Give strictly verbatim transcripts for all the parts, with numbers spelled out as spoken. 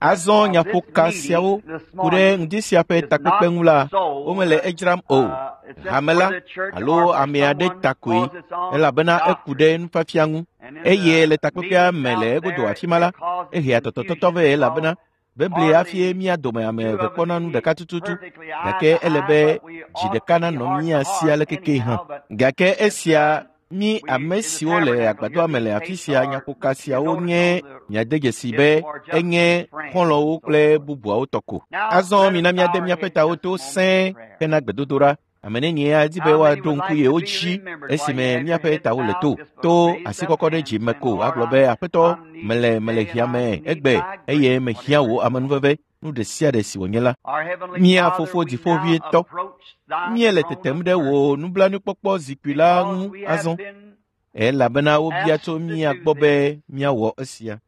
Azɔ nyaƒoka siawo ku ɖe ŋdi sia ƒe takpekpe ŋu la, womele edzram o. Hame la alo ame aɖe ta koe, elabena eku ɖe nufiafia ŋu. Eye le takpekpea me le egodo afi ma la, ehea tɔtɔtɔtɔ vɛ elabena bebli hafi mía dome ame eve kpɔna nu ɖeka tututu, gake ele be dzi ɖeka nanɔ mía si ale keke hã. Gake esia mí ame siwo le agbadɔa me le afi sia nyaƒoka siawo nye miade dzesi be enye xɔlɔ̃wo kple bubuawo tɔ ko. Azɔ mina míade míaƒe tawo to sẽe hena gbedodoɖa. Ame nenie adi be woaɖo ŋku yewo dzi esime míaƒe tawo le to to asikɔkɔ ɖe dzi me ko agblɔ be aƒetɔ mele mele hiã me egbe eye mehiã wò amenuveve nu ɖe sia ɖe si wònye la. Mía fofo dziƒoʋĩtɔ, míele tetem ɖe wò nublanuikpɔkpɔ zikpui la ŋu azɔ elabena wobia tso mía gbɔ be míawɔ esia.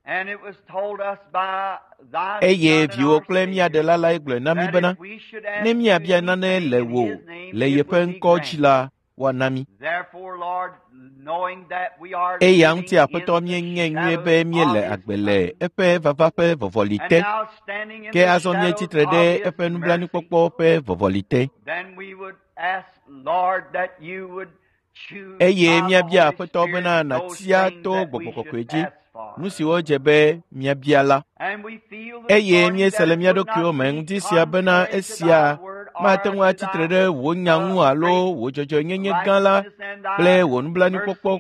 Eye viwò kple mía ɖela lae gblɔe na mí bena ne míabia nane le wò le yeƒe ŋkɔ dzi la, woana mí. Eya ŋuti aƒetɔ míenye nyuie be míele agbe le eƒe vava ƒe vɔvɔli te, ke azɔ míetsi tre ɖe eƒe nublanuikpɔkpɔ ƒe vɔvɔli te. Eye míabia aƒetɔ bena nàtia to gbɔgbɔ kɔkɔe dzi nu siwo dze be míabia la. Eye míese le mía ɖokuiwo me ŋdi sia bena esia mate ŋu atsi tre ɖe wò nya ŋu alo wò dzɔdzɔenyenye gã la kple wò nublanuikpɔkpɔ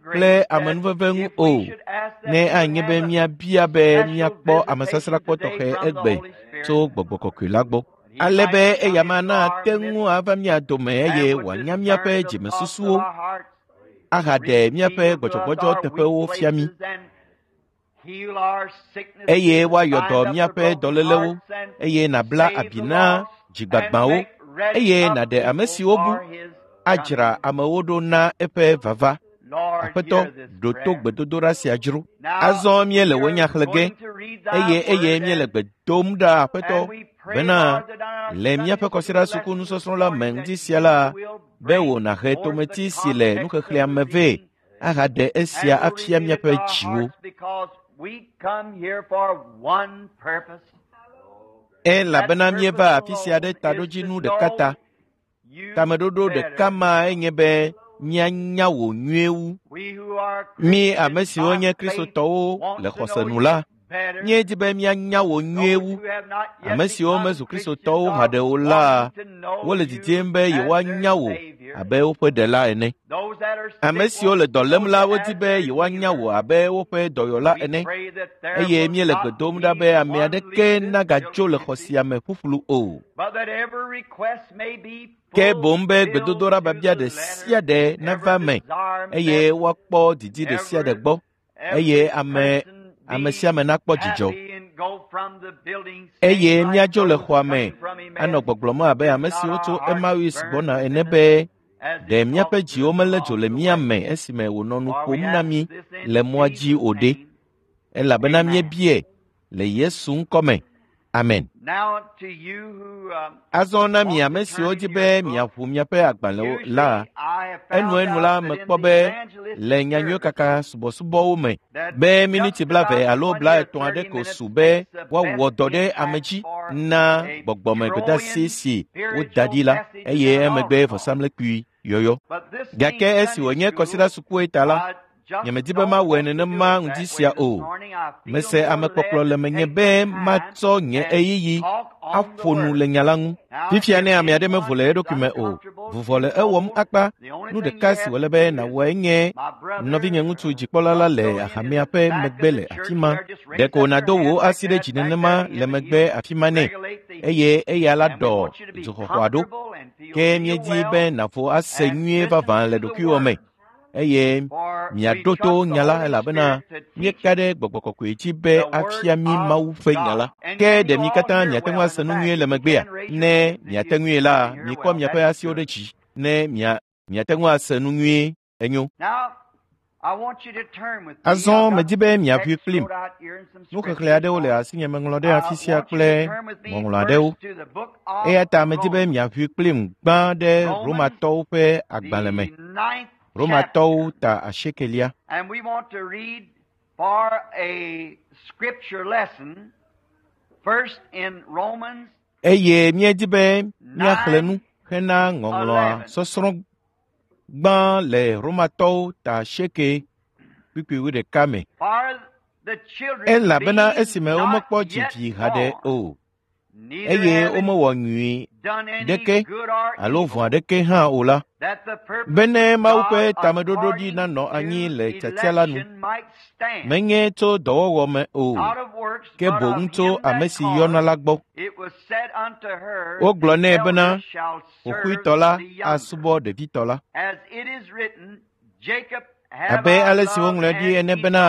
kple amenuveve ŋu o, ne anye be míabia be míakpɔ amesasrakpɔ tɔxɛ egbe tso gbɔgbɔ kɔkɔe la gbɔ. Ale be eya ma nate ŋu ava mía dome eye wòanya míaƒe dzimesusuwo ahaɖe míaƒe gbɔdzɔgbɔdzɔ teƒewo fia mí. Eye woayɔ dɔ míaƒe dɔlélewo, eye nàbla abi na dzigbagbawo, eye nàɖe ame siwo bu, adzra amewo ɖo na eƒe vava. Aƒetɔ, ɖo to gbedodoɖa sia dzro. Azɔ míele wò nya xlẽ ge, eye eye míele gbe dom ɖa aƒetɔ bena le míaƒe kɔsiɖa suku nusɔsrɔ̃ la me ŋdi sia la, be wò nàhe tometi si le nuxexlẽa me vɛ ahaɖe esia afia míaƒe dziwo. Elabena míeva afi sia ɖe taɖodzinu ɖeka ta. Tameɖoɖo ɖeka ma enye be míanya wò nyuie wu. Mí ame siwo nye Kristotɔwo le xɔse nu la, míedi be míanya wò nyuie wu. Ame siwo mezu Kristotɔwo haɖe o la, wole didim be yewoanya wò abe woƒe ɖela ene. Ame siwo le dɔ lém la, wodi be yewoanya wò abe woƒe dɔyɔla ene. Eye míele gbe dom ɖa be ame aɖeke nagadzo le xɔ sia me ƒuƒlu o. Ke boŋ be gbedodoɖa biabia ɖe sia ɖe nava eme eye woakpɔ didi ɖe sia ɖe gbɔ eye ame ame sia ame nakpɔ dzidzɔ. Eye míadzo le xɔa me anɔ gbɔgblɔm abe ame siwo tso Emmaus gbɔna ene be ɖe míaƒe dziwo melé dzo le mía me esime wònɔ nu ƒom na mí le mɔa dzi o ɖe. Elabena míebiae le Yesu ŋkɔ me. Amen. Azɔ na mi ame siwo di be miaʋu miaƒe agbalẽwo la, enuenu la mekpɔ be le nyanyuie kaka subɔsubɔwo me be miniti blaeve alo blaetɔ̃ aɖe ko su be woawɔ dɔ ɖe ame dzi na gbɔgbɔme gbedeasi si woda ɖi la eye emegbe vɔsamlekpui yɔyɔ. Gake esi wònye kɔsiɖa sukue ta la, nyemedi be mawɔe nenema ŋdi sia o. Mese amekpɔkplɔ le menye be matsɔ nye ɣeyiɣi aƒo nu le nya la ŋu. Fifia ne ame aɖe mevo le eɖokui me o, vuvɔ le ewɔm akpa. Nu ɖeka si wòle be nàwɔe nye nɔvinye ŋutsu dzikpɔla la le hamea ƒe megbe le afi ma. Ɖeko nàdo wò asi ɖe dzi nenema le megbe afi ma nɛ eye eya la ɖɔ dzoxɔxɔa ɖo. Ke míedi be nàvo ase nyuie vavã le ɖokuiwò me. Eye miaɖo to nya la elabena míeka ɖe gbɔgbɔ kɔkɔe dzi be afia mí Mawu ƒe nya la. Ke ɖe mi katã miate ŋu ase nu nyuie le megbea? Ne miate ŋui la, mikɔ miaƒe asiwo ɖe dzi ne mia miate ŋu ase nu nyuie enyo. Azɔ medi be miaʋui kplim. Nuxexlẽ aɖewo le asinye meŋlɔ ɖe afi sia kple ŋɔŋlɔ aɖewo. Eya ta medi be miaʋui kplim gbã ɖe Romatɔwo ƒe agbalẽ me. Romatɔwo ta asiekelia. Eye míedi be míaxlẽ nu hena ŋɔŋlɔa sɔsrɔ̃ gbã le Romatɔwo ta asieke kpukpui wuiɖeka me. Elabena esime womekpɔ dzi vi haɖe o, eye womewɔ nyui ɖeke alo vɔ̃ aɖeke hã o la, bene Mawu ƒe tameɖoɖo ɖi nanɔ anyi le tiatia la nu, menye tso dɔwɔwɔ me o, ke boŋ tso ame si yɔna la gbɔ. Wogblɔ nɛ bena xoxoetɔ la asubɔ ɖevitɔ la. Abe ale si woŋlɔe ɖi ene bena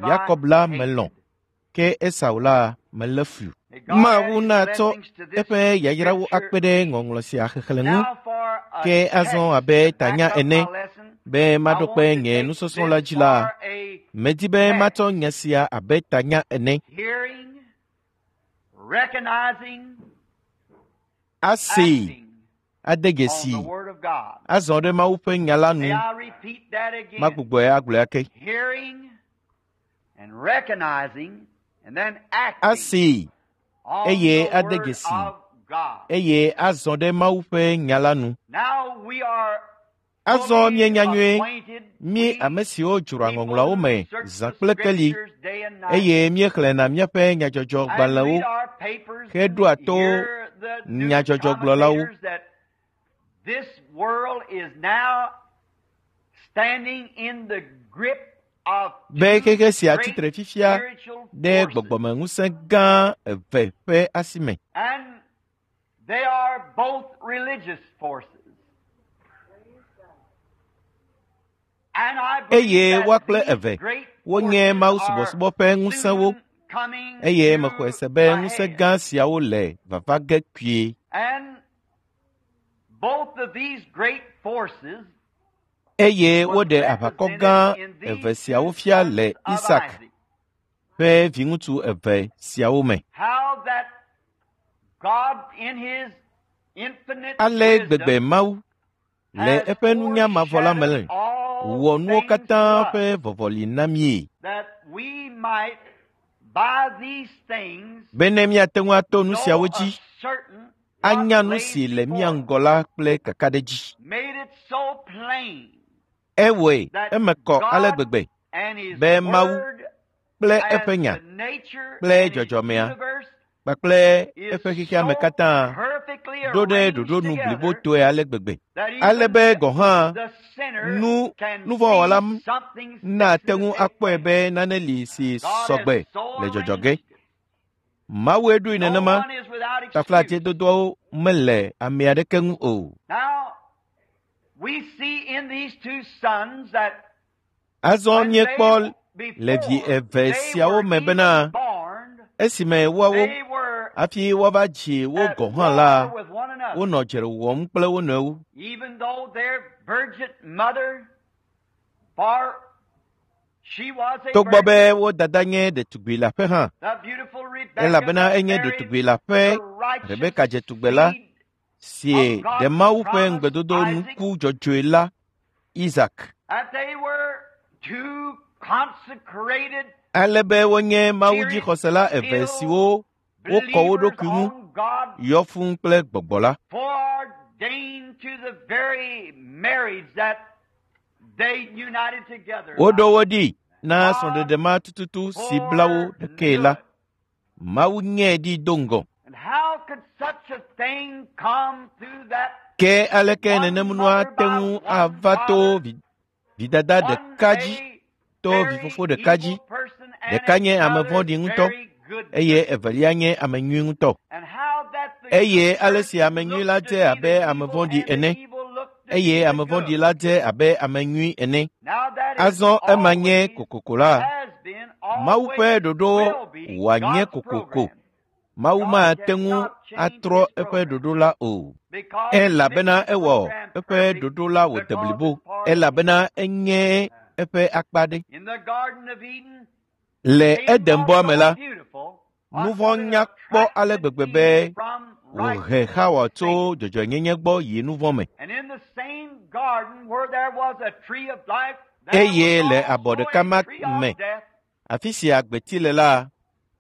Yakob la melɔ̃, ke Esau la melé fui. Mawu natsɔ eƒe yayrawo akpe ɖe ŋɔŋlɔ sia xexlẽ ŋu, ke azɔ abe tanya ene be maɖo kpe nye nusɔsrɔ̃ la dzi la, medi be matsɔ nya sia abe tanya ene. Asee, ade dzesi, azɔ ɖe Mawu ƒe nya la nu. Magbugbɔe agblɔe ake. Asee, eye ade dzesi, eye azɔ ɖe Mawu ƒe nya la nu. Azɔ míenya nyuie, mí ame siwo dzroa ŋɔŋlɔawo me zã kple keli, eye míexlẽna míaƒe nyadzɔdzɔgbalẽwo heɖoa to nyadzɔdzɔgblɔlawo. Be xexe sia tsitre fifia ɖe gbɔgbɔmeŋusẽ gã eve ƒe asi me. Eye woa kple eve wonye mawusubɔsubɔ ƒe ŋusẽwo, eye mexɔe se be ŋusẽ gã siawo le vava ge kpuie. Eye woɖe aʋakɔ gã eve siawo fia le Isak ƒe viŋutsu eve siawo me. Ale gbegbe Mawu le eƒe nunya mavɔ la me wɔ nuwo katã ƒe vɔvɔli na míe, bene míate ŋu ato nu siawo dzi anya nu si le mía ŋgɔ la kple kakaɖedzi. Ewɔe eme kɔ ale gbegbe be Mawu kple eƒe nya kple dzɔdzɔmea kpakple eƒe xexeame katã ɖo ɖe ɖoɖo nu blibotɔe ale gbegbe, ale be gɔ̃ hã nu nuvɔ̃wɔla nate ŋu akpɔe be nane li si sɔgbe le dzɔdzɔ ge. Mawue ɖoe nenema, taflatsedodoawo mele ame aɖeke ŋu o. Azɔ míekpɔ le vi eve siawo me bena esime woawo hafi woava dzi wo gɔ̃ hã la, wonɔ dzre wɔm kple wo nɔewo. Togbɔ be wo dada nye ɖetugbi leaƒe hã, elabena enye ɖetugbi leaƒe Rebeka dze tugbe la, si ɖe Mawu ƒe ŋugbedodo nuku dzɔdzɔe la, Isak. Ale be wonye mawudzixɔsela eve siwo wokɔ wo ɖokui ŋu yɔ fũu kple gbɔgbɔ la. Woɖo wo ɖi na srɔ̃ɖeɖe ma tututu si bla wo ɖekae la. Mawu nyee ɖi do ŋgɔ. Ke aleke nenemnua ate ŋu ava to vidada ɖeka dzi, to vifofo ɖeka dzi? Ɖeka nye ame vɔ̃ɖi ŋutɔ, eye evelia nye ame nyui ŋutɔ. Eye ale si ame nyui la dze abe ame vɔ̃ɖi ene, eye ame vɔ̃ɖi la dze abe ame nyui ene. Azɔ ema nye kokoko la. Mawu ƒe ɖoɖo wòanye kokoko. Mawu mate ŋu atrɔ eƒe ɖoɖo la o, elabena ewɔ eƒe ɖoɖo la wòde blibo, elabena enye eƒe akpa ɖe. Le Edenbɔa me la, nu vɔ̃ nya kpɔ ale gbegbe be wòhe Xawa tso dzɔdzɔenyenye gbɔ yi nu vɔ̃ me. Eye le abɔ ɖeka ma me, Afi si agbeti le la,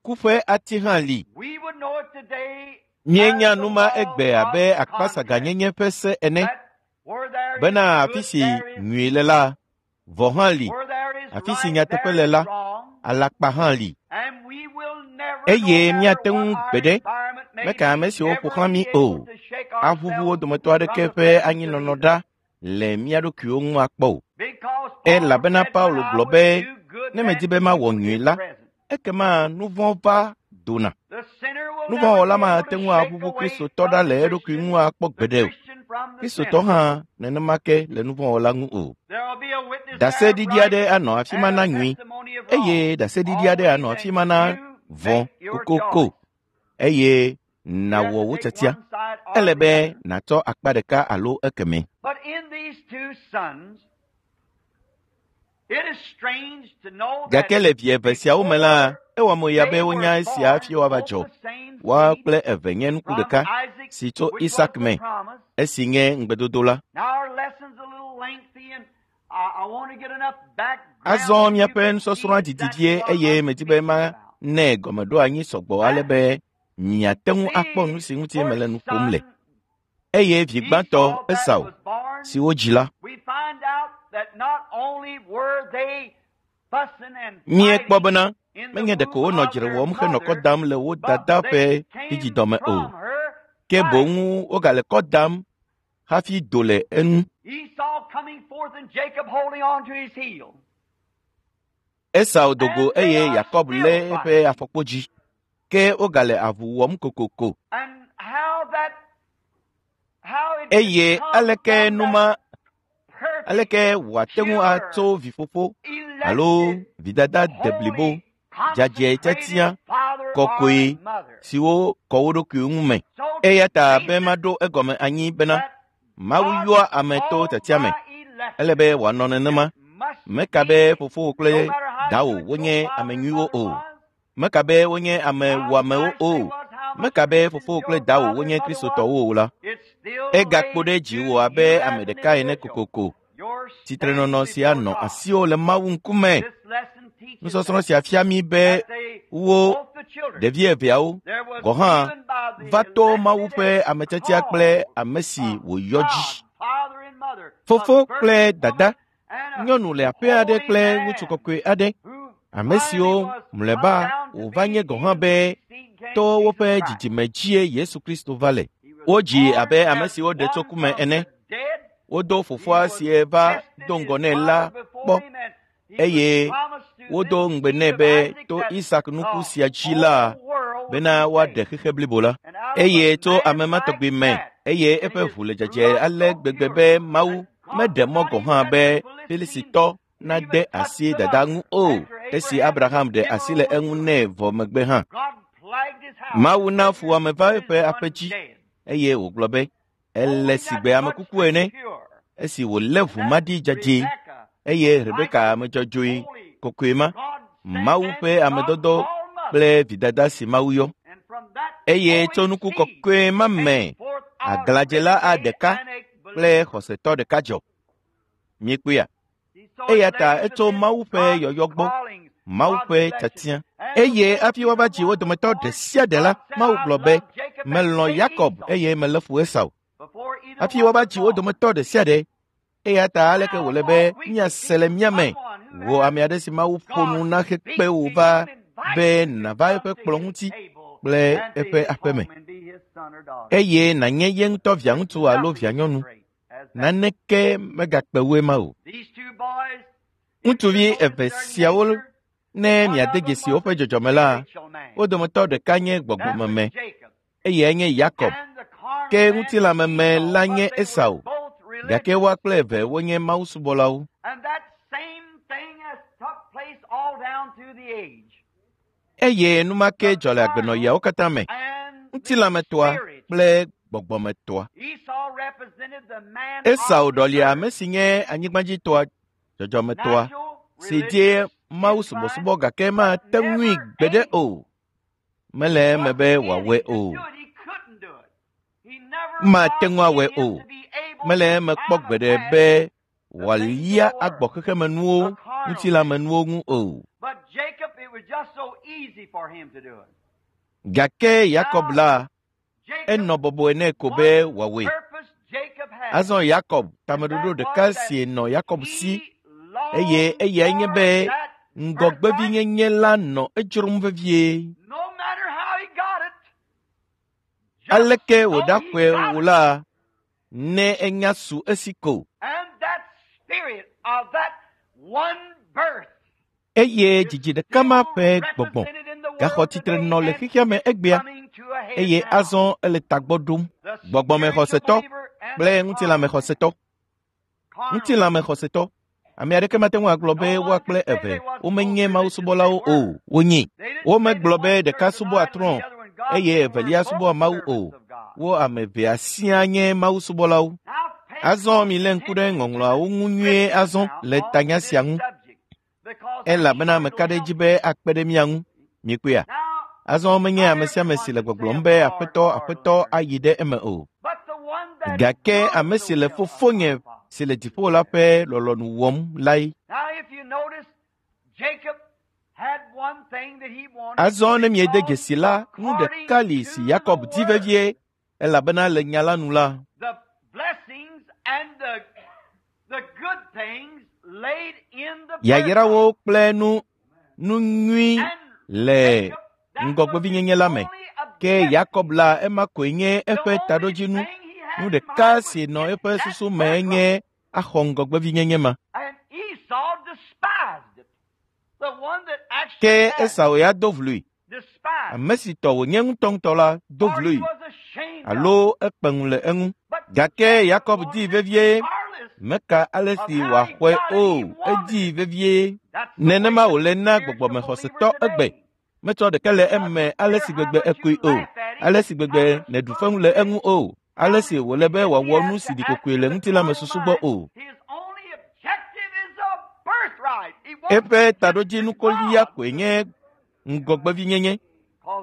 ku ƒe ati hã li. Míenya nu ma egbe abe akpasaganyenye ƒe se ene bena afi si nyui le la, vɔ̃ hã li. Afi si nyateƒe le la, alakpa hã li. Eye míate ŋu gbeɖe meka ame siwo ƒo xlã mí o aʋuʋu wo dometɔ aɖeke ƒe anyinɔnɔ ɖa le mía ɖokuiwo ŋu akpɔ o. Elabena Paulo gblɔ be ne medi be mawɔ nyui la, ekema nu vɔ̃ va dona. Nu vɔ̃ wɔla mate ŋu aʋuʋu Kristotɔ ɖa le eɖokui ŋu akpɔ gbeɖe o. Kristotɔ hã nenema ke le nu vɔ̃ wɔla ŋu o. Ɖaseɖiɖi aɖe anɔ afi ma na nyui eye ɖaseɖiɖi aɖe anɔ afi ma na vɔ̃ kokoko eye nàwɔ wò tiatia. Ele be nàtsɔ akpa ɖeka alo ekemɛ. Gake le vi eve siawo me la, ewɔ mo ya be wonya esia hafi woava dzɔ. Woa kple eve nye nuku ɖeka si tso Isak me, esi nye ŋugbedodo la. Azɔ míaƒe nusɔsrɔ̃a didi vie eye medi be manɛ gɔmeɖoanyi sɔgbɔ ale be miate ŋu akpɔ nu si ŋuti mele nu ƒom le. Eye vi gbãtɔ Esau, si wodzi la, míekpɔ bena menye ɖeko wonɔ dzre wɔm henɔ kɔ dam le wo dada ƒe vidzidɔme o, ke boŋ wogale kɔ dam hafi do le enu. Esau do go eye Yakob lé eƒe afɔkpodzi, ke wogale avu wɔm kokoko. Eye aleke nu ma aleke wòate ŋu atso vifofo alo vidada deblibo dzadzɛ tiatia kɔkɔe siwo kɔ wo ɖokuiwo ŋu me. Eya ta be maɖo egɔme anyi bena Mawu yɔa ame to tiatia me. Ele be wòanɔ nenema. Meka be fofowò kple dawò wonye ame nyuiwo o. Meka be wonye ame wɔamewo o. Meka be fofowò kple dawò wonye Kristotɔwo o la, egakpo ɖe dziwò abe ame ɖeka ene kokoko. Tsitrenɔnɔ sia nɔ asiwò le Mawu ŋkume. Nusɔsrɔ̃ sia fia mí be wo ɖevi eveawo gɔ̃ hã va to Mawu ƒe ametiatia kple ame si wòyɔ dzi. Fofo kple dada, nyɔnu le aƒe aɖe kple ŋutsu kɔkɔe aɖe, ame siwo mlɔeba wòva nye gɔ̃ hã be to woƒe dzidzime dzie Yesu Kristo va le. Wodzi abe ame siwo ɖe tso ku me ene. Wodo fofoa si va do ŋgɔ nɛ la kpɔ eye wodo ŋugbe nɛ be to Isak nuku sia dzi la bena woaɖe xexe blibo la. Eye tso ame ma tɔgbi me eye eƒe ʋu le dzadzɛ ale gbegbe be Mawu meɖe mɔ gɔ̃ hã be Filistitɔ nade asi dada ŋu o esi Abraham ɖe asi le eŋu nɛ vɔ megbe hã. Mawu na fuwɔame va eƒe aƒe dzi eye wògblɔ be ele sigbe ame kuku ene esi wòlé ʋu ma ɖi dzadzɛ eye Rebeka ame dzɔdzɔe kɔkɔe ma, Mawu ƒe amedɔdɔ kple vidada si Mawu yɔ. Eye tso nuku kɔkɔe ma me aglãdzela aɖeka kple xɔsetɔ ɖeka dzɔ. Míekpɔea? Eya ta etso Mawu ƒe yɔyɔ gbɔ, Mawu ƒe tiatia. Eye hafi woava dzi wo dometɔ ɖe sia ɖe la, Mawu gblɔ be, melɔ̃ Yakob eye melé fu Esau. Hafi woava dzi wo dometɔ ɖe sia ɖe. Eya ta aleke wòle be míase le mía me wò ame aɖe si Mawu ƒo nu na hekpe wò va be nàva eƒe kplɔ̃ ŋuti kple eƒe aƒeme eye nànye ye ŋutɔ viaŋutsu alo vianyɔnu. Naneke megakpe wu ema o. Ŋutsuvi eve siawo ne miade dzesi woƒe dzɔdzɔme la, wo dometɔ ɖeka nye gbɔgbɔmeme eyae nye Yakob, ke ŋutilãmeme la nye Esau. Gake woa kple eve wonye mawusubɔlawo. Eye nu ma ke dzɔ le agbenɔɣiawo katã me, ŋutilãmetɔa kple gbɔgbɔmetɔa. Esau ɖɔlia ame si nye anyigbadzitɔa, dzɔdzɔmetɔa, si die mawusubɔsubɔ gake mate ŋui gbeɖe o. Mele eme be wòawɔe o. Mate ŋu awɔe o. Mele eme kpɔ gbeɖe be wòalia agbɔ xexemenuwo, ŋutilãmenuwo ŋu o. Gake Yakob la, enɔ bɔbɔe nɛ ko be wòawɔe. Azɔ Yakob, tameɖoɖo ɖeka si nɔ Yakob si eye eyae nye be ŋgɔgbevinyenye la nɔ edzrom vevie. Aleke wòɖaxɔe wò la, ne enya su esi ko. Eye dzidzi ɖeka ma ƒe gbɔgbɔ gaxɔ tsitre nɔ le xexea me egbea eye azɔ ele tagbɔ ɖom. Gbɔgbɔmexɔsetɔ kple ŋutilãmexɔsetɔ. Ŋutilãmexɔsetɔ. Ame aɖeke mate ŋu agblɔ be woa kple eve womenye mawusubɔlawo o, wonyi. Womegblɔ be ɖeka subɔa trɔ̃ eye evelia subɔa Mawu o. Wo ame evea siaa nye mawusubɔlawo. Azɔ milé ŋku ɖe ŋɔŋlɔawo ŋu nyuie azɔ le tanya sia ŋu elabena meka ɖe edzi be akpe ɖe mía ŋu. Miekpɔea? Azɔ menye ame sia ame si le gbɔgblɔm be Aƒetɔ, Aƒetɔ ayi ɖe eme o. Gake ame si le Fofonye si le dziƒo la ƒe lɔlɔ̃nu wɔm lae. Azɔ ne miede dzesi la, nu ɖeka li si Yakob di vevie elabena le nya la nu la, yayrawo kple nu nu nyui le ŋgɔgbevinyenye la me. Ke Yakob la ema koe nye eƒe taɖodzinu. Nu ɖeka si nɔ eƒe susu me nye axɔ ŋgɔgbevinyenye ma. Ke Esau ya do vlui. Ame si tɔ wònye ŋutɔŋutɔ la do vlui alo ekpe ŋu le eŋu. Gake Yakob dii vevie. Meka ale si wòaxɔe o, edii vevie. Nenema wòle na gbɔgbɔmexɔsetɔ egbe. Metsɔ ɖeke le eme ale si gbegbe ekoe o, ale si gbegbe nèɖu fewu le eŋu o, ale si wòle be wòawɔ nu si ɖi kokoe le ŋutilãmesusu gbɔ o. Eƒe taɖodzinu kolia koe nye ŋgɔgbevinyenye.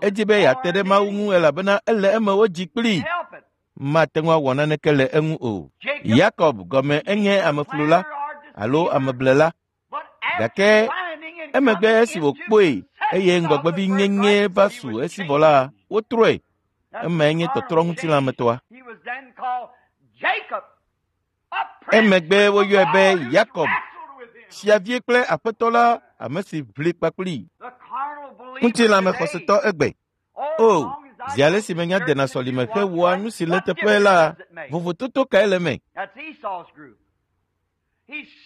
Edi be yeate ɖe Mawu ŋu elabena ele eme wodzi kplii. Mate ŋu awɔ naneke le eŋu o. Yakob gɔme enye ameflula alo ameblela. Gake emegbe esi wòkpɔe eye ŋgɔgbevinyenye va su esi vɔ la, wotrɔe. Emae nye tɔtrɔ ŋutilãmetɔa. Emegbe woyɔe be Yakob, fiavie kple aƒetɔ la, ame si ʋli kpakplii. Ŋutilãmexɔsetɔ egbe. O, zi ale si menya dena sɔlime hewɔa nu si le teƒe la, vovototo kae le eme?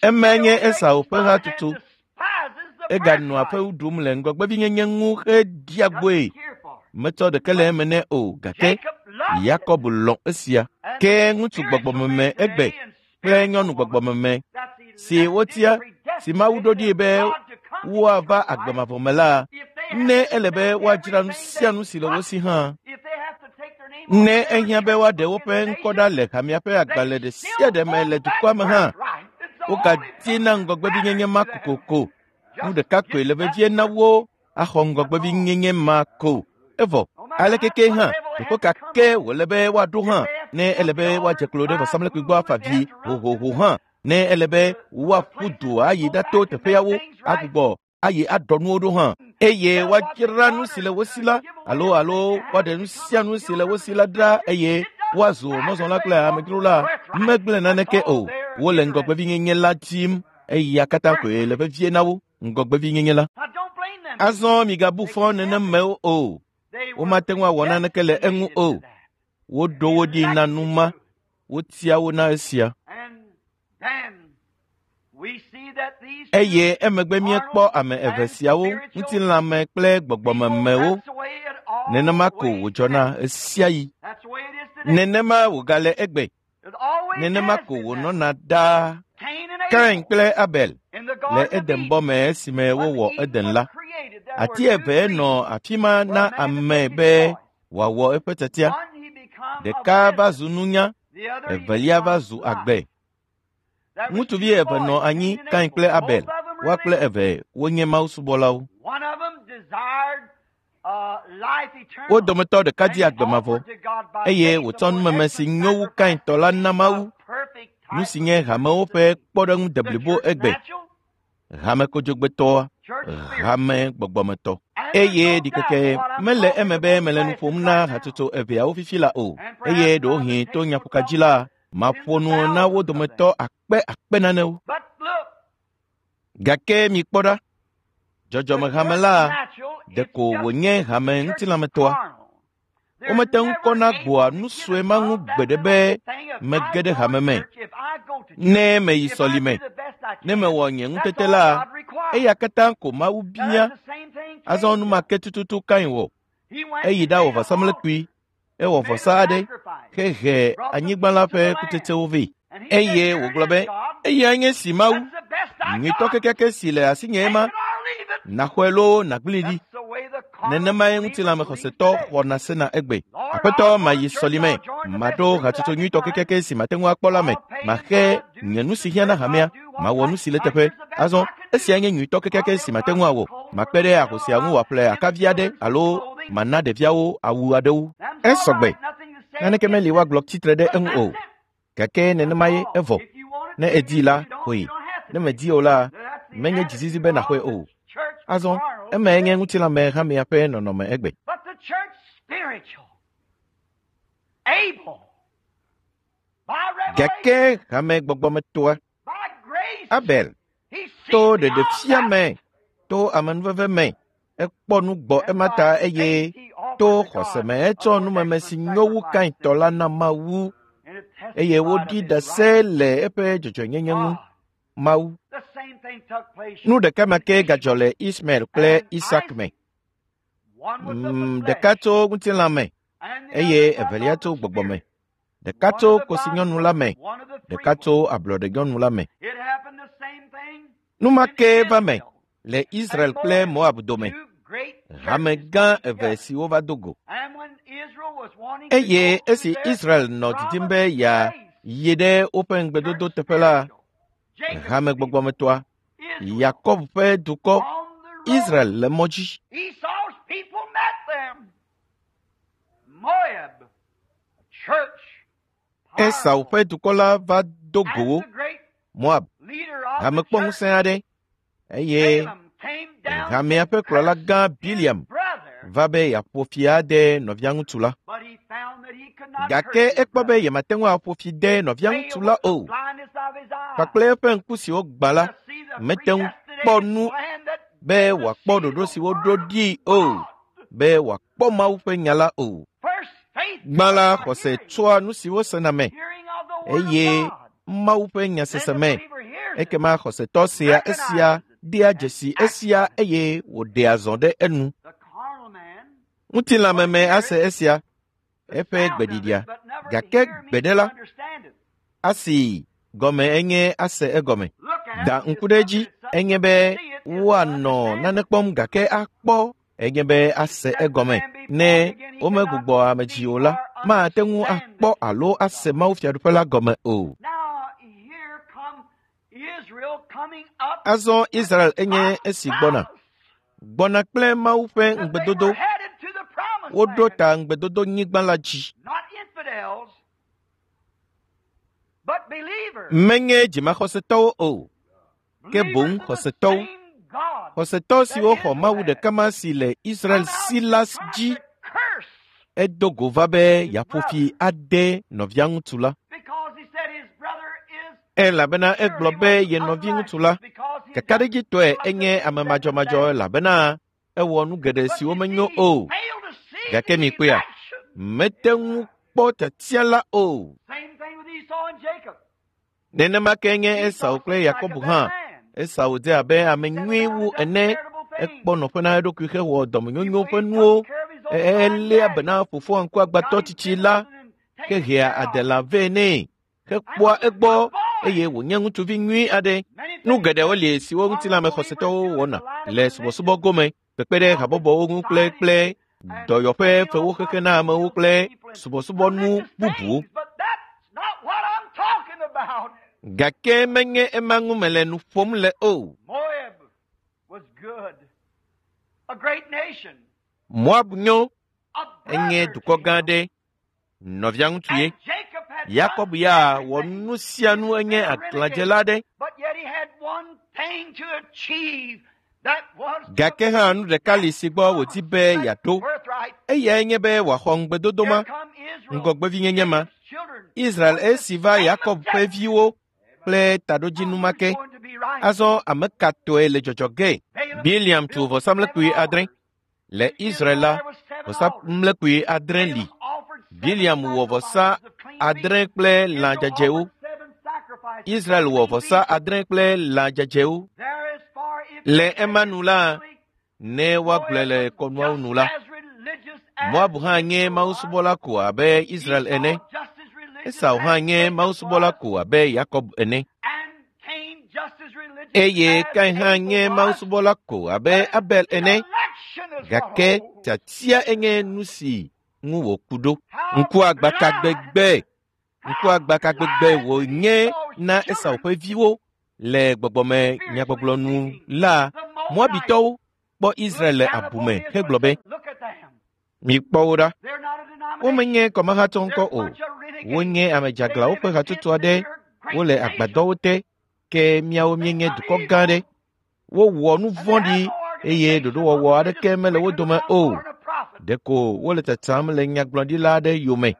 Emae nye Esau ƒe hatutu. Eganɔa fewu ɖum le ŋgɔgbevinyenye ŋu heɖia gbɔe. Metsɔ ɖeke le eme nɛ o, gake Yakob lɔ̃ esia. Ke ŋutsu gbɔgbɔmeme egbe kple nyɔnu gbɔgbɔmeme si wotia si Mawu ɖo ɖi be woava agbe mavɔ me la, ne ele be woadzra nu sia nu si le wo si hã, ne ehiã be woaɖe woƒe ŋkɔ ɖa le hamea ƒe agbalẽ ɖe sia ɖe me le dukɔa me hã, wogadina ŋgɔgbevinyenye ma kokoko. Nu ɖeka koe le vevie na wo axɔ ŋgɔgbevinyenye ma ko. Evɔ, aleke ke hã, teƒe ka ke wòle be woaɖo hã, ne ele be woadze klo ɖe vɔsamlekpui gbɔ afa vi hohoho hã, ne ele be woaƒu du ayi ɖato teƒeawo agbugbɔ ayi aɖɔ nuwo ɖo hã, eye woadzra nu si le wo si la alo alo woaɖe nu sia nu si le wo si la ɖa eye woazu mɔzɔla kple amedzro la, megblẽ naneke o. Wole ŋgɔgbevinyenye la dim eya katã koe le vevie na wo, ŋgɔgbevinyenye la. Azɔ migabu fɔ nenemewo o. Womate ŋu awɔ naneke le eŋu o. Woɖo wo ɖi na nu ma. Wotia wo na esia. Eye emegbe míekpɔ ame eve siawo, ŋutilãme kple gbɔgbɔmemewo. Nenema ko wòdzɔna ɣesiaɣi. Nenema wògale egbe. Nenema ko wònɔna ɖaa. Kain kple Abel le Edenbɔ me esime wowɔ Eden la. Ati eve nɔ afi ma na ame be wòawɔ eƒe tiatia. Ɖeka va zu nunya, evelia va zu agbe. Ŋutsuvi eve nɔ anyi, Kain kple Abel. Woa kple eve wonye mawusubɔlawo. Wo dometɔ ɖeka di agbe mavɔ eye wòtsɔ numeme si nyo wu Kain tɔ la na Mawu, nu si nye hamewo ƒe kpɔɖeŋu deblibo egbe. Hame kodzogbetɔa, hame gbɔgbɔmetɔ. Eye ɖikeke mele eme be mele nu ƒom na hatsotso eveawo fifi la o. Eye ɖewohĩ to nyaƒoka dzi la, maƒo nu na wo dometɔ akpe akpe nanewo. Gake mikpɔ ɖa, dzɔdzɔmehame la ɖeko wònye hame ŋutilãmetɔa. Womete ŋu kɔna gbɔa nu sue ma ŋu gbeɖe be mege ɖe hame me. Ne meyi sɔlime, ne mewɔ nye ŋutete la, eya katã ko Mawu bia. Azɔ nu ma ke tututu Kain wɔ. Eyi ɖawɔ vɔsamlekpui, ewɔ vɔsa aɖe, hehe anyigba la ƒe kutsetsewo vɛ. Eye wògblɔ be, eyae nye si Mawu, nyuitɔ kekeake si le asinye ema, naxɔe loo nàgblẽe ɖi. Nenemae ŋutilãmexɔsetɔ xɔna sena egbe. Aƒetɔ mayi sɔlime, maɖo hatsotso nyuitɔ kekeake si mate ŋu akpɔ la me, maxe nye nu si hiã na hamea, mawɔ nu si le teƒe. Azɔ, esia nye nyuitɔ kekeake si mate ŋu awɔ. Makpe ɖe ahosia ŋu wòaƒle akavi aɖe alo mana ɖeviawo awu aɖewo. Esɔgbe. Naneke meli woagblɔ tsitre ɖe eŋu o. Gake nenemae evɔ. Ne èdii la, xɔe. Ne mèdii o la, menye dzizizi be nàxɔe o. Azɔ, emae nye ŋutilãme hamea ƒe nɔnɔme egbe. Gake hame gbɔgbɔmetɔa, Abel, to ɖeɖefia me, to amenuveve me, ekpɔ nu gbɔ ema ta eye to xɔse me etsɔ numeme si nyo wu Kain tɔ la na Mawu eye woɖi ɖase le eƒe dzɔdzɔenyenye ŋu. Mawu. Nu ɖeka ma ke gadzɔ le Ismael kple Isak me. Ɖeka tso ŋutilã me eye evelia tso gbɔgbɔ me. Ɖeka tso kosinyɔnu la me, ɖeka tso ablɔɖenyɔnu la me. Nu ma ke va me le Israel kple Moab dome, hame gã eve siwo va do go. Eye esi Israel nɔ didim be yeayi ɖe woƒe ŋugbedodo teƒe la, hame gbɔgbɔmetɔa, Yakob ƒe dukɔ, Israel le mɔ dzi. Esau ƒe dukɔ la va do go wo, Moab, hame kpɔ ŋusẽ aɖe, eye hamea ƒe kplɔla gã Biliam va be yeaƒo fi ade nɔviaŋutsu la. Gake ekpɔ be yemate ŋu aƒo fi de nɔviaŋutsu la o. Kpakple eƒe ŋku siwo gbã la, mete ŋu kpɔ nu be wòakpɔ ɖoɖo si woɖo ɖii o, be wòakpɔ Mawu ƒe nya la o. Gbã la, xɔse tsoa nu si wosena me, eye Mawu ƒe nyasese me. Ekema xɔsetɔ sea esia, dea dzesi esia eye wòɖea zɔ ɖe enu. Ŋutilãmeme ase esia, eƒe gbeɖiɖia, gake gbeɖe la, asi gɔme enye ase egɔme. Da ŋku ɖe edzi enye be woanɔ nane kpɔm gake akpɔ enye be ase egɔme. Ne womegbugbɔ ame dzi o la, mate ŋu akpɔ alo ase Mawu Fiaɖuƒe la gɔme o. Azɔ Israel enye esi gbɔna. Gbɔna kple Mawu ƒe ŋugbedodo. Woɖo ta ŋugbedodo nyigba la dzi. Menye dzimaxɔsetɔwo o, ke boŋ xɔsetɔwo. Xɔsetɔ siwo xɔ Mawu ɖeka ma si le Israel si la dzi. Edo go va be yeaƒo fi ade nɔviaŋutsu la. Elabena egblɔ be ye nɔviŋutsu la, kakaɖedzitɔe enye ame madzɔmadzɔ elabena ewɔ nu geɖe siwo menyo o. Gake mikpɔea, mete ŋu kpɔ tiatia la o. Nenema ke nye Esau kple Yakob hã. Esau dze abe ame nyui wu ene. Ekpɔ nɔƒe na eɖokui hewɔ dɔmenyonyo ƒe nuwo. Eléa be na fofoa ŋkuagbãtɔ tsitsi la hehea adela vɛ nɛ hekpɔa egbɔ eye wònye ŋutsuvi nyui aɖe. Nu geɖewo li siwo ŋutilãmexɔsetɔwo wɔna le subɔsubɔ gome, kpekpe ɖe habɔbɔwo ŋu kple kple dɔyɔƒe fewo xexe na amewo kple subɔsubɔnu bubuwo. Gake menye ema ŋu mele nu ƒom le o. Moab nyo, enye dukɔ gã aɖe, nɔviaŋutsu ye. Yakob ya wɔ nu sia nu enye aglãdzela aɖe. Gake hã nu ɖeka li si gbɔ wòdi be yeaɖo. Eyae nye be wòaxɔ ŋugbedodo ma, ŋgɔgbevinyenye ma. Israel esi va Yakob ƒe viwo kple taɖodzinu ma ke. Azɔ ame ka tɔe le dzɔdzɔ ge? Biliam tu vɔsamlekpui adre. Le Israel la, vɔsamlekpui adre li. Biliam wɔ vɔsa adre kple lã dzadzɛwo. Israel wɔ vɔsa adre kple lã dzadzɛwo. Le ema nu la, ne woagblɔe le kɔnuawo nu la, Moab hã nye mawusubɔla ko abe Israel ene. Esau hã nye mawusubɔla ko abe Yakob ene. Eye Kain hã nye mawusubɔla ko abe Abel ene. Gake tiatia enye nu si ŋu wòku ɖo. Ŋkuagbaka gbegbe, ŋkuagbaka gbegbe wònye na Esau ƒe viwo le gbɔgbɔme nyagbɔgblɔ nu la, Moabitɔwo kpɔ Israel le abume hegblɔ be, mikpɔ wo ɖa. Womenye kɔmahatsɔ ŋkɔ o. Wonye ame dzeaglãwo ƒe hatsotso aɖe. Wole agbadɔwo te, ke míawo míenye dukɔ gã aɖe. Wowɔ nu vɔ̃ɖi eye ɖoɖowɔwɔ aɖeke mele wo dome o. Ɖeko wole tsatsam le nyagblɔɖila aɖe yome.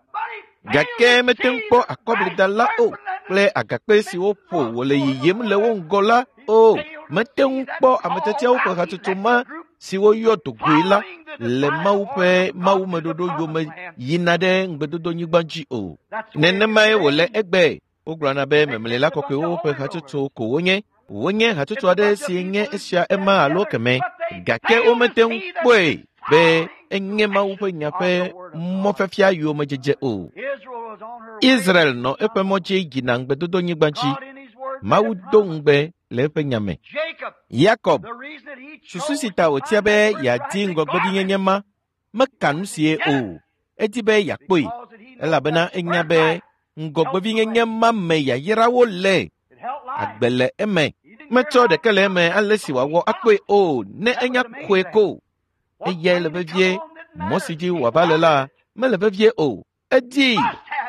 Gake mete ŋu kpɔ akɔblidala o kple agakpe siwo ƒo wòle yiyim le wo ŋgɔ la o. Mete ŋu kpɔ ame tiatiawo ƒe hatsotso ma siwo yɔ dogoe la le Mawu ƒe mawumeɖoɖo yome yina ɖe ŋugbedodonyigba dzi o. Nenemae wòle egbe. Wogblɔna be memlela kɔkɔewo ƒe hatsotso ko wonye. Wonye hatsotso aɖe si nye esia ema alo keme. Gake womete ŋu kpɔe be enye Mawu ƒe nya ƒe mɔfiafia yomedzedze o. Israel nɔ eƒe mɔ dzi yina ŋugbedodonyigba dzi. Mawu do ŋugbe le eƒe nya me. Yakob, susu si ta wòtia be yeadi ŋgɔgbevinyenye ma meka nu sie o. Edi be yeakpɔe elabena enya be ŋgɔgbevinyenye ma me yayrawo le. Agbe le eme. Metsɔ ɖeke le eme ale si wòawɔ akpɔe o ne enya xɔe ko. Eyae le vevie. Mɔ si dzi wòava le la mele vevie o. Edii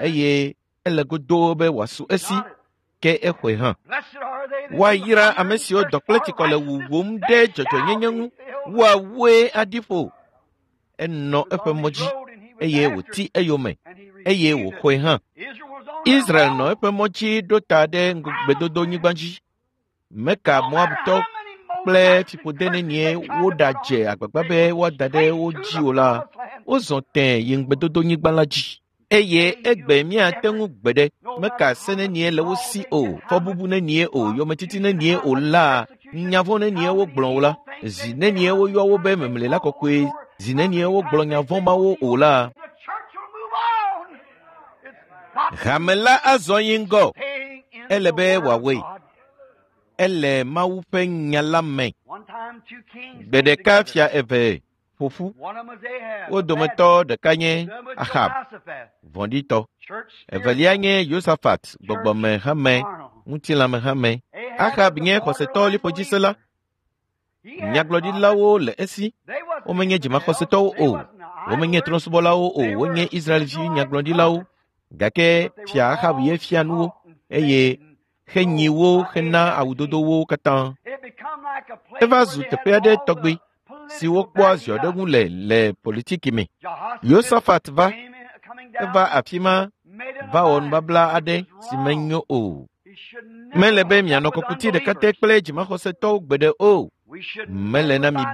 eye ele godoo be wòasu esi ke exɔe hã. Woayra ame siwo dɔ kple tsikɔ le wuwum ɖe dzɔdzɔenyenye ŋu. Woawoe aɖi ƒo. Enɔ eƒe mɔ dzi eye wòti eyome eye wòxɔe hã. Israel nɔ eƒe mɔ dzi ɖo ta ɖe ŋugbedodonyigba dzi. Meka Moabtɔ kple fiƒode nenie woɖadze agbagba be woada ɖe wo dzi o la, wozɔ tẽe yi ŋugbedodonyigba la dzi. Eye egbe míate ŋu gbe ɖe meka se nenie le wo si o, fɔbubu nenie o, yometiti nenie o la, nya vɔ̃ nenie wogblɔ o la, zi nenie woyɔ wo be memlela kɔkɔe, zi nenie wogblɔ nya vɔ̃ mawo o la. Hame la azɔ yi ŋgɔ. Ele be wòawɔe. Ele Mawu ƒe nya la me. Gbe ɖeka fia eve ƒo ƒu. Wo dometɔ ɖeka nye Ahab, vɔ̃ɖitɔ. Evelia nye Yosafat, gbɔgbɔmehame, ŋutilãmehame. Ahab nye xɔsetɔ liƒodzisela. Nyagblɔɖilawo le esi. Womenye dzimaxɔsetɔwo o. Womenye trɔ̃subɔlawo o. Wonye Israelvi nyagblɔɖilawo. Gake fia Ahab ye fia nuwo eye henyi wo hena awudodowo katã. Eva zu teƒe aɖe tɔgbi si wokpɔa ziɔɖeŋu le le politiki me. Yosafat va, eva afi ma va wɔ nubabla aɖe si menyo o. Mele be mianɔ kɔkuti ɖeka te kple dzimaxɔsetɔwo gbeɖe o. Mele na mi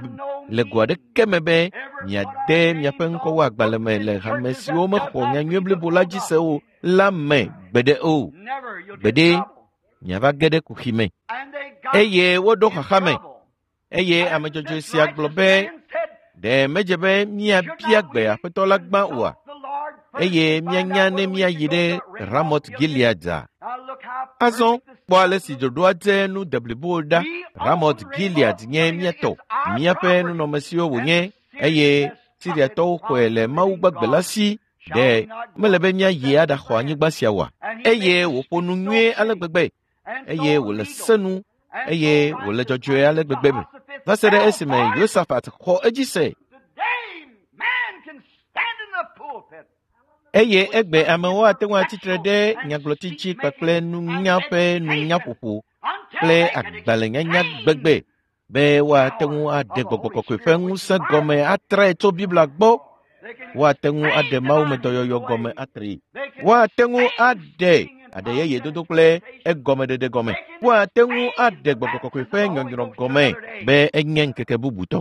le go aɖeke me be miade miaƒe ŋkɔwo agbalẽ me le hame siwo mexɔ nyanyui blibo la dzi se o la me gbeɖe o. Gbeɖe miava ge ɖe kuxi me. Eye woɖo xaxa me. Eye ame dzɔdzɔe sia gblɔ be, ɖe medze be míabia gbe Aƒetɔ la gbã oa? Eye míanya ne míayi ɖe Ramot Gilead. Azɔ kpɔ ale si ɖoɖoa dze nu deblibo ɖa. Ramot Gilead nye mía tɔ, míaƒe nunɔmesiwo wònye, eye Siriatɔwo xɔe le Mawu gbagbe la si. Ɖe mele be míayi aɖaxɔ anyigba sia oa? Eye wòƒo nu nyuie ale gbegbe, eye wòle se nu, eye wòle dzɔdzɔe ale gbegbe me. Va se ɖe esime Yosafat xɔ edzi se. Eye egbe amewo ate ŋu atsitre ɖe nyagblɔtitsi kpakple nunya ƒe nunyaƒoƒo kple agbalẽnyanya gbegbe be woate ŋu aɖe gbɔgbɔ kɔkɔe ƒe ŋusẽ gɔme atrae tso Biblia gbɔ. Woate ŋu aɖe mawumedɔyɔyɔ gɔme atrae. Woate ŋu aɖe aɖe yeye dodo kple egɔmeɖeɖe gɔme. Woate ŋu aɖe gbɔgbɔ kɔkɔe ƒe nyɔnyrɔ gɔme be enye ŋkeke bubutɔ.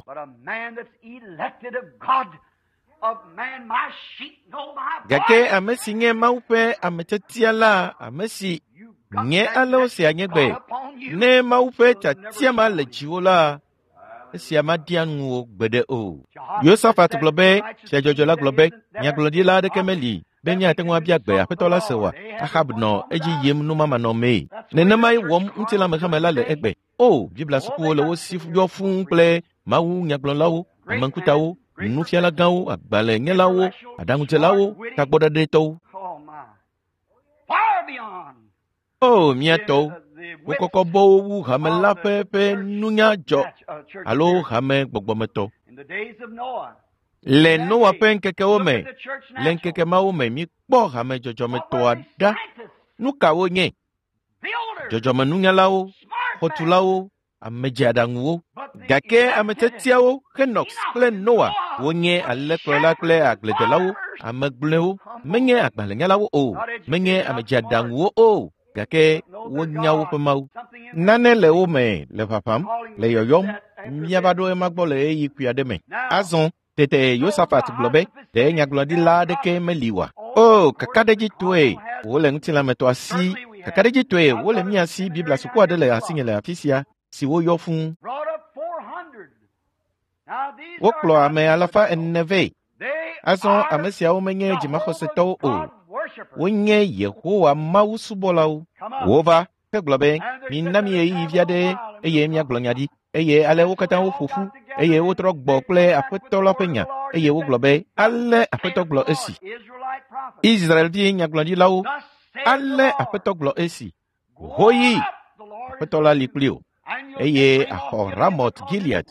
Gake ame si nye Mawu ƒe ametiatia la, ame si nye alewo sia nye gbe, ne Mawu ƒe tiatia ma le dziwò la, esia maɖia nuwò gbeɖe o. Yosafat gblɔ be, fia dzɔdzɔ la gblɔ be, nyagblɔɖila aɖeke meli be míate ŋu abia gbe Aƒetɔ la se oa? Ahab nɔ edzi yim numamanɔmee. Nenemae wɔm ŋutilãmexeme la le egbe. O, Biblia sukuwo le wo si yɔ fũu kple Mawu nyagblɔlawo, ameŋkutawo, nufiala gãwo, agbalẽnyalawo, aɖaŋudzelawo, tagbɔɖeɖetɔwo. O, mía tɔwo, wokɔkɔ bɔwo wu hame la ƒe ƒe nunya dzɔ alo hame gbɔgbɔmetɔ. Le Noa ƒe ŋkekewo me, le ŋkeke mawo me, míkpɔ hame dzɔdzɔmetɔa ɖa. Nu ka wonye? Dzɔdzɔmenunyalawo, xɔtulawo, amedzeaɖaŋuwo. Gake ame tiatiawo, Henox kple Noa, wonye alẽkplɔla kple agbledelawo, ame gblɔewo, menye agbalẽnyalawo o, menye amedzeaɖaŋuwo o, gake wonya woƒe Mawu. Nane le wo me le ʋaʋãm, le yɔyɔm, míava ɖo ema gbɔ le ɣeyiɣi kpui aɖe me. Azɔ tete Yosafat gblɔ be, ɖe nyagblɔɖila aɖeke meli oa? O, kakaɖedzitɔe wole ŋutilãmetɔa si, kakaɖedzitɔe wole mía si. Biblia suku aɖe le asinye le afi sia si woyɔ fũu. Wokplɔ ame alafa ene vɛ. Azɔ ame siawo menye dzimaxɔsetɔwo o. Wonye Yehowa Mawu subɔlawo. Wova hegblɔ be, mina mi ɣeyiɣi vi aɖe eye míagblɔ nya ɖi. Eye ale wo katã woƒo ƒu eye wotrɔ gbɔ kple Aƒetɔ la ƒe nya eye wogblɔ be, ale Aƒetɔ gblɔ esi. Israelvi nyagblɔɖilawo, ale Aƒetɔ gblɔ esi. Hoyi, Aƒetɔ la li kpli wò eye axɔ Ramot Gilead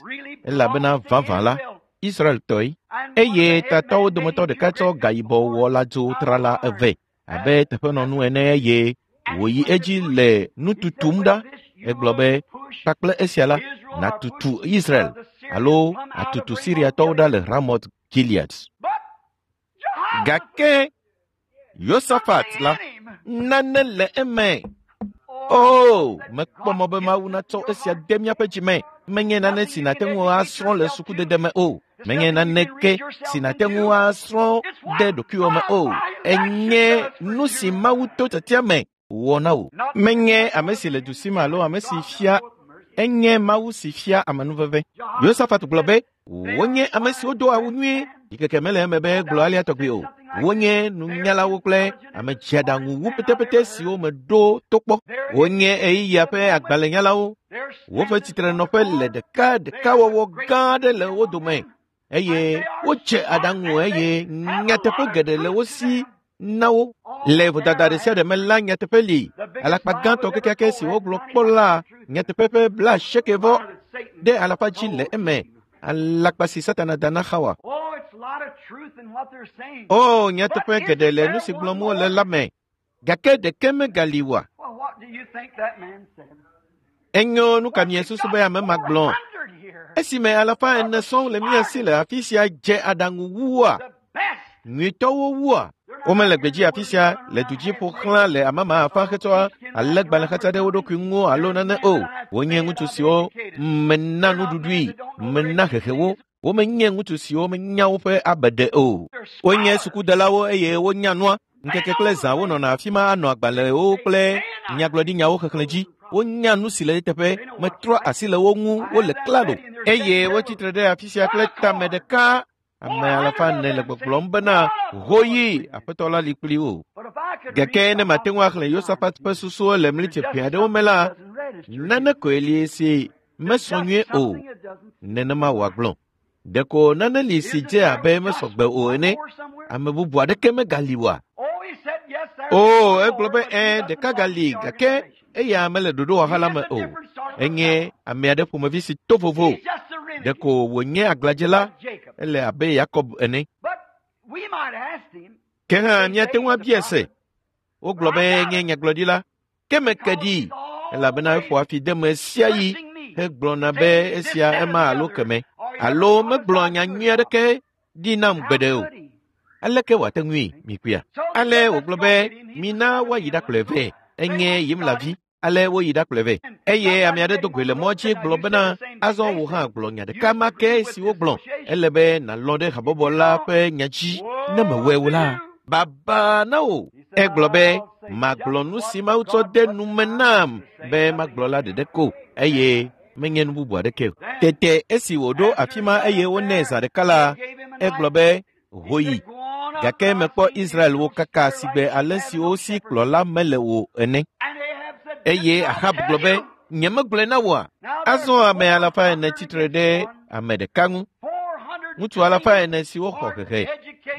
elabena vavã la, Israeltɔe. Eye tatɔwo dometɔ ɖeka tsɔ gayibɔ wɔ lãdzo trala eve abe teƒenɔnu ene eye wòyi edzi le nu tutum ɖa. Egblɔ be, kpakple esia la, nàtutu Israel alo atutu Siriatɔwo ɖa le Ramot Gilead. Gake Yosafat la, nane le eme. O, mekpɔ mɔ be Mawu natsɔ esia de míaƒe dzime. Menye nane si nàte ŋu asrɔ̃ le sukudede me o. Menye naneke si nàte ŋu asrɔ̃ ɖe ɖokuiwò me o. Enye nu si Mawu to tiatia me wɔ na wò. Menye ame si le du si me alo ame si fia, enye Mawu si fia amenuveve. Yosafat gblɔ be, wonye ame siwo do awu nyuie. Ɖikeke mele eme be gblɔ alea tɔgbi o. Wonye nunyalawo kple ame dzeaɖaŋuwu petepete siwo meɖo to kpɔ. Wonye ɣeyiɣia ƒe agbalẽnyalawo. Woƒe tsitrenɔƒe le ɖeka ɖekawɔwɔ gã aɖe le wo dome eye wodze aɖaŋu eye nyateƒe geɖe le wo si na wo. Le vodada ɖe sia ɖe me la, nyateƒe li. Alakpa gãtɔ kekeake si wogblɔ kpɔ la, nyateƒe ƒe blaasieke vɔ ɖe alafa dzi le eme. Alakpa si Satana da na Xawa. O, nyateƒe geɖe le nu si gblɔm wole la me, gake ɖeke megali oa? Enyo, nu ka miesusu be ame ma gblɔ? Esime alafa ene sɔŋ le mía si le afi sia dze aɖaŋu wua, nyuitɔwo wua. Womele gbedzi afi sia le du dzi ƒo xlã le amama afã hetsɔ alẽgbalẽ ɖe wo ɖokui ŋu alo nane o. Wonye ŋutsu siwo mena nuɖuɖui, mena hehe wo. Womenye ŋutsu siwo menya woƒe abeɖe o. Wonye sukudelawo eye wonya nua. Ŋkeke kple zã wonɔna afi ma anɔ agbalẽwo kple nyagblɔɖinyawo xexlẽ dzi. Wonya nu si le eteƒe, metrɔ asi le wo ŋu, wole klalo. Eye wotsitre ɖe afi sia kple tame ɖeka. Ame alafa ene le gbɔgblɔm bena, hoyi, Aƒetɔ la li kpli wò. Gake ne mate ŋu axlẽ Yosafat ƒe susuwo le mlitsi ʋɛ aɖewo me la, nane koe li si mesɔ nyuie o. Nenema wòagblɔ. Ɖeko nane li si dze abe mesɔgbe o ene. Ame bubu aɖeke megali oa? O, egblɔ be ẽ, ɖeka gali, gake eya mele ɖoɖowɔha la me o. Enye ame aɖe ƒomevi si to vovo. Ɖeko wònye aglãdzela, ele abe Yakob ene. Ke hã míate ŋu abia se. Wogblɔ be enye nyagblɔɖila. Ke meke ɖi. Elabena eƒoa fi deme sia yi hegblɔna be esia ema alo keme alo megblɔ nya nyui aɖeke ɖi nam gbeɖe o. Aleke wòate ŋui mikpɔea? Ale wògblɔ be mina woayi ɖakplɔe vɛ. Enye Yimla vi. Ale woyi ɖakplɔe vɛ. Eye ame aɖe do goe le mɔ dzi gblɔ bena azɔ wò hã gblɔ nya ɖeka ma ke si wogblɔ. Ele be nàlɔ̃ ɖe habɔbɔ la ƒe nya dzi. Ne mewɔe o la, baba na wò. Egblɔ be magblɔ nu si Mawu tsɔ de nu me nam be magblɔ la ɖeɖe ko eye menye nu bubu aɖeke o. Tete esi wòɖo afi ma eye wonɛ zã ɖeka la, egblɔ be hoyi. Gake mekpɔ Israelwo kaka sigbe ale si wo si kplɔla mele o ene. Eye Ahab gblɔ be nyemegblɔe na wòa? Azɔ ame alafa ene tsitre ɖe ame ɖeka ŋu. Ŋutsu alafa ene siwo xɔ hehe,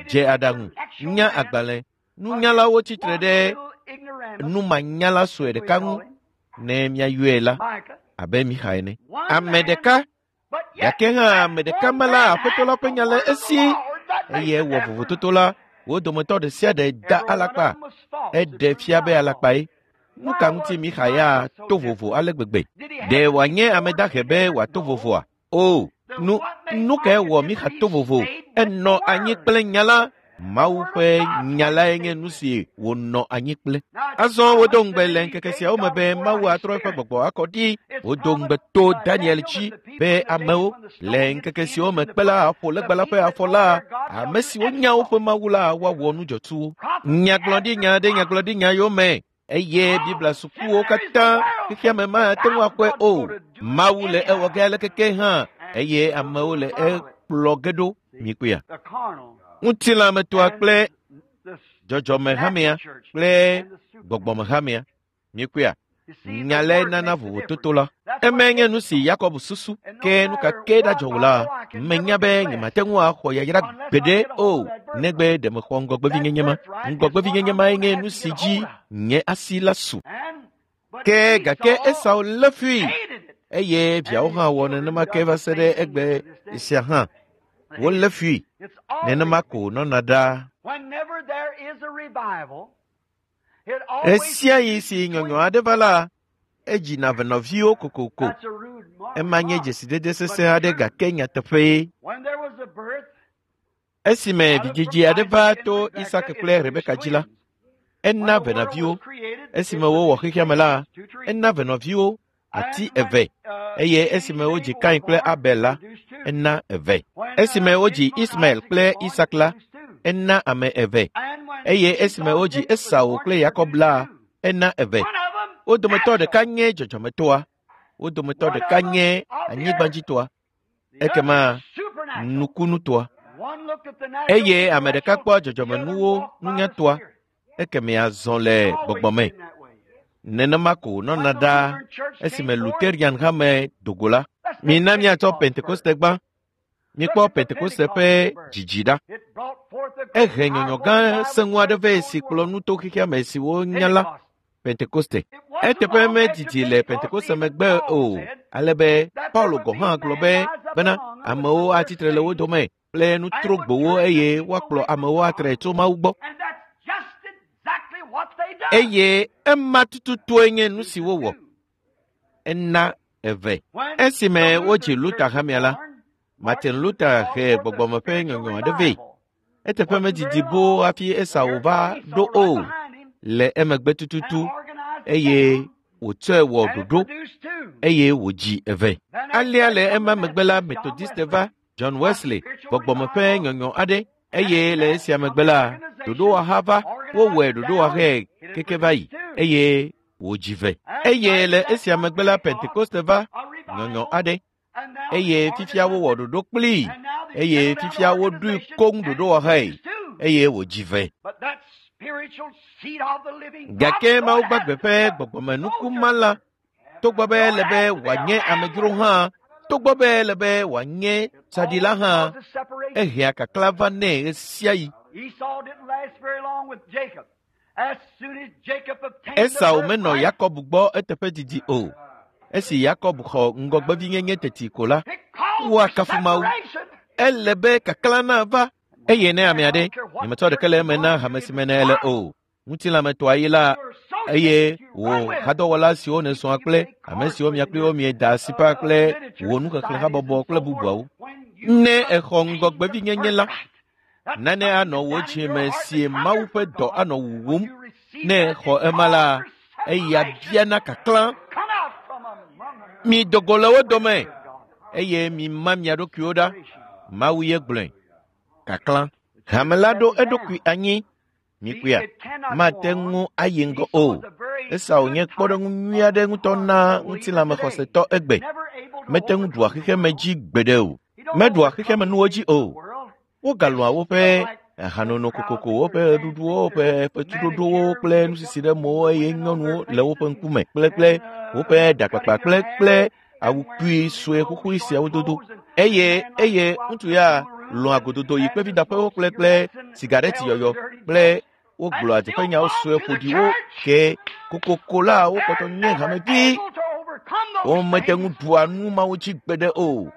dze aɖaŋu, nya agbalẽ, nunyalawo tsitre ɖe numanyala sue ɖeka ŋu ne míayɔe la abe Mixa ene. Ame ɖeka, gake hã ame ɖeka ma la Aƒetɔ la ƒe nya le esi eye ewɔ vovototo la, wo dometɔ ɖe sia ɖe da alakpa. Eɖe fia be alakpae. Nu ka ŋuti Mixa ya to vovo ale gbegbe? Ɖe wòanye ame dahe be wòato vovoa? O, nu nu kae wɔ Mixa to vovo? Enɔ anyi kple nya la. Mawu ƒe nya lae nye nu si wònɔ anyi kple. Azɔ wodo ŋugbe le ŋkeke siawo me be Mawu atrɔ eƒe gbɔgbɔ akɔ ɖi. Wodo ŋugbe to Daniel dzi be amewo le ŋkeke siwo me kpe la aƒo legba la ƒe afɔ la, ame siwo nya woƒe Mawu la woawɔ nu dzɔtsuwo. Nyagblɔɖinya ɖe nyagblɔɖinya yome eye Biblia sukuwo katã xexeame mate ŋu akɔe o. Mawu le ewɔ ge aleke ke hã eye amewo le ekplɔ ge ɖo. Mikpɔea? Ŋutilãmetoa kple dzɔdzɔmehamea kple gbɔgbɔmehamea. Mikpɔea? Nya lae nana vovototo la. Emae nye nu si Yakob susu ke nu ka ke ɖadzɔ o la, menya be nyemate ŋu axɔ yayra gbeɖe o negbe ɖe mexɔ ŋgɔgbevinyenye ma. Ŋgɔgbevinyenye mae nye nu si dzi nye asi la su. Ke gake Esau lé fui eye viawo hã wɔ nenema ke va se ɖe egbe sia hã. Wolé fui nenema ko nɔna ɖaa. Ɣesiaɣi si nyɔnyɔ aɖe va la, edzina venɔviwo kokoko. Ema nye dzesidede sesẽ aɖe gake nyateƒee. Esime vidzidzi aɖe va to Isak kple Rebeka dzi la, ena venɔviwo. Esime wowɔ xexeame la, ena venɔviwo ati eve eye esime wodzi Kain kple Abel la, ena eve. Esime wodzi Ismael kple Isak la, ena ame eve. Eye esime wodzi Esau kple Yakob la, ena eve. Wo dometɔ ɖeka nye dzɔdzɔmetoa, wo dometɔ ɖeka nye anyigbadzitoa, ekema nukunutoa. Eye ame ɖeka kpɔ dzɔdzɔmenuwo nunyatoa, ekeme azɔ le gbɔgbɔ me. Nenema ko nɔna ɖaa esime Lutheran hame dogo la. Mina míatsɔ Pentekoste gbã. Mikpɔ Pentekoste ƒe dzidzi ɖa. Ehe nyɔnyɔ gã sẽŋu aɖe vɛ si kplɔ nu to xexeame si wonya la, Pentekoste. Eteƒe medidi le Pentekoste megbe o, ale be Paulo gɔ̃ hã gblɔ be bena amewo atsitre le wo dome kple nutrogbowo eye woakplɔ amewo atre tso Mawu gbɔ. Eye ema tututue nye nu si wowɔ. Ena eve. Esime wodzi Luther hamea la, Martin Luther he gbɔgbɔme ƒe nyɔnyɔ aɖe vɛ. Eteƒe medidi boo hafi Esau va ɖo o le emegbe tututu eye wòtsɔe wɔ ɖoɖo eye wòdzi eve. Alea le ema megbe la, Methodiste va John Wesley gbɔgbɔme ƒe nyɔnyɔ aɖe eye le esia megbe la, ɖoɖowɔha va wowɔe ɖoɖowɔhae keke va yi eye wòdzi ve. Eye le esia megbe la, Pentekoste va nyɔnyɔ aɖe eye fifia wowɔ ɖoɖo kplii eye fifia woɖoe koŋ ɖoɖowɔhae eye wòdzi ve. Gake Mawu gbagbe ƒe gbɔgbɔmenukuma la, togbɔ be ele be wòanye amedzro hã, togbɔ be ele be wòanye tsaɖila hã, ehea kakla va nɛ ɣesiaɣi. Esau menɔ Yakob gbɔ eteƒe didi o. Esi Yakob xɔ ŋgɔgbevinyenye teti ko la, woakafu Mawu. Ele be kakla nava eye ne ame aɖe nyemetsɔ ɖeke le eme na hame si me ne ele o. Ŋutilãmetoa yi la, Eye wò hadɔwɔla siwo nèsrɔ̃a kple ame siwo mia kpli wo mieda asiƒa kple wò nuxexlẽhabɔbɔ kple bubuawo. Ne exɔ ŋgɔgbevinyenye la, nane anɔ wò dzime si Mawu ƒe dɔ anɔ wuwum. Ne exɔ ema la, eya biana kaklã. Mi dogo le wo dome eye mi ma mia ɖokuiwo ɖa. Mawu ye gblɔe. Kaklã. Hame la ɖo eɖokui anyi. Mikpɔea, mate ŋu ayi ŋgɔ o. Esau nye kpɔɖeŋu nyui aɖe ŋutɔ na ŋutilãmexɔsetɔ egbe. Mete ŋu ɖua xexeme dzi gbeɖe o. Meɖua xexemenuwo dzi o. Wogalɔ̃a woƒe hanono kokoko, woƒe ɣeɖuɖuwo, woƒe fetuɖoɖowo kple nusisi ɖe mowo eye nyɔnuwo le woƒe ŋkume kple kple woƒe ɖakpakpa kple kple awu kpui sue xoxoe siawo dodo. Eye eye ŋutsu ya lɔ̃a gododo yi kpevidaƒewo kple kple sigareti yɔyɔ kple wogblɔa dzeƒenyawo sue ƒoɖiwo ke kokoko la wokpɔtɔ nye hamevi. Womete ŋu ɖua nu mawo dzi gbeɖe o.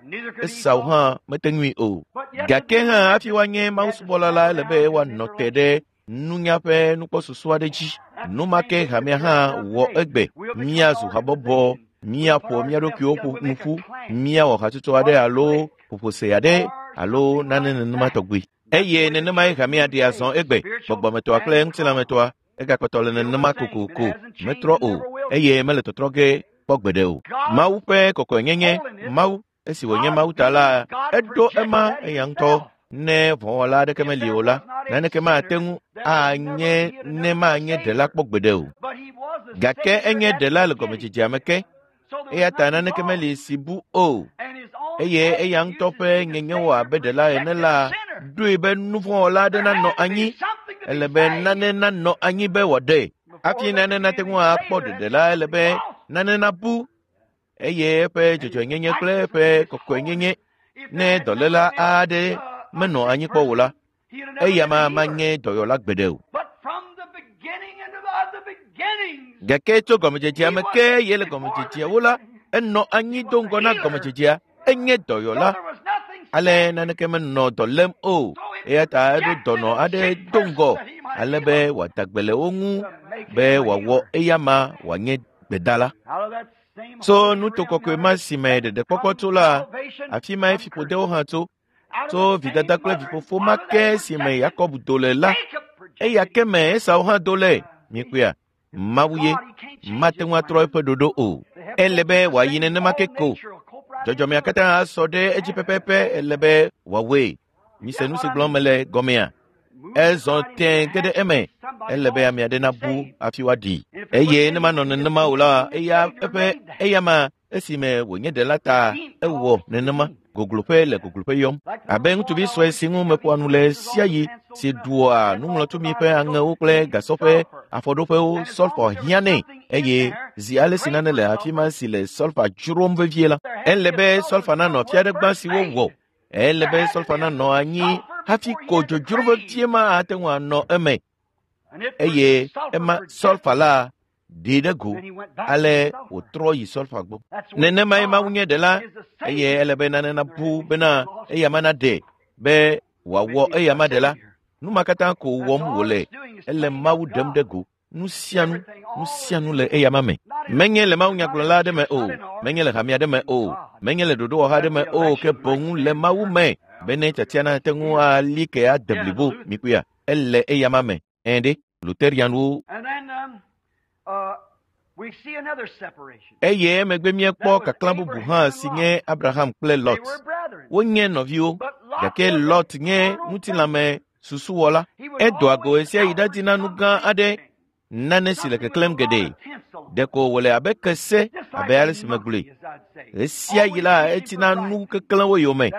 Esau hã mete ŋui o. Gake hã hafi woanye mawusubɔla la, ele be woanɔ te ɖe nunya ƒe nukpɔsusu aɖe dzi. Nu ma ke hamea hã wɔ egbe. Míazu habɔbɔ, míaƒo mía ɖokuiwo ƒo nu ƒu, míawɔ hatsotso aɖe alo ƒoƒose aɖe alo nane nenema tɔgbi. Eye nenemae hamea ɖea zɔ egbe, gbɔgbɔmetɔa kple ŋutilãmetɔa. Egakpɔtɔ le nenema kokoko, metrɔ o, eye mele tɔtrɔ ge kpɔ gbeɖe o. Mawu ƒe kɔkɔenyenye, Mawu, esi wònye Mawu ta la, eɖo ema eya ŋutɔ. Ne vɔ̃wɔla aɖeke meli o la, naneke mate ŋu anye ne manye ɖela kpɔ gbeɖe o. Gake enye ɖela le gɔmedzedzea me ke, eya ta naneke meli si bu o. Eye eya ŋutɔ ƒe nyenyewɔ abe ɖela ene la, ɖoe be nuvɔ̃wɔla aɖe nanɔ anyi. Ele be nane nanɔ anyi be wòaɖee. Hafi nane nate ŋu akpɔ ɖeɖe la, ele be nane nabu. Eye eƒe dzɔdzɔenyenye kple eƒe kɔkɔenyenye. Ne dɔléla aɖe menɔ anyi kpɔ o la, eya ma manye dɔyɔla gbeɖe o. Gake tso gɔmedzedzea me ke ye le gɔmedzedzeawo la, enɔ anyi do ŋgɔ na gɔmedzedzea. Enye dɔyɔla. Ale naneke menɔ dɔ lém o. Eya ta eɖo dɔnɔ aɖe do ŋgɔ ale be wòada gbe le wo ŋu be wòawɔ eya ma wòanye gbedala. Tso nuto kɔkɔe ma si me ɖeɖekpɔkpɔ tso la, afi mae fiƒodewo hã tso. Tso vidada kple vifofo ma ke si me Yakob do le la, eya ke me Esau hã do le. Mikpɔea, Mawu ye mate ŋu atrɔ eƒe ɖoɖo o. Ele be wòayi nenema ke ko. Dzɔdzɔmea katã asɔ ɖe edzi pɛpɛpɛ ele be wòawɔe. Mise nu si gblɔm mele gɔmea. Ezɔ tẽ ge ɖe eme. Ele be ame aɖe nabu hafi woaɖi. Eye ne manɔ nenema o la, eya eƒe eya ma esime wònye ɖela ta ewɔ nenema. Gogloƒe le gogloƒe yɔm. Abe ŋutsuvi sue si ŋu meƒoa nu le sia ɣi si ɖua nuŋlɔtumi ƒe aŋewo kple gasɔ ƒe afɔɖoƒewo sɔlfa hiã nɛ. Eye zi ale si nane le afi ma si le sɔlfa dzrom vevie la, ele be sɔlfa nanɔ afi aɖe gbã si wowɔ. Ele be sɔlfa nanɔ anyi hafi ko dzodzro vevie ma ate ŋu anɔ eme. Eye ema sɔlfa la ɖee ɖe go ale wòtrɔ yi sɔlfa gbɔ. Nenemae Mawu nye ɖela eye ele be nane nabu bena eya ma naɖe be wòawɔ eya ma ɖela. Nu ma katã ko wɔm wòle. Ele Mawu ɖem ɖe go. Nu sia nu, nu sia nu le eya ma me. Menye le mawunyagblɔla aɖe me o, menye le hame aɖe me o, menye le ɖoɖowɔha aɖe me o, ke boŋ le Mawu me bene tiatia nate ŋu ali ke ade blibo. Mikpɔea, ele eya ma me. Ɛ̃ ɖe, Lutherianwo. Eye emegbe míekpɔ kaklã bubu hã si nye Abraham kple Lot. Wonye nɔviwo, gake Lot nye ŋutilãme susuwɔla. Edoa go ɣesiaɣi ɖadina nu gã aɖe, nane si le keklẽm geɖe. Ɖeko wòle abe kese, abe ale si megblɔe. Ɣesiaɣi la, etina nu keklẽwo yome.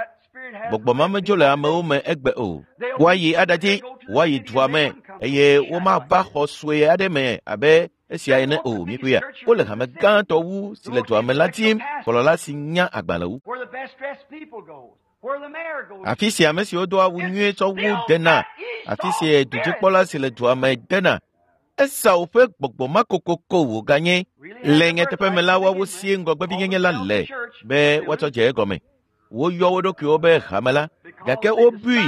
Gbɔgbɔ ma medzo le amewo me egbe o. Woayi aɖadzi, woayi dua me eye womava xɔ sue aɖe me abe esia ene o. Mikpɔea, wole hame gãtɔ wu si le dua me la dim, kplɔla si nya agbalẽ wu. Afi si ame siwo do awu nyuie tsɔ wu dena, afi si dudzikpɔla si le dua me dena. Esau ƒe gbɔgbɔ ma kokoko wòganye. Le nyateƒe me la, woawo sie ŋgɔgbevinyenye la le be woatsɔ dze egɔme. Woyɔ wo ɖokuiwo be hame la, gake wobui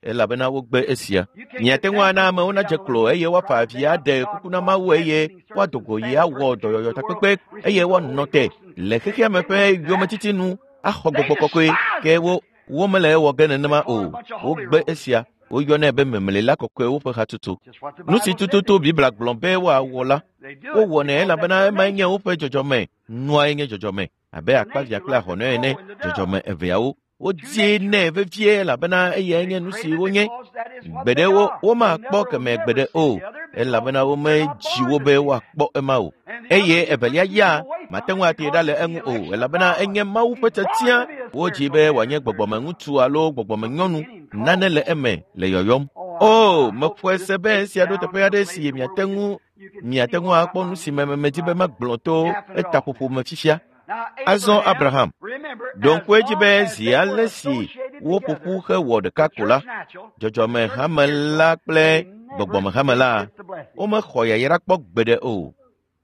elabena wogbe esia. Miate ŋu ana amewo nadze klo eye woafa avi aɖe kuku na Mawu eye woado go yi awɔ dɔyɔyɔ takpekpe eye woanɔ te le xexea me ƒe yometiti nu axɔ gbɔgbɔ kɔkɔe ke wo womele ewɔ ge nenema o. Wogbe esia. Woyɔnɛ be memlela kɔkɔewo ƒe hatutu. Nu si tututu Biblia gblɔ be woawɔ la, wowɔnɛ elabena emae nye woƒe dzɔdzɔme. Nuae nye dzɔdzɔme abe akpavia kple ahɔnɛ ene, dzɔdzɔme eveawo. Wodie nɛ vevie elabena eyae nye nu si wonye. Gbeɖe wo womakpɔ keme gbeɖe o elabena womedzi wo be woakpɔ ema o. Eye evelia ya mate ŋu atee ɖa le eŋu o elabena enye Mawu ƒe tiatia. Wodzi be wòanye gbɔgbɔmeŋutsu alo gbɔgbɔmenyɔnu. Nane le eme le yɔyɔm. O, meƒoe se be esia ɖo teƒe aɖe si miate ŋu miate ŋu akpɔ nu si me medi be magblɔ to etaƒoƒo me fifia. Azɔ Abraham, ɖo ŋku edzi be zi ale si woƒo ƒu hewɔ ɖeka ko la, dzɔdzɔmehame la kple gbɔgbɔmehame la, womexɔ yayra kpɔ gbeɖe o.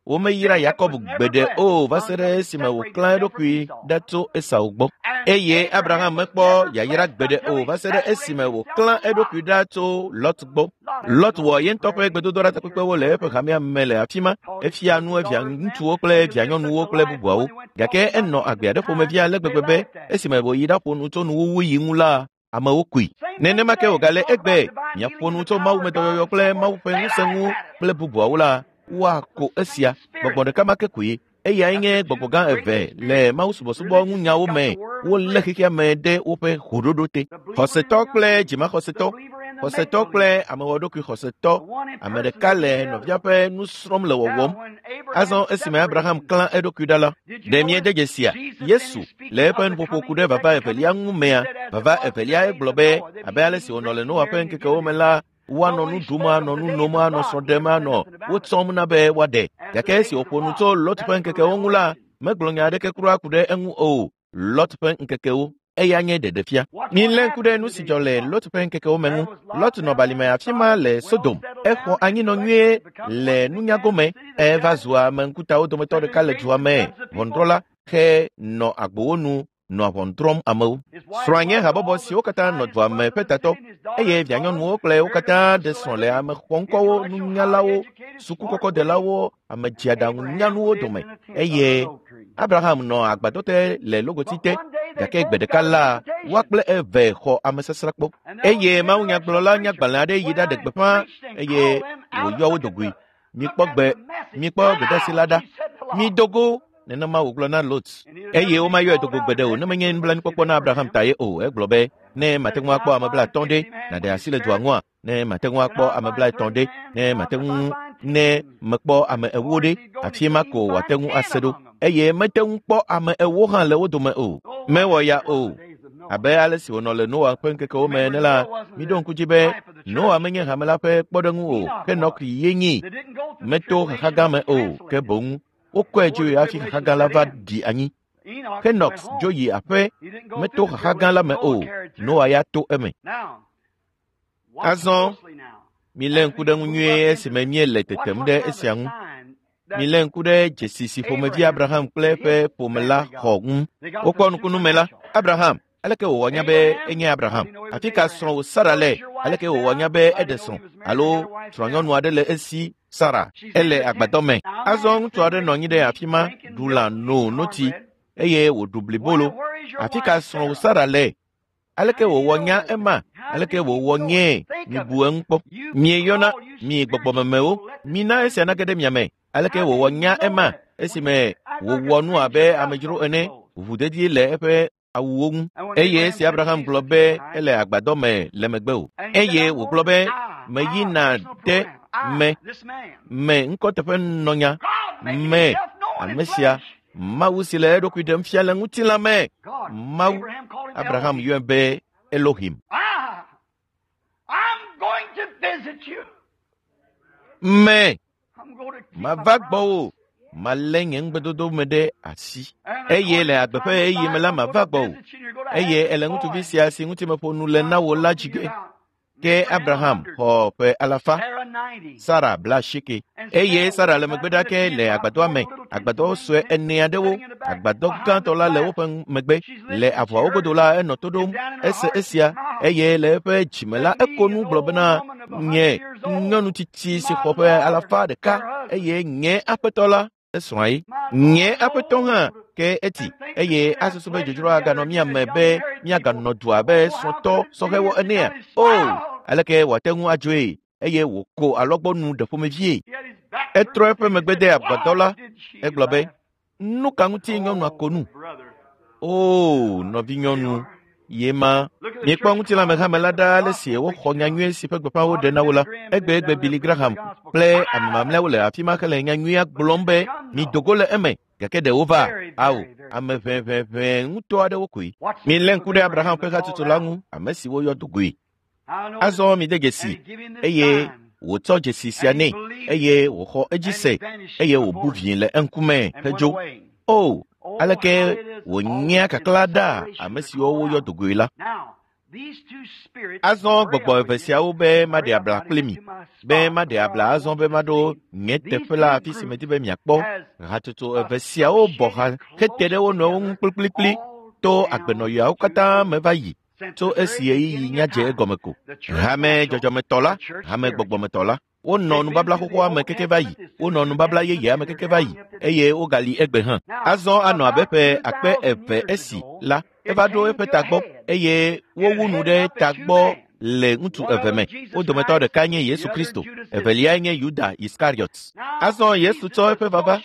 Womeyra Yakob gbeɖe o va se ɖe esime wòklã eɖokui ɖa tso Esau gbɔ. Eye Abraham mekpɔ yayra gbeɖe o va se ɖe esime wòklã eɖokui ɖa tso Lot gbɔ. Lot wɔ ye ŋutɔ ƒe gbedodoɖa takpekpewo le eƒe hamea me le afi ma. Efia nu evia ŋutsuwo kple evia nyɔnuwo kple bubuawo. Gake enɔ agbe aɖe ƒomevi ale gbegbe be esime wòyi ɖaƒo nu tso nuwuwu yi ŋu la, amewo koe. Nenema ke wògale egbe miaƒo nu tso mawumedɔyɔyɔ kple Mawu ƒe ŋusẽ ŋu kple bubuawo la, woako esia. Gbɔgbɔ ɖeka ma ke koe. Eyae nye gbɔgbɔ gã eve le mawusubɔsubɔ ŋunyawo me. Wolé xexea me ɖe woƒe hoɖoɖo te. Xɔsetɔ kple dzimaxɔsetɔ, xɔsetɔ kple amewɔɖokui xɔsetɔ, ame ɖeka le nɔvia ƒe nu srɔ̃m le wɔwɔm. Azɔ esime Abraham klã eɖokui ɖa la, ɖe miede dzesia? Yesu le eƒe nuƒoƒo ku ɖe vava evelia ŋu mea, vava evelia egblɔ be abe ale si wònɔ le Noa ƒe ŋkekewo me la, woanɔ nu ɖum, anɔ nu nom, anɔ srɔ̃ ɖem, anɔ wotsɔm na be woaɖe. Gake esi wòƒo nu tso Lot ƒe ŋkekewo ŋu la, megblɔ nya aɖeke kura ku ɖe eŋu o. Lot ƒe ŋkekewo, eya nye ɖeɖefia. Milé ŋku ɖe nu si dzɔ le Lot ƒe ŋkekewo me ŋu. Lot nɔ balime afi ma le Sodom. Exɔ anyinɔ nyuie le nunya gome. Eva zu ame ŋkutawo dometɔ ɖeka le dua me. Ʋɔnudrɔ̃la xe nɔ agbowo nu nɔ ʋɔnu drɔ̃m amewo. Srɔ̃a nye habɔbɔ siwo katã nɔ dua me ƒe tatɔ eye vianyɔnuwo kple wo katã ɖe srɔ̃ le ame xɔŋkɔwo, nunyalawo, sukukɔkɔdelawo, ame dziaɖaŋunyanuwo dome. Eye Abraham nɔ agbadɔ te le logoti te. Gake gbe ɖeka la, woa kple eve xɔ amesasrakpɔ. Eye mawunyagblɔla nyagbalẽ aɖe yi ɖaɖe gbeƒã eye wòyɔ wo dogoe. Mikpɔ gbe, mikpɔ gbedeasi la ɖa. Mido go. Nenema wògblɔ na Lot. Eye womayɔe dogo gbeɖe o ne menye nublanuikpɔkpɔ na Abraham ta ye o. Egblɔ be, ne mate ŋu akpɔ ame blaetɔ̃ ɖe, nàɖe asi le dua ŋua? Ne mate ŋu akpɔ ame blaetɔ̃ ɖe, ne mate ŋu ne mekpɔ ame ewo ɖe, afi ma ko wòate ŋu ase ɖo. Eye mete ŋu kpɔ ame ewo hã le wo dome o. Mewɔ ya o. Abe ale si wònɔ le Noa ƒe ŋkekewo me ene la, miɖo ŋku dzi be Noa menye hame la ƒe kpɔɖeŋu o, ke Enɔk ye nyi. Meto xaxa gã me o, ke boŋ wokɔe dzo hafi xaxa gã la va ɖi anyi. Henok dzo yi aƒe, meto xaxa gã la me o, Noa ya to eme. Azɔ, milé ŋku ɖe ŋu nyuie esime míele tetem ɖe esia ŋu. Milé ŋku ɖe dzesi si ƒomevi Abraham kple eƒe ƒome la xɔ ŋu. Wokpɔ nukunu me la, Abraham, aleke wòwɔ nya be enye Abraham? Afi ka srɔ̃wò Sara le? Aleke wòwɔ nya be eɖe srɔ̃ alo srɔ̃nyɔnu aɖe le esi Sara? Ele agbadɔ me. Azɔ ŋutsu aɖe nɔ anyi ɖe afi ma, ɖu lã, no notsi eye wòɖu blibolo. Afi ka srɔ̃wò Sara le? Aleke wòwɔ nya ema? Aleke wòwɔ nyee? Mibu eŋu kpɔ. Mieyɔna mi gbɔgbɔmemewo. Mina esia nage ɖe mia me. Aleke wòwɔ nya ema esime wòwɔ nu abe amedzro ene, ʋuʋudedi le eƒe awuwo ŋu. Eye esi Abraham gblɔ be ele agbadɔ me le megbe o. Eye wògblɔ be meyina ɖe me me ŋkɔteƒenɔnya me ame sia Mawu si le eɖokui ɖem fia le ŋutilã me. Mawu Abraham yɔe be Elohim. Me mava gbɔwò, malé nye ŋugbedodo me ɖe asi. Eye le agbe ƒe ɣeyiɣi me la mava gbɔwò. Eye ele ŋutsuvi sia si ŋuti meƒo nu le na wò la dzi ge. Ke Abraham xɔ ƒe alafa. Sara blaasieke. Eye Sara le megbe ɖa ke le agbadɔa me. Agbadɔ sue ene aɖewo. Agbadɔ gãtɔ la le woƒe megbe. Le avɔawo godo la enɔ to ɖom. Ese esia eye le eƒe dzime la eko nu gblɔ bena nye nyɔnu tsitsi si xɔ ƒe alafa ɖeka eye nye aƒetɔ la esrɔ̃a ye. Nye aƒetɔ hã ke eti eye asusu be dzodzro aganɔ mía me be míaganɔ du abe srɔ̃tɔ sɔhɛwo enea. O, aleke wòate ŋu adzoe eye wòko alɔgbɔnu ɖe ƒomevie. Etrɔ eƒe megbe de agbadɔ la. Egblɔ be, nu ka ŋuti nyɔnua ko nu? O, nɔvinyɔnu, ye ma. Miekpɔ ŋutilãmehame la ɖaa ale si woxɔ nyanyui si ƒe gbeƒã woɖe na wo la. Egbegbe Billy Graham kple ame mamlɛawo le afi ma hele nyanyuia gblɔm be mido go le eme. Gake ɖe wova? Ao, ame ʋɛʋɛʋɛ ŋutɔ aɖewo koe. Milé ŋku ɖe Abraham ƒe hatsotso la ŋu, ame si woyɔ do goe. Azɔ mide dzesi eye wòtsɔ dzesi sia nɛ eye wòxɔ edzi se eye wòbu vie le eŋkume hedzo. O, aleke wònyea kaklã ɖa ame siwo woyɔ do goe la. Azɔ gbɔgbɔ eve siawo be maɖe abla kpli mi, be maɖe abla azɔ be maɖo nye teƒe la afi si medi be miakpɔ. Hatsotso eve siawo bɔ ha hete ɖe wo nɔewo ŋu kplikplikpli to agbenɔɣiawo katã me va yi tso esi ɣeyiɣi nyadze egɔme ko. Hame dzɔdzɔmetɔ la, hame gbɔgbɔmetɔ la, wonɔ nubabla xoxoa me keke va yi, wonɔ nubabla yeyea me keke va yi eye wogali egbe hã. Azɔ anɔ abe ƒe akpe eve esi la, eva ɖo eƒe tagbɔ eye wowu nu ɖe tagbɔ le ŋutsu eve me. Wo dometɔ ɖeka nye Yesu Kristo, eveliae nye Yuda Iskariot. Azɔ Yesu tsɔ eƒe vava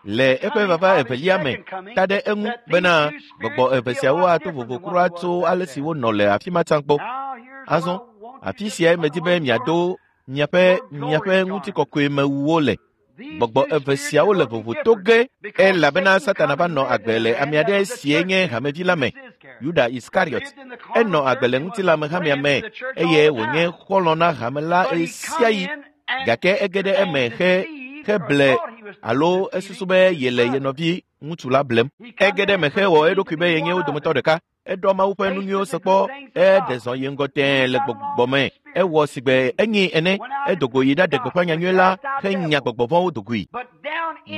le eƒe vava evelia me ta ɖe eŋu bena gbɔgbɔ eve siawo ato vovo kura tso ale si wonɔ le afi ma tsã gbɔ. Azɔ afi siae medi be miado miaƒe miaƒe ŋutikɔkɔemewuwo le. Gbɔgbɔ eve siawo le vovo to ge elabena Satana va nɔ agbe le ame aɖe sie nye hamevi la me, Yuda Iskariot. Enɔ agbe le ŋutilãmehamea me eye wònye xɔlɔ̃ na hame la ɣesiaɣi. Gake ege ɖe eme he heble alo esusu be yele ye nɔvi ŋutsu la blem. Ege ɖe eme hewɔ eɖokui be yenye wo dometɔ ɖeka. Eɖɔ Mawu ƒe nu nyuiwo se kpɔ, eɖe zɔ yi ŋgɔ tẽe le gbɔgbɔ me. Ewɔ sigbe enyi ene, edo go yi ɖaɖe gbeƒã nyanyui la henya gbɔgbɔ vɔ̃wo do goe.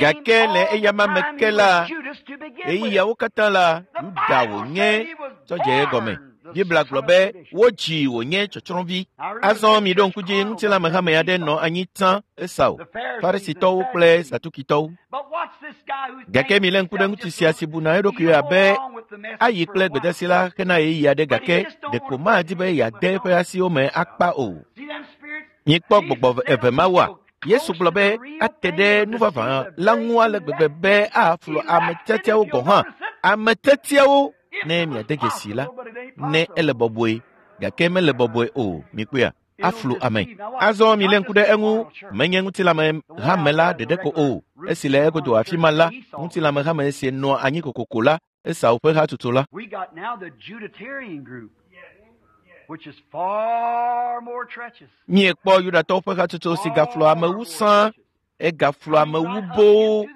Gake le eyama me ke la, ɣeyiɣiawo katã la, Yuda wònye tsɔ dze egɔme. Biblia gblɔ be wodzi wònye tsɔtsrɔ̃vi. Azɔ miɖo ŋku dzi ŋutilãmehame aɖe nɔ anyi tsã Esau, Farisitɔwo kple Sadukitɔwo. Gake milé ŋku ɖe ŋutsu sia si buna eɖokui abe ayi kple gbedasi la hena ɣeyiɣi aɖe gake ɖeko madi be yeade eƒe asiwo me akpa o. Mikpɔ gbɔgbɔ eve mawoa? Yesu gblɔ be ate ɖe nuvavã la ŋu ale gbegbe be aflu ame tiatiawo gɔ̃ hã. Ame tiatiawo ne miade dzesi la, ne ele bɔbɔe gake mele bɔbɔe o. Mikpɔea? Aflu ame. Azɔ milé ŋku ɖe eŋu, menye ŋutilãme hame la ɖeɖe ko o. Esi le egodo afi ma la, ŋutilãme hame si nɔa anyi kokoko la, Esau ƒe hatsotso la. We got now the Juditarian group, which is far more treacherous. Miekpɔ Yudatɔwo ƒe hatsotso si gaflɔ amewu sã, egaflɔ amewu boo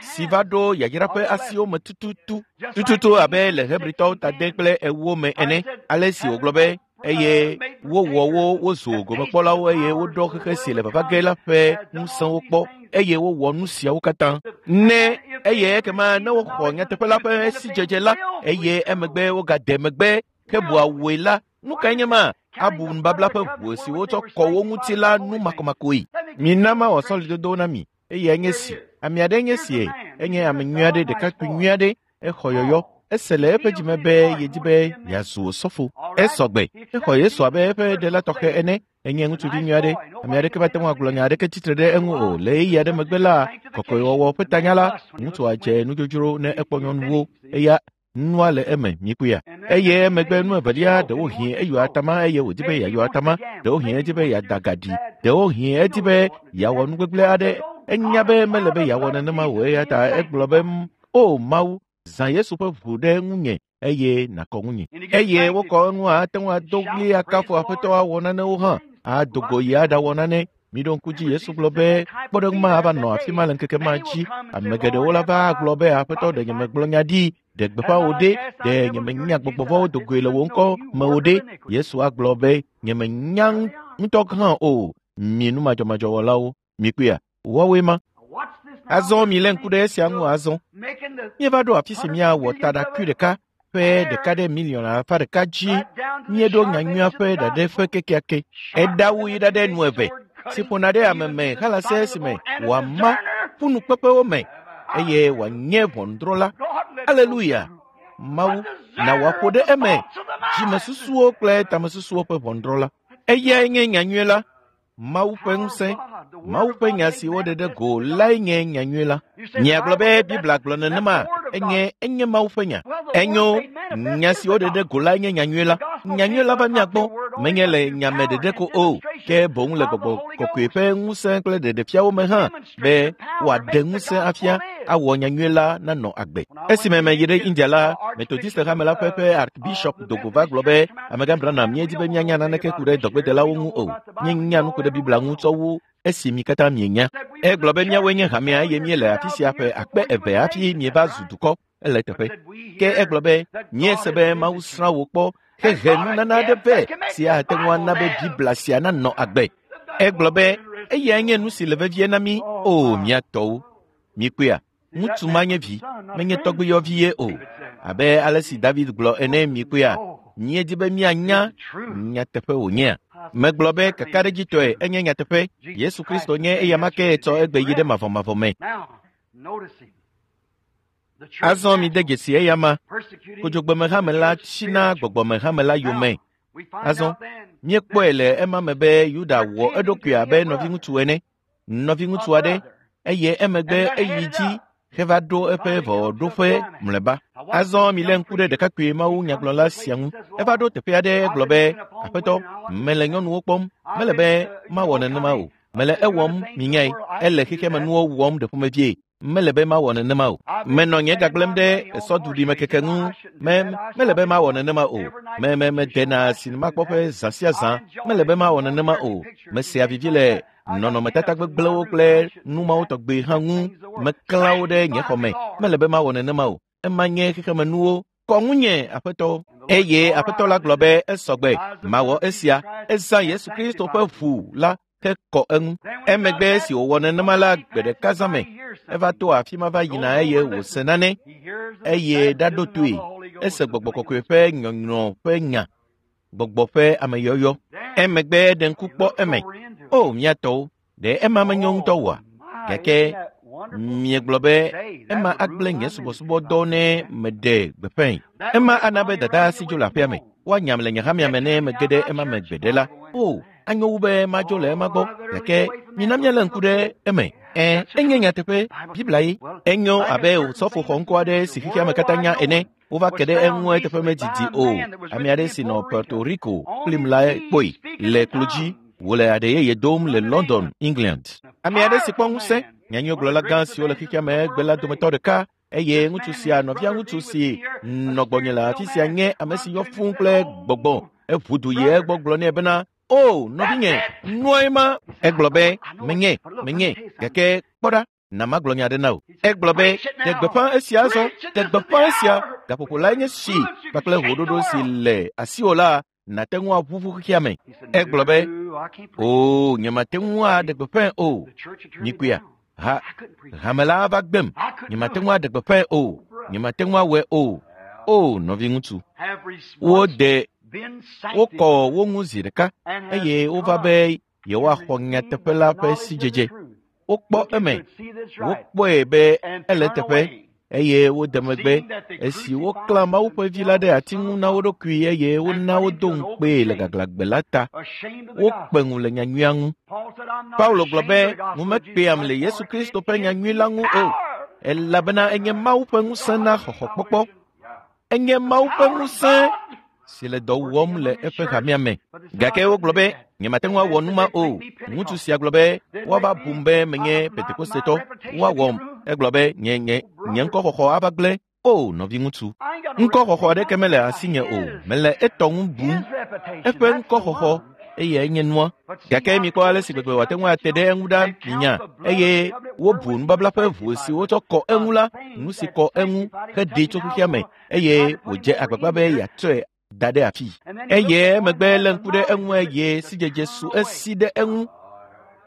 si va ɖo yayra ƒe asiwo me tututu tututu abe le Hebritɔwo tade kple ewo me ene. Ale si wògblɔ be eye wowɔ wo wozu gomekpɔlawo eye woɖɔ xexe si le vava ge la ƒe ŋusẽwo kpɔ eye wowɔ nu siawo katã. Ne eye ekema ne woxɔ nyateƒe la ƒe sidzedze la eye emegbe wogade megbe hebua woe la, nu kae nye ma? Abu nubabla ƒe ʋu si wotsɔ kɔ wo ŋuti la nu makomakoe. Mina mawɔ sɔlidodo na mi eye enye si. Ame aɖe nye sie, enye ame nyui aɖe, ɖekakpui nyui aɖe, exɔ yɔyɔ. Ese le eƒe dzime be yedi be yeazu osɔfo. Esɔ gbe. Exɔ Yesu abe eƒe ɖela tɔxɛ ene. Enye ŋutsuvi nyui aɖe. Ame aɖeke mate ŋu agblɔ nya aɖeke tsitre ɖe eŋu o. Le ɣeyiɣi aɖe megbe la, kɔkɔewɔwɔ ƒe tanya la, ŋutsua dze nudzodzro ne ekpɔ nyɔnuwo. Eya nua le eme mikpɔea. Eye emegbe nu evelia, ɖewohĩ eyɔ atama eye wòdi be yeayɔ atama. Ɖewohĩ edi be yeada ga ɖi. Ɖewohĩ edi be yeawɔ nu gbegblẽ aɖe. Enya be mele be yeawɔ nenema o eya ta egblɔ be, O Mawu, zã Yesu ƒe ʋu ɖe ŋunye eye nàkɔ ŋunye. Eye wokɔ eŋu ate ŋu ado ɣli akafu Aƒetɔ awɔ nanewo hã, ado go yi aɖawɔ nane. Miɖo ŋku dzi Yesu gblɔ be kpɔɖeŋu ma ava nɔ afi ma le ŋkeke ma dzi. Ame geɖewo la va agblɔ be Aƒetɔ ɖe nyemegblɔ nya ɖi, ɖe gbeƒã wò ɖe, ɖe nyemenya gbɔgbɔ vɔ̃wo do goe le wò ŋkɔ me o ɖe. Yesu agblɔ be nyemenya ŋutɔ hã o. Mi numadzɔmadzɔwɔlawo, mikpɔea, woawoe ma. Azɔ mi lé ŋku ɖe esia ŋu azɔ. Míeva ɖo afi si míawɔ taɖakui ɖeka ƒe ɖeka ɖe miliɔn alafa ɖeka dzi. Míeɖo nyanyuia ƒe ɖaɖɛ ƒe kekeake. Eɖawu yi ɖaɖɛ nu eve si ƒona ɖe ame me halase esime wòama ƒunukpeƒewo me eye wòanye ʋɔnudrɔ̃la. Aleluya! Mawu na wòaƒo ɖe eme dzimesusuwo kple tamesusuwo ƒe ʋɔnudrɔ̃la. Eyae nye nyanyui la. Mawu ƒe ŋusẽ, Mawu ƒe nya si woɖe ɖe go lae nye nyanyui la. Miagblɔ be Biblia gblɔ nenema, enye enye Mawu ƒe nya. Enyo, nya si woɖe ɖe go lae nye nyanyui la. Nyanyui la va mia gbɔ, menye le nyame ɖeɖe ko o, ke boŋ le gbɔgbɔ kɔkɔe ƒe ŋusẽ kple ɖeɖefiawo me hã, be wòaɖe ŋusẽ afia awɔ nyanyui la nanɔ agbe. Esime meyi ɖe India la, Methodist hame la ƒe ƒe Archbishop dogo va gblɔ be, Amegã Branham, míedi be míanya naneke ku ɖe dɔgbedelawo ŋu o. Míenya nu ku ɖe Biblia ŋu tsɔ wu esi mi katã mienya. Egblɔ be míawoe nye hamea eye míele afi sia ƒe akpe eve hafi mieva zu dukɔ. Ele teƒe. Ke egblɔ be míese be Mawu srã wò kpɔ hehe nunana aɖe vɛ si ate ŋu ana be Biblia sia nanɔ agbe. Egblɔ be eyae nye nu si le vevie na mí o mía tɔwo. Mikpɔea, ŋutsu ma nye vi, menye tɔgbuiyɔvi ye o. Abe ale si David gblɔ ene mikpɔea, míedi be míanya nyateƒe wònyea. Megblɔ be kakaɖedzitɔe enye nyateƒe. Yesu Kristo nye eyama ke tsɔ egbe yi ɖe mavɔmavɔ me. Azɔ mide dzesi eyama. Kodzogbemehame la tsina gbɔgbɔmehame la yome. Azɔ míekpɔe le ema me be Yuda wɔ eɖokui abe nɔviŋutsu ene, nɔviŋutsu aɖe, eye emegbe eyi dzi heva ɖo eƒe vɔɖoƒe mlɔeba. Azɔ milé ŋku ɖe ɖekakpui Mawu nyagblɔla sia ŋu. Eva ɖo teƒe aɖe gblɔ be, Aƒetɔ, mele nyɔnuwo kpɔm, mele be mawɔ nenema o. Mele ewɔm minyae, ele xexemenuwo wɔm ɖe ƒomevie. Mele be mawɔ nenema o. Menɔ nye gagblẽm ɖe esɔduɖimekeke ŋu. Me mele be mawɔ nenema o. Me me medena sinimakpɔƒe zã sia zã. Mele be mawɔ nenema o. Mesea vivi le nɔnɔmetata gbegblẽwo kple nu mawo tɔgbe hã ŋu. Meklã wo ɖe nye xɔme. Mele be mawɔ nenema o. Ema nye xexemenuwo. Kɔ ŋunye, Aƒetɔ. Eye Aƒetɔ la gblɔ be esɔgbe. Mawɔ esia. Ezã Yesu Kristo ƒe ʋu la hekɔ eŋu. Emegbe si wòwɔ nenema la gbe ɖeka zã me, eva to afi ma va yina eye wòse nane, eye ɖaɖo toe. Ese gbɔgbɔ kɔkɔe ƒe nyɔnyrɔ ƒe nya, gbɔgbɔ ƒe ameyɔyɔ. Emegbe ɖe ŋku kpɔ eme. O, mía tɔwo, ɖe ema menyo ŋutɔ oa? Gake miegblɔ be ema agblẽ nye subɔsubɔdɔ ne meɖe gbeƒãe. Ema ana be dada si dzo le aƒea me. Woanyam le nye hamea me ne mege ɖe ema me gbeɖe la. O, anyo wu be madzo le ema gbɔ. Gake mina míalé ŋku ɖe eme. Ẽ, enye nyateƒe, Biblia ye. Enyo abe osɔfo xɔŋkɔ aɖe si xexea me katã nya ene. Wova ke ɖe eŋu eteƒe medidi o. Ame aɖe si nɔ Puerto Rico kplim la kpɔe le klo dzi wòle aɖe yeye dom le London, England. Ame aɖe si kpɔ ŋusẽ, nyanyuigblɔla gã siwo le xexea me egbe la dometɔ ɖeka, eye ŋutsu sia nɔvia ŋutsu si nɔ gbɔnye le afi sia nye ame si yɔ fũu kple gbɔgbɔ. Eʋu du yi egbɔ gblɔ nɛ bena, O, nɔvinye, nuae ma. Egblɔ be, menye, menye, gake kpɔ ɖa, na magblɔ nya aɖe na wò. Egblɔ be, ɖe gbeƒã esia azɔ, ɖe gbeƒã esia, gaƒoƒo lae nye si kpakple ʋuɖoɖo si le asiwò la, nàte ŋu aʋuʋu xexea me. Egblɔ be, o, nyemate ŋu aɖe gbeƒãe o. Mikpɔea, ha, hame la ava gbem. Nyemate ŋu aɖe gbeƒãe o. Nyemate ŋu awɔe o. O, nɔviŋutsu, wode wokɔ wo ŋu zi ɖeka eye wova be yewoaxɔ nyateƒe la ƒe sidzedze. Wokpɔ eme, wokpɔe be ele teƒe eye wode megbe esi woklã Mawu ƒe vi la ɖe ati ŋu na wo ɖokui eye wona wodo ŋukpee le gaglãgbe la ta. Wokpe ŋu le nyanyuia ŋu. Paulo gblɔ be ŋu mekpeam le Yesu Kristo ƒe nyanyui la ŋu o, elabena enye Mawu ƒe ŋusẽ na xɔxɔkpɔkpɔ. Enye Mawu ƒe ŋusẽ si le dɔ wɔm le eƒe hamea me. Gake wogblɔ be nyemate ŋu awɔ nu ma o. Ŋutsu sia gblɔ be woava bum be menye Pentekostetɔ. Woawɔm. Egblɔ be nye nye nye ŋkɔxɔxɔ ava gblẽ. O, nɔviŋutsu, ŋkɔxɔxɔ aɖeke mele asinye o. Mele etɔ ŋu bum. Eƒe ŋkɔxɔxɔ eyae nye nua. Gake mikpɔ ale si gbegbe wòate ŋu ate ɖe eŋu ɖa minya. Eye wobu nubabla ƒe ʋu si wotsɔ kɔ eŋu la, nu si kɔ eŋu heɖee tso xexea me eye wòdze agbagba be yeatsɔe da ɖe afi. Eye emegbe lé ŋku ɖe eŋu eye sidzedze su esi ɖe eŋu.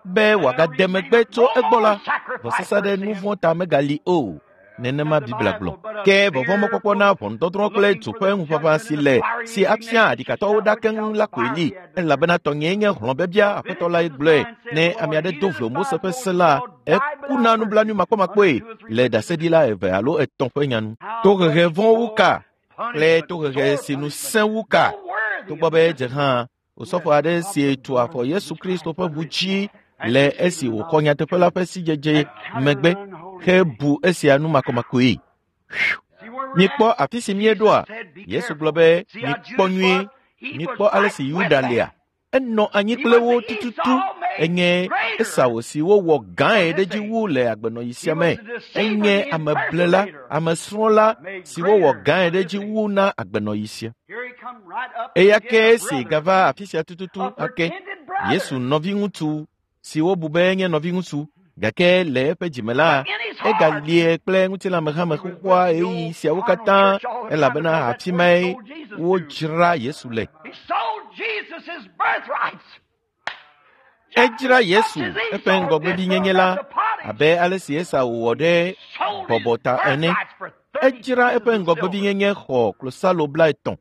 be wòagade megbe tso egbɔ la, vɔsasa ɖe nu vɔ̃ ta megali o. Nenema Biblia gblɔ. Ke vɔvɔ̃mɔkpɔkpɔ na ʋɔnudɔdrɔ̃ kple dzo ƒe ŋuʋaʋã si le si afia aɖikatɔwo ɖa keŋ la koe li. Elabena tɔnyee nye hlɔ̃biabia Aƒetɔ lae gblɔe. Ne ame aɖe do vlo Mose ƒe se la, ekuna nublanui makpɔmakpɔe le ɖaseɖila eve alo etɔ̃ ƒe nya nu. Tohehe vɔ̃ wu ka kple tohehe si nu sẽ wu ka. Togbɔ be edze hã, osɔfo aɖe si tu afɔ Yesu Kristo ƒe ʋu dzi le esi wòxɔ nyateƒe la ƒe sidzedze megbe hebu esia nu makɔmakɔe. Mikpɔ afi si míeɖoa? Yesu gblɔ be mikpɔ nyuie, mikpɔ ale si Yuda lia. Enɔ anyi kple wo tututu. Enye Esau si wowɔ gãe ɖe dzi wu le agbenɔɣi sia me. Enye ameblela, amesrɔ̃la si wowɔ gãe ɖe dzi wu na agbenɔɣi sia. Eya ke esi gava afi sia tututu ake. Yesu nɔviŋutsu si wobu be enye nɔviŋutsu gake le eƒe dzime la, egalie kple ŋutilãmehame xoxoa ɣeyiɣi siawo katã elabena afi mae wodzra Yesu le. Edzra Yesu eƒe ŋgɔgbevinyenye la abe ale si Esau wɔ ɖe bɔbɔ ta ene. Edzra eƒe ŋgɔgbevinyenye xɔ klosalo blaetɔ̃.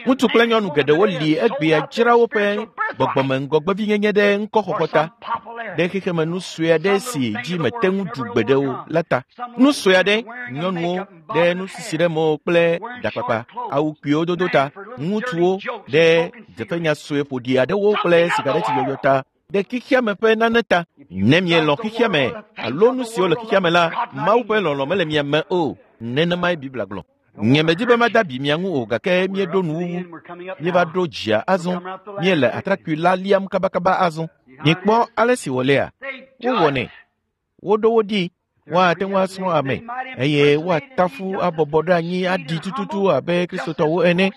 Ŋutsu kple nyɔnu geɖewo li egbea dzra woƒe gbɔgbɔme ŋgɔgbevinyenye ɖe ŋkɔxɔxɔ ta, ɖe xexeme nu sue aɖe si dzi mete ŋu ɖu gbeɖe o la ta. Nu sue aɖe, nyɔnuwo ɖe nusisi ɖe mo kple ɖakpakpa, awu kpuiwo dodo ta, ŋutsuwo ɖe dzeƒenya sue ƒoɖi aɖewo kple sigaretiyɔyɔ ta, ɖe xexeame ƒe nane ta. Ne mielɔ̃ xexeame alo nu siwo le xexeame la, Mawu ƒe lɔlɔ̃ mele mia me o. Nenemae Biblia gblɔ. Nye medi be mada abi mia ŋu o gake míeɖo nuwuwu. Míeva ɖo dzia azɔ. Míele atrakpui la liam kabakaba azɔ. Mikpɔ ale si wòlea. Wowɔnɛ. Woɖo wo ɖi. Woate ŋu asrɔ̃ ame eye woatafu abɔbɔ ɖe anyi aɖi tututu abe Kristotɔwo ene.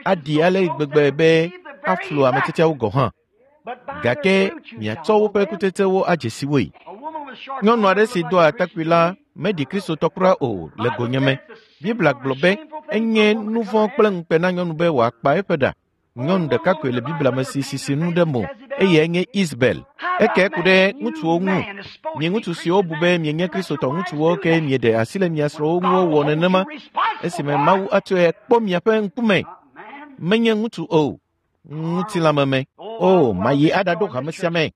Aɖi ale gbegbe be aflu ame tiatiawo gɔ̃ hã. Gake miatsɔ woƒe kutsetsewo adze si woe. Nyɔnu aɖe si doa atakpui la meɖi Kristotɔ kura o le gonyeme. Biblia gblɔ be enye nu vɔ̃ kple ŋukpe na nyɔnu be wòakpa eƒe ɖa. Nyɔnu ɖeka koe le Biblia me si sisi nu ɖe mo eye enye Isabel. Eke ku ɖe ŋutsuwo ŋu. Mi ŋutsu siwo bu be mienye Kristotɔ ŋutsuwo ke mieɖe asi le mia srɔ̃wo ŋu wowɔ nenema esime Mawu atsɔe kpɔ miaƒe ŋkume. Menye ŋutsu o, ŋutilãmeme. O, mayi aɖaɖo hame sia me.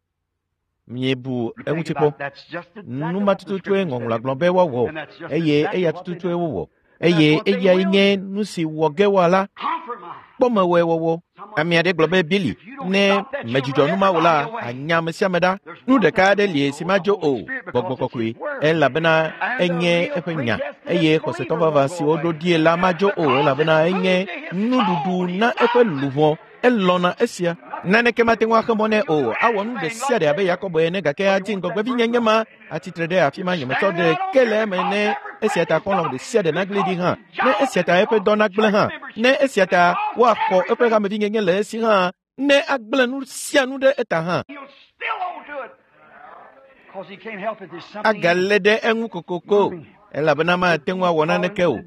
Miebu eŋuti kpɔ. Nu ma tututue ŋɔŋlɔa gblɔ be woawɔ eye eya tututue wowɔ. Eye eyae nye nu si wɔ ge woala. Kpɔ mewɔe wɔwɔ. Ame aɖe gblɔ be Billy, ne medzudzɔ nu ma o la, anya ame sia ame ɖa. Nu ɖeka aɖe li si madzo o, gbɔgbɔ kɔkɔe, elabena enye eƒe nya. Eye xɔsetɔ vavã si woɖo ɖie la madzo o, elabena enye nuɖuɖu na eƒe luʋɔ. Elɔ̃na esia. Naneke mate ŋu axe mɔ nɛ o. Awɔ nu ɖe sia ɖe abe Yakobo ene gake adi ŋgɔgbevinyenye ma atsitre ɖe afi ma nyemetsɔ ɖe ke le eme ne esia ta xɔlɔ̃ ɖe sia ɖe nagblẽ ɖi hã, ne esia ta eƒe dɔ nagblẽ hã, ne esia ta woaxɔ eƒe hamevinyenye le esi hã, ne agblẽ nu sia nu ɖe eta hã. Agalé ɖe eŋu kokoko elabena mate ŋu awɔ naneke o.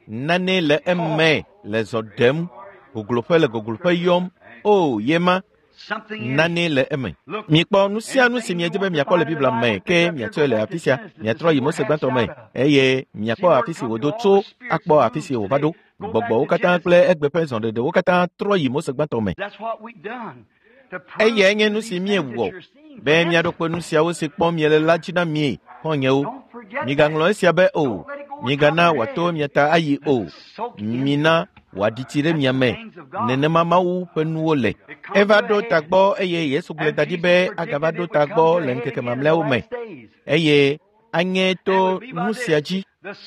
Nane le eme le zɔ ɖem, gogloƒe le gogloƒe yɔm. O, yema nane le eme. Mikpɔ nu sia nu si miedi be miakpɔ le Biblia me ke miatsɔe le afi sia. Miatrɔ yi Mose gbãtɔ me eye miakpɔ afi si wòdo tso akpɔ afi si wòva ɖo. Gbɔgbɔwo katã kple egbe ƒe zɔɖeɖewo katã trɔ yi Mose gbãtɔ me. Eyae nye nu si miewɔ be miaɖo kpe nu siawo si kpɔm miele la dzi na mi, xɔ̃nyewo. Migaŋlɔ esia be o. Migana wòato mia ta ayi o. Mina wòaɖi tsi ɖe mia me. Nenema Mawu ƒe nuwo le. Eva ɖo tagbɔ eye Yesu gblɔe da ɖi be agava ɖo tagbɔ le ŋkeke mamlɛawo me. Eye anye to nu sia dzi.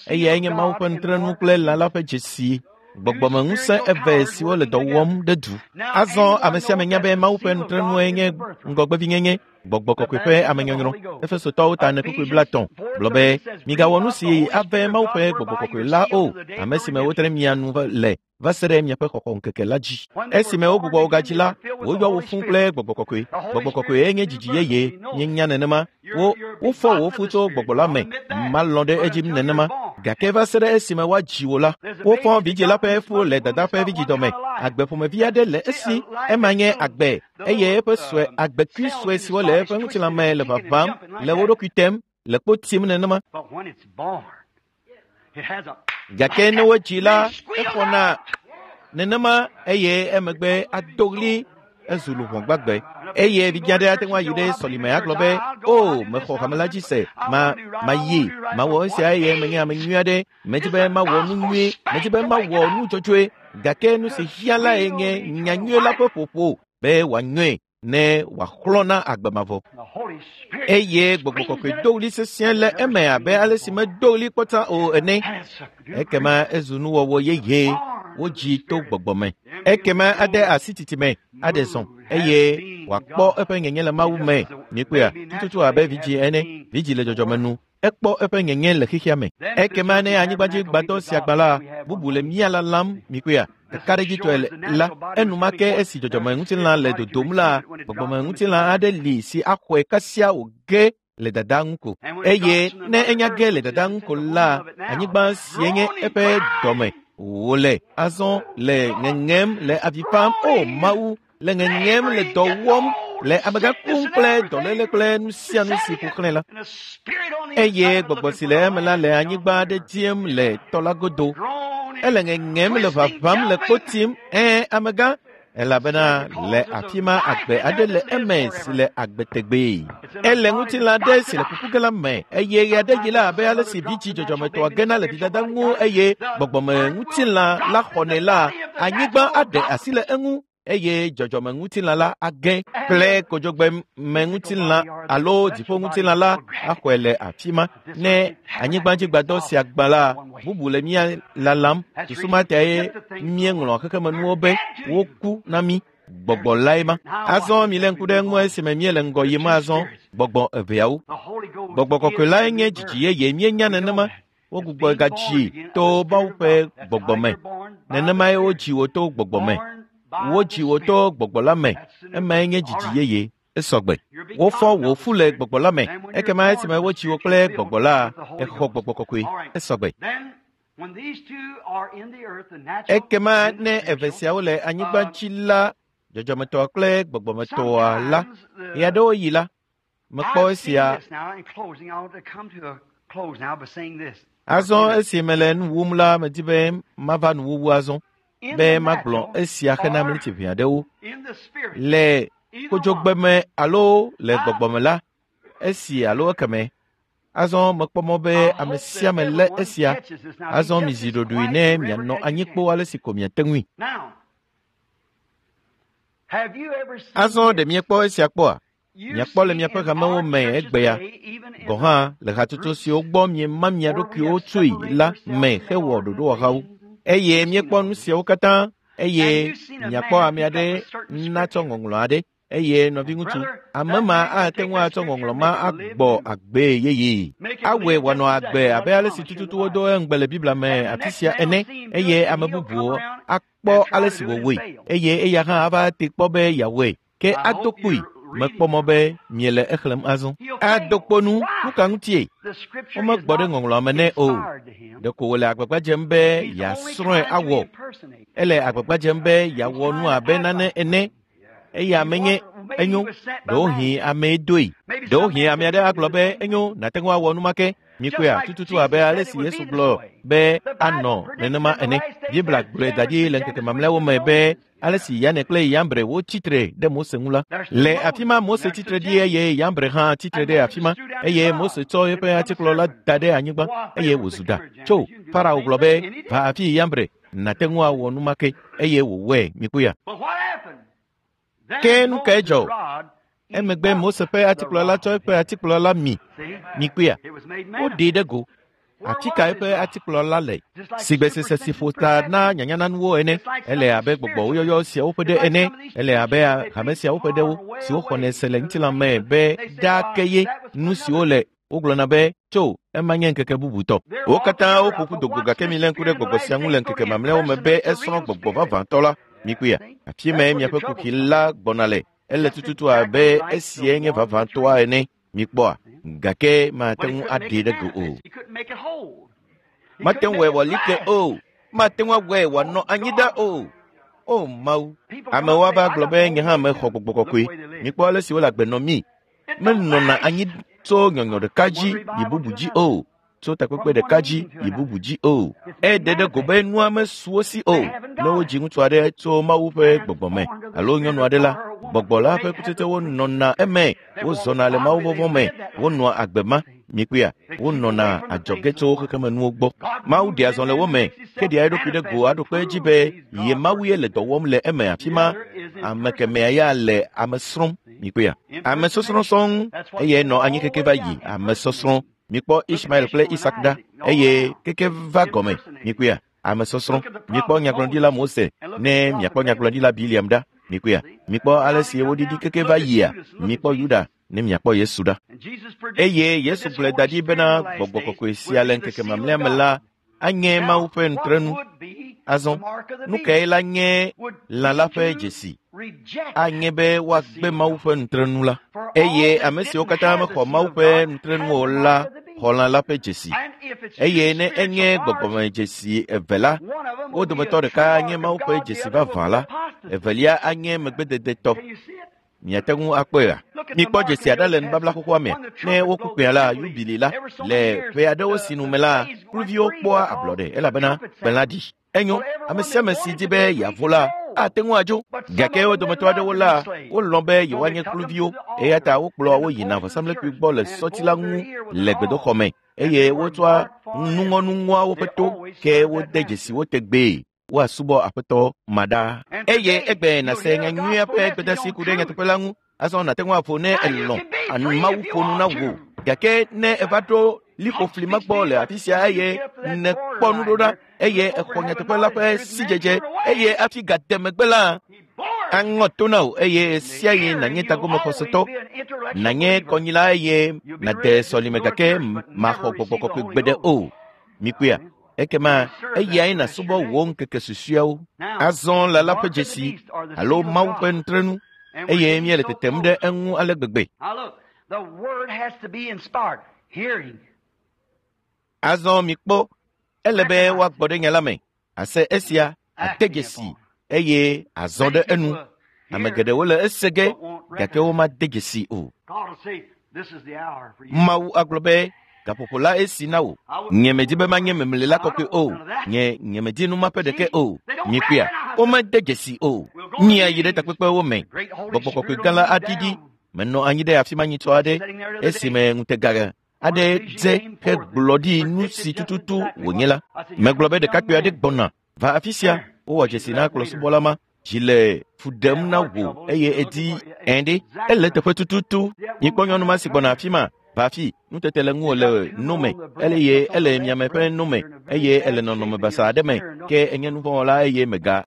Eyae nye Mawu ƒe nutrenu kple lã la ƒe dzesi. Gbɔgbɔmeŋusẽ eve siwo le dɔ wɔm ɖe du. Azɔ ame sia ame nya be Mawu ƒe nutrenue nye ŋgɔgbevinyenye, gbɔgbɔ kɔkɔe ƒe amenyɔnyrɔ. Efesotɔwo ta ene kpukpui blaetɔ̃ gblɔ be migawɔ nu si ave Mawu ƒe gbɔgbɔ kɔkɔe la o, ame si me wotre mia nu le va se ɖe miaƒe xɔxɔ ŋkeke la dzi. Esime wogbugbɔ wo gadzi la, woyɔ wo fũ kple gbɔgbɔ kɔkɔe. Gbɔgbɔ kɔkɔe nye dzidzi yeye, míenya nenema. Wo wofɔ wo fu tso gbɔgbɔ la me. Malɔ̃ ɖe edzi nenema. Gake va se ɖe esime woadzi wò la, wofɔ vidzĩ la ƒe fu le dada ƒe vidzidɔme. Agbe ƒomevi aɖe le esi, ema nye agbe, eye eƒe sue agbekui sue siwo le eƒe ŋutilã me le vavam, le wo ɖokui tem, le kpo tim nenema. Gake ne wodzi la, exɔna nenema eye emegbe ado ɣli ezu luʋɔ gbagbe. Eye vidzĩ aɖe ate ŋu ayi ɖe sɔlime agblɔ be, o, mexɔ hame la dzi se, ma mayi, mawɔ esia eye menye ame nyui aɖe, medzi be mawɔ nu nyui, medzi be mawɔ nu dzɔdzɔe, gake nu si hiã lae nye nyanyui la ƒe ƒoƒo be wòanyɔe ne wòaxlɔ̃ na agbe mavɔ. Eye gbɔgbɔ kɔkɔe do ɣli sesĩe le eme abe ale si medo ɣli kpɔta o ene. Ekema ezu nuwɔwɔ yeye, wodzi to gbɔgbɔ me. Ekema ade asi titime, aɖe zɔ, eye wòakpɔ eƒe nyenye le Mawu me. Mikpɔea, tututu abe vidzĩ ene, vidzĩ le dzɔdzɔme nu, ekpɔ eƒe nyenye le xexea me. Ekema ne anyigbadzigbatɔ sia gbã la, bubu le mía lalam, mikpɔea, kakaɖedzitɔe la, enumake esi dzɔdzɔmeŋutilã le dodom la, gbɔgbɔmeŋutilã aɖe li si axɔe kasia wòge le dada ŋu ko. Eye ne enya ge le dada ŋu ko la, anyigba sie nye eƒe dɔme wòle azɔ le ŋeŋem le avi fam, o Mawu, le ŋeŋem le dɔ wɔm, le amegã kum kple dɔléle kple nu sia nu si ƒo xlãe la. Eye gbɔgbɔ si le eme la le anyigba aɖe dziem le tɔ la godo. Ele ŋeŋem le vavam le kpo tim, ẽ amegã, elabena le afi ma agbe aɖe le eme si le agbe tegbee. Ele ŋutilã aɖe si le kuku ge la me, eye ɣe aɖe yi la abe ale si vidzĩ dzɔdzɔmetɔa gena le vidada ŋu eye gbɔgbɔme ŋutilã la xɔnɛ la, anyigba aɖe asi le eŋu eye dzɔdzɔme ŋutilã la age kple kodzogbe me ŋutilã alo dziƒo ŋutilã la axɔe le afi ma. Ne anyigbadzigbadɔ sia gbã la, bubu le mía lalam. Susu ma tae míeŋlɔ xexemenuwo be woku na mí. Gbɔgbɔ lae ma. Azɔ milé ŋku ɖe eŋu esime míele ŋgɔ yim azɔ. Gbɔgbɔ eveawo. Gbɔgbɔ kɔkɔe lae nye dzidzi yeye, míenya nenema. Wogbugbɔ gadzi to Mawu ƒe gbɔgbɔ me. Nenemae wodzi wò to gbɔgbɔ me. Wodzi wò to gbɔgbɔ la me. Emae nye dzidzi yeye. Esɔgbe. Wofɔ wò fu le gbɔgbɔ la me. Ekema esime wodzi wò kple gbɔgbɔ la, exɔ gbɔgbɔ kɔkɔe. Esɔgbe. Ekema ne eve siawo le anyigba dzi la, dzɔdzɔmetɔa kple gbɔgbɔmetɔa la, ɣeaɖewo yi la, mekpɔ esia. Azɔ esi mele nu wum la, medi be mava nuwuwu azɔ, be magblɔ esia hena miniti ʋɛ aɖewo. Le kodzogbeme alo le gbɔgbɔme la, esi alo ekeme. Azɔ mekpɔ mɔ be ame sia ame lé esia. Azɔ mizi ɖoɖoe ne mianɔ anyi kpoo ale si ko miate ŋui. Azɔ ɖe miekpɔ esia kpɔa? Miakpɔ le miaƒe hamewo me egbea gɔ̃ hã le hatsotso siwo gbɔ miema mia ɖokuiwo tsoe la me hewɔ ɖoɖowɔhawo. Eye miekpɔ nu siawo katã, eye miakpɔ ame aɖe natsɔ ŋɔŋlɔ aɖe. Eye nɔviŋutsu, ame ma ate ŋu atsɔ ŋɔŋlɔ ma agbɔ agbee yeye. Awɔe wòanɔ agbe abe ale si tututu wodo eŋugbe le Biblia me afi sia ene, eye ame bubuwo akpɔ ale si wòwɔe, eye eya hã ava te kpɔ be yeawɔe. Ke ado kpoe. Mekpɔ mɔ be miele exlẽm azɔ. Ado kpo nu, nu ka ŋutie? Womegbɔ ɖe ŋɔŋlɔa me nɛ o. Ɖeko wòle agbagba dzem be yeasrɔ̃e awɔ. Ele agbagba dzem be yeawɔ nu abe nane ene. Eya menye enyo, ɖewohĩ amee doe. Ɖewohĩ ame aɖe agblɔ be enyo, nàte ŋu awɔ nu ma ke. Mikpɔea, tututu abe ale si Yesu gblɔ be anɔ nenema ene. Biblia gblɔe da ɖi le ŋkeke mamlɛawo me be ale si Yane kple Yambre wotsi tre ɖe Mose ŋu la. Le afi ma Mose tsi tre ɖi eye Yambre hã tsi tre ɖe afi ma, eye Mose tsɔ eƒe atikplɔ la da ɖe anyigba eye wòzu ɖa. Tso, Farao gblɔ be, va afi Yambre, nàte ŋu awɔ nu ma ke, eye wòwɔe. Mikpɔea. Ke nu kae dzɔ? Emegbe Mose ƒe atikplɔ la tsɔ eƒe atikplɔ la mi. Mikpɔea. Woɖee ɖe go. Afi ka eƒe atikplɔ la le? Sigbesese si ƒo ta na nyanyananuwo ene. Ele abe gbɔgbɔwoyɔyɔ siawo ƒe ɖe ene. Ele abe hame siawo ƒe ɖewo siwo xɔnɛ se le ŋutilã me be ɖaa ke ye nu siwo le wogblɔna be tso ema nye ŋkeke bubutɔ. Wo katã woƒo ƒu do go gake milé ŋku ɖe gbɔgbɔ sia ŋu le ŋkeke mamlɛawo me be esrɔ̃ gbɔgbɔ vavãtɔ la. Mikpɔea, afi mae miaƒe kuxi la gbɔna le. Ele tututu abe esie nye vavãtɔa ene. Mikpɔa, gake mate ŋu aɖee ɖe go o. Mate ŋu wɔe wòali ke o. Mate ŋu awɔe wòanɔ anyi ɖa o. O Mawu, amewo ava gblɔ be nye hã mexɔ gbɔgbɔ kɔkɔe. Mikpɔ ale si wole agbe nɔ mí. Menɔna anyi tso nyɔnyɔ ɖeka dzi yi bubu dzi o. Tso takpekpe ɖeka dzi yi bubu dzi o. Eɖe ɖe go be nua mesu wo si o. Ne wodzi ŋutsu aɖe tso Mawu ƒe gbɔgbɔ me alo nyɔnu aɖe la, gbɔgbɔ la ƒe kutsetsewo nɔna eme. Wozɔna le Mawu vɔvɔ̃ me. Wonɔa agbe ma. Mikpɔea, wonɔna adzɔge tso xexemenuwo gbɔ. Mawu ɖea zɔ le wo me, ke ɖea eɖokui ɖe go aɖo kpe edzi be ye Mawu ye le dɔ wɔm le eme afi ma. Ame kemɛa ya le ame srɔ̃m. Mikpɔea, ame sɔsrɔ̃ sɔŋ eye nɔ anyi keke va yi ame sɔsrɔ̃. Mikpɔ Ismael kple Isak ɖa eye keke va gɔme. Mikpɔea, ame sɔsrɔ̃. Mikpɔ nyagblɔɖila Mose ne miakpɔ nyagblɔɖila Biliam ɖa. Mikpɔea, mikpɔ ale si woɖiɖi keke va yia. Mikpɔ Yuda ne miakpɔ Yesu ɖa. Eye Yesu gblɔe da ɖi bena gbɔgbɔ kɔkɔe sia le ŋkeke mamlɛa me la anye Mawu ƒe nutrenu. Azɔ, nu kae la nye lã la ƒe dzesi? Anye be woagbe Mawu ƒe nutrenu la. Eye ame siwo katã mexɔ Mawu ƒe nutrenu o la xɔ lã la ƒe dzesi. Eye ne enye gbɔgbɔmedzesi eve la, wo dometɔ ɖeka nye Mawu ƒe dzesi vavã la, evelia anye megbededetɔ. Miate ŋu akpɔea? Mikpɔ dzesi aɖe le nubabla xoxoa me. Ne woku kpẽa la, yubili la, le ƒe aɖewo si nu me la, kluviwo kpɔa ablɔɖe elabena kpẽ la ɖi. Enyo, ame sia ame si di be yeavo la, ate ŋu adzo. Gake wo dometɔ aɖewo la, wolɔ̃ be yewoanye kluviwo eya ta wokplɔa wo yina vɔsamlekpui gbɔ le sɔti la ŋu le gbedoxɔ me eye wotsɔa nuŋɔnuŋɔa woƒe to ke wode dzesi wo tegbee. Woasubɔ aƒetɔ ma ɖa. Eye egbe nàse nyanyuia ƒe gbedeasi ku ɖe nyateƒe la ŋu. Azɔ nàte ŋu aƒo ne elɔ̃ Mawu ƒo nu na wò. Gake ne eva ɖo liƒofli ma gbɔ le afi sia eye nèkpɔ nuɖoɖa eye exɔ nyateƒe la ƒe sidzedze eye hafi gade megbe la, aŋɔ to na wò eye sia ɣi nànye tagomexɔsetɔ, nànye kɔnyila eye nàde sɔlime gake maxɔ gbɔgbɔ kɔkɔe gbeɖe o. Mikpɔea? Ekema eyae nàsubɔ wò ŋkeke susɔeawo. Azɔ lã la ƒe dzesi alo Mawu ƒe nutrenu eye míele tetem ɖe eŋu ale gbegbe. Azɔ mikpɔ, ele be woagbɔ ɖe nya la me, ase esia, ade dzesi eye azɔ ɖe enu. Ame geɖewo le ese ge gake womade dzesi o. Mawu agblɔ be gaƒoƒo la esi na wò. Nye medi be manye memlela kɔkɔe o. Nye nye medi nu ma ƒe ɖeke o. Mikpɔea, womede dzesi o. Míayi ɖe takpekpewo me. Gbɔgbɔ kɔkɔe gã la aɖiɖi. Menɔ anyi ɖe afi ma nyitsɔ aɖe esime ŋutega aɖe dze hegblɔ ɖi nu si tututu wònye la. Megblɔ be ɖekakpui aɖe gbɔna va afi sia. Wowɔ dzesi na kplɔsubɔla ma. Dzi le fu ɖem na wò eye edi ẽ ɖe. Ele teƒe tututu. Mikpɔ nyɔnu ma si gbɔna afi ma. Va afi, nutete le ŋuwò le no me, eye ele miame ƒe no me, eye ele nɔnɔme basa aɖe me, ke enye nuvɔ̃wɔla eye mega.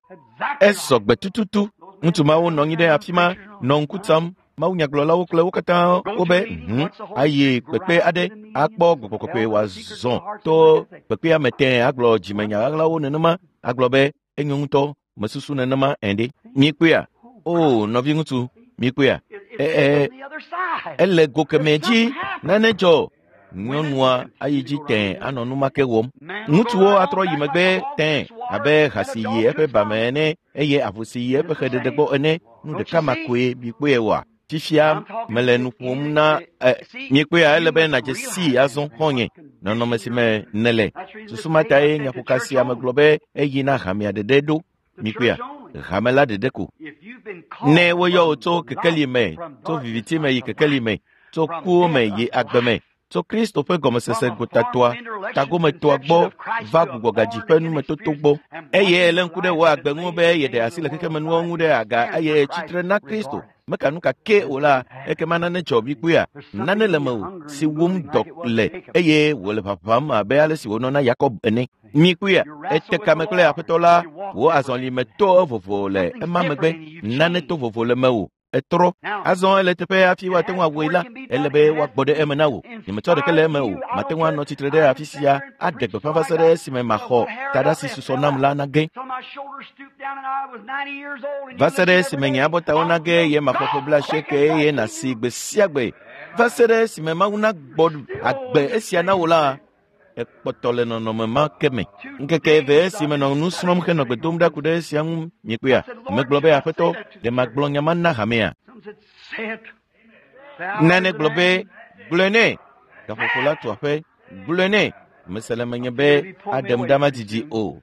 Esɔ gbe tututu. Ŋutsu mawo nɔ anyi ɖe afi ma, nɔ ŋku tsam. Mawunyagblɔlawo kple wo katã wobe hm ayi kpekpe aɖe akpɔ gbɔgbɔ kɔkɔe wòazɔ to kpekpea me tẽe agblɔ dzimenya ɣaɣlawo nenema agblɔ be enyo ŋutɔ mesusu nenema ẽ ɖe. Mikpɔea? O nɔviŋutsu, mikpɔea? Ɛ ele go kemɛ dzi nane dzɔ. Nyɔnua ayi dzi tẽe anɔ nu ma ke wɔm. Ŋutsuwo atrɔ yi megbe tẽe abe ha si yi eƒe ba me ene eye avu si yi eƒe xeɖeɖe gbɔ ene. Nu ɖeka ma koe mikpɔe wɔa? Fifia mele nu ƒom na ɛ mikpɔea ele be nàdze sii azɔ xɔ̃nye nɔnɔme si me nèle. Susu ma tae nyaƒoka sia megblɔ be eyi na hamea ɖeɖe ɖo. Mikpɔea? Hame la ɖeɖe ko. Ne woyɔ wò tso kekeli me, tso viviti me yi kekeli me, tso kuwo me yi agbe me, tso Kristo ƒe gɔmesese gotatoa, tagometoa gbɔ va gbugbɔgadzi ƒe numetoto gbɔ. Eye ele ŋku ɖe wò agbe ŋu be yeɖe asi le xexemenuwo ŋu ɖe aga eye tsitre na Kristo. Meka nu ka ke o la, ekema nane dzɔ mikpɔea? Nane le mewò si wum dɔ le eye wòle ʋaʋãm abe ale si wònɔ na Yakob ene. Mikpɔea? Ete kame kple Aƒetɔ la, wò azɔlime to vovo le ema megbe. Nane to vovo le mewò. Etrɔ. Azɔ ele teƒe hafi woate ŋu awɔe la, ele be woagbɔ ɖe eme na wò. Nyemetsɔ ɖeke le eme o. Mate ŋu anɔ tsitre ɖe afi sia aɖe gbeƒã va se ɖe esime maxɔ taɖa si susɔ nam la nage. Va se ɖe esime nye abɔtawo nage ye maxɔ ƒe blaasieke eye nàsi gbe sia gbe. Va se ɖe esime Mawu nagbɔ agbe esia na wò la, Ekpɔtɔ le nɔnɔme ma ke me. Ŋkeke eve esi menɔ nu srɔ̃m henɔ gbe dom ɖa ku ɖe esia ŋu miekpɔea, megblɔ be aƒetɔ, ɖe magblɔ nya ma na hamea. Nane gblɔ be gblɔe nɛ. Gaƒoƒo la tu aƒe, gblɔe nɛ. Mese le menye be aɖem ɖa madidi o.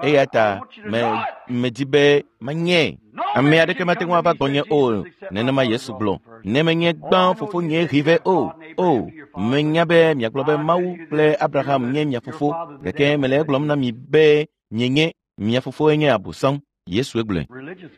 Eya ta me medi be manye. Ame aɖeke mate ŋu ava gbɔnye o. Nenema Yesu gblɔ. Ne menye gbã fofonye ʋi vɛ o. O, menya be miagblɔ be Mawu kple Abraham nye mia fofo. Gake mele egblɔm na mi be mienye mia fofoe nye Abosam. Yesue gblɔe.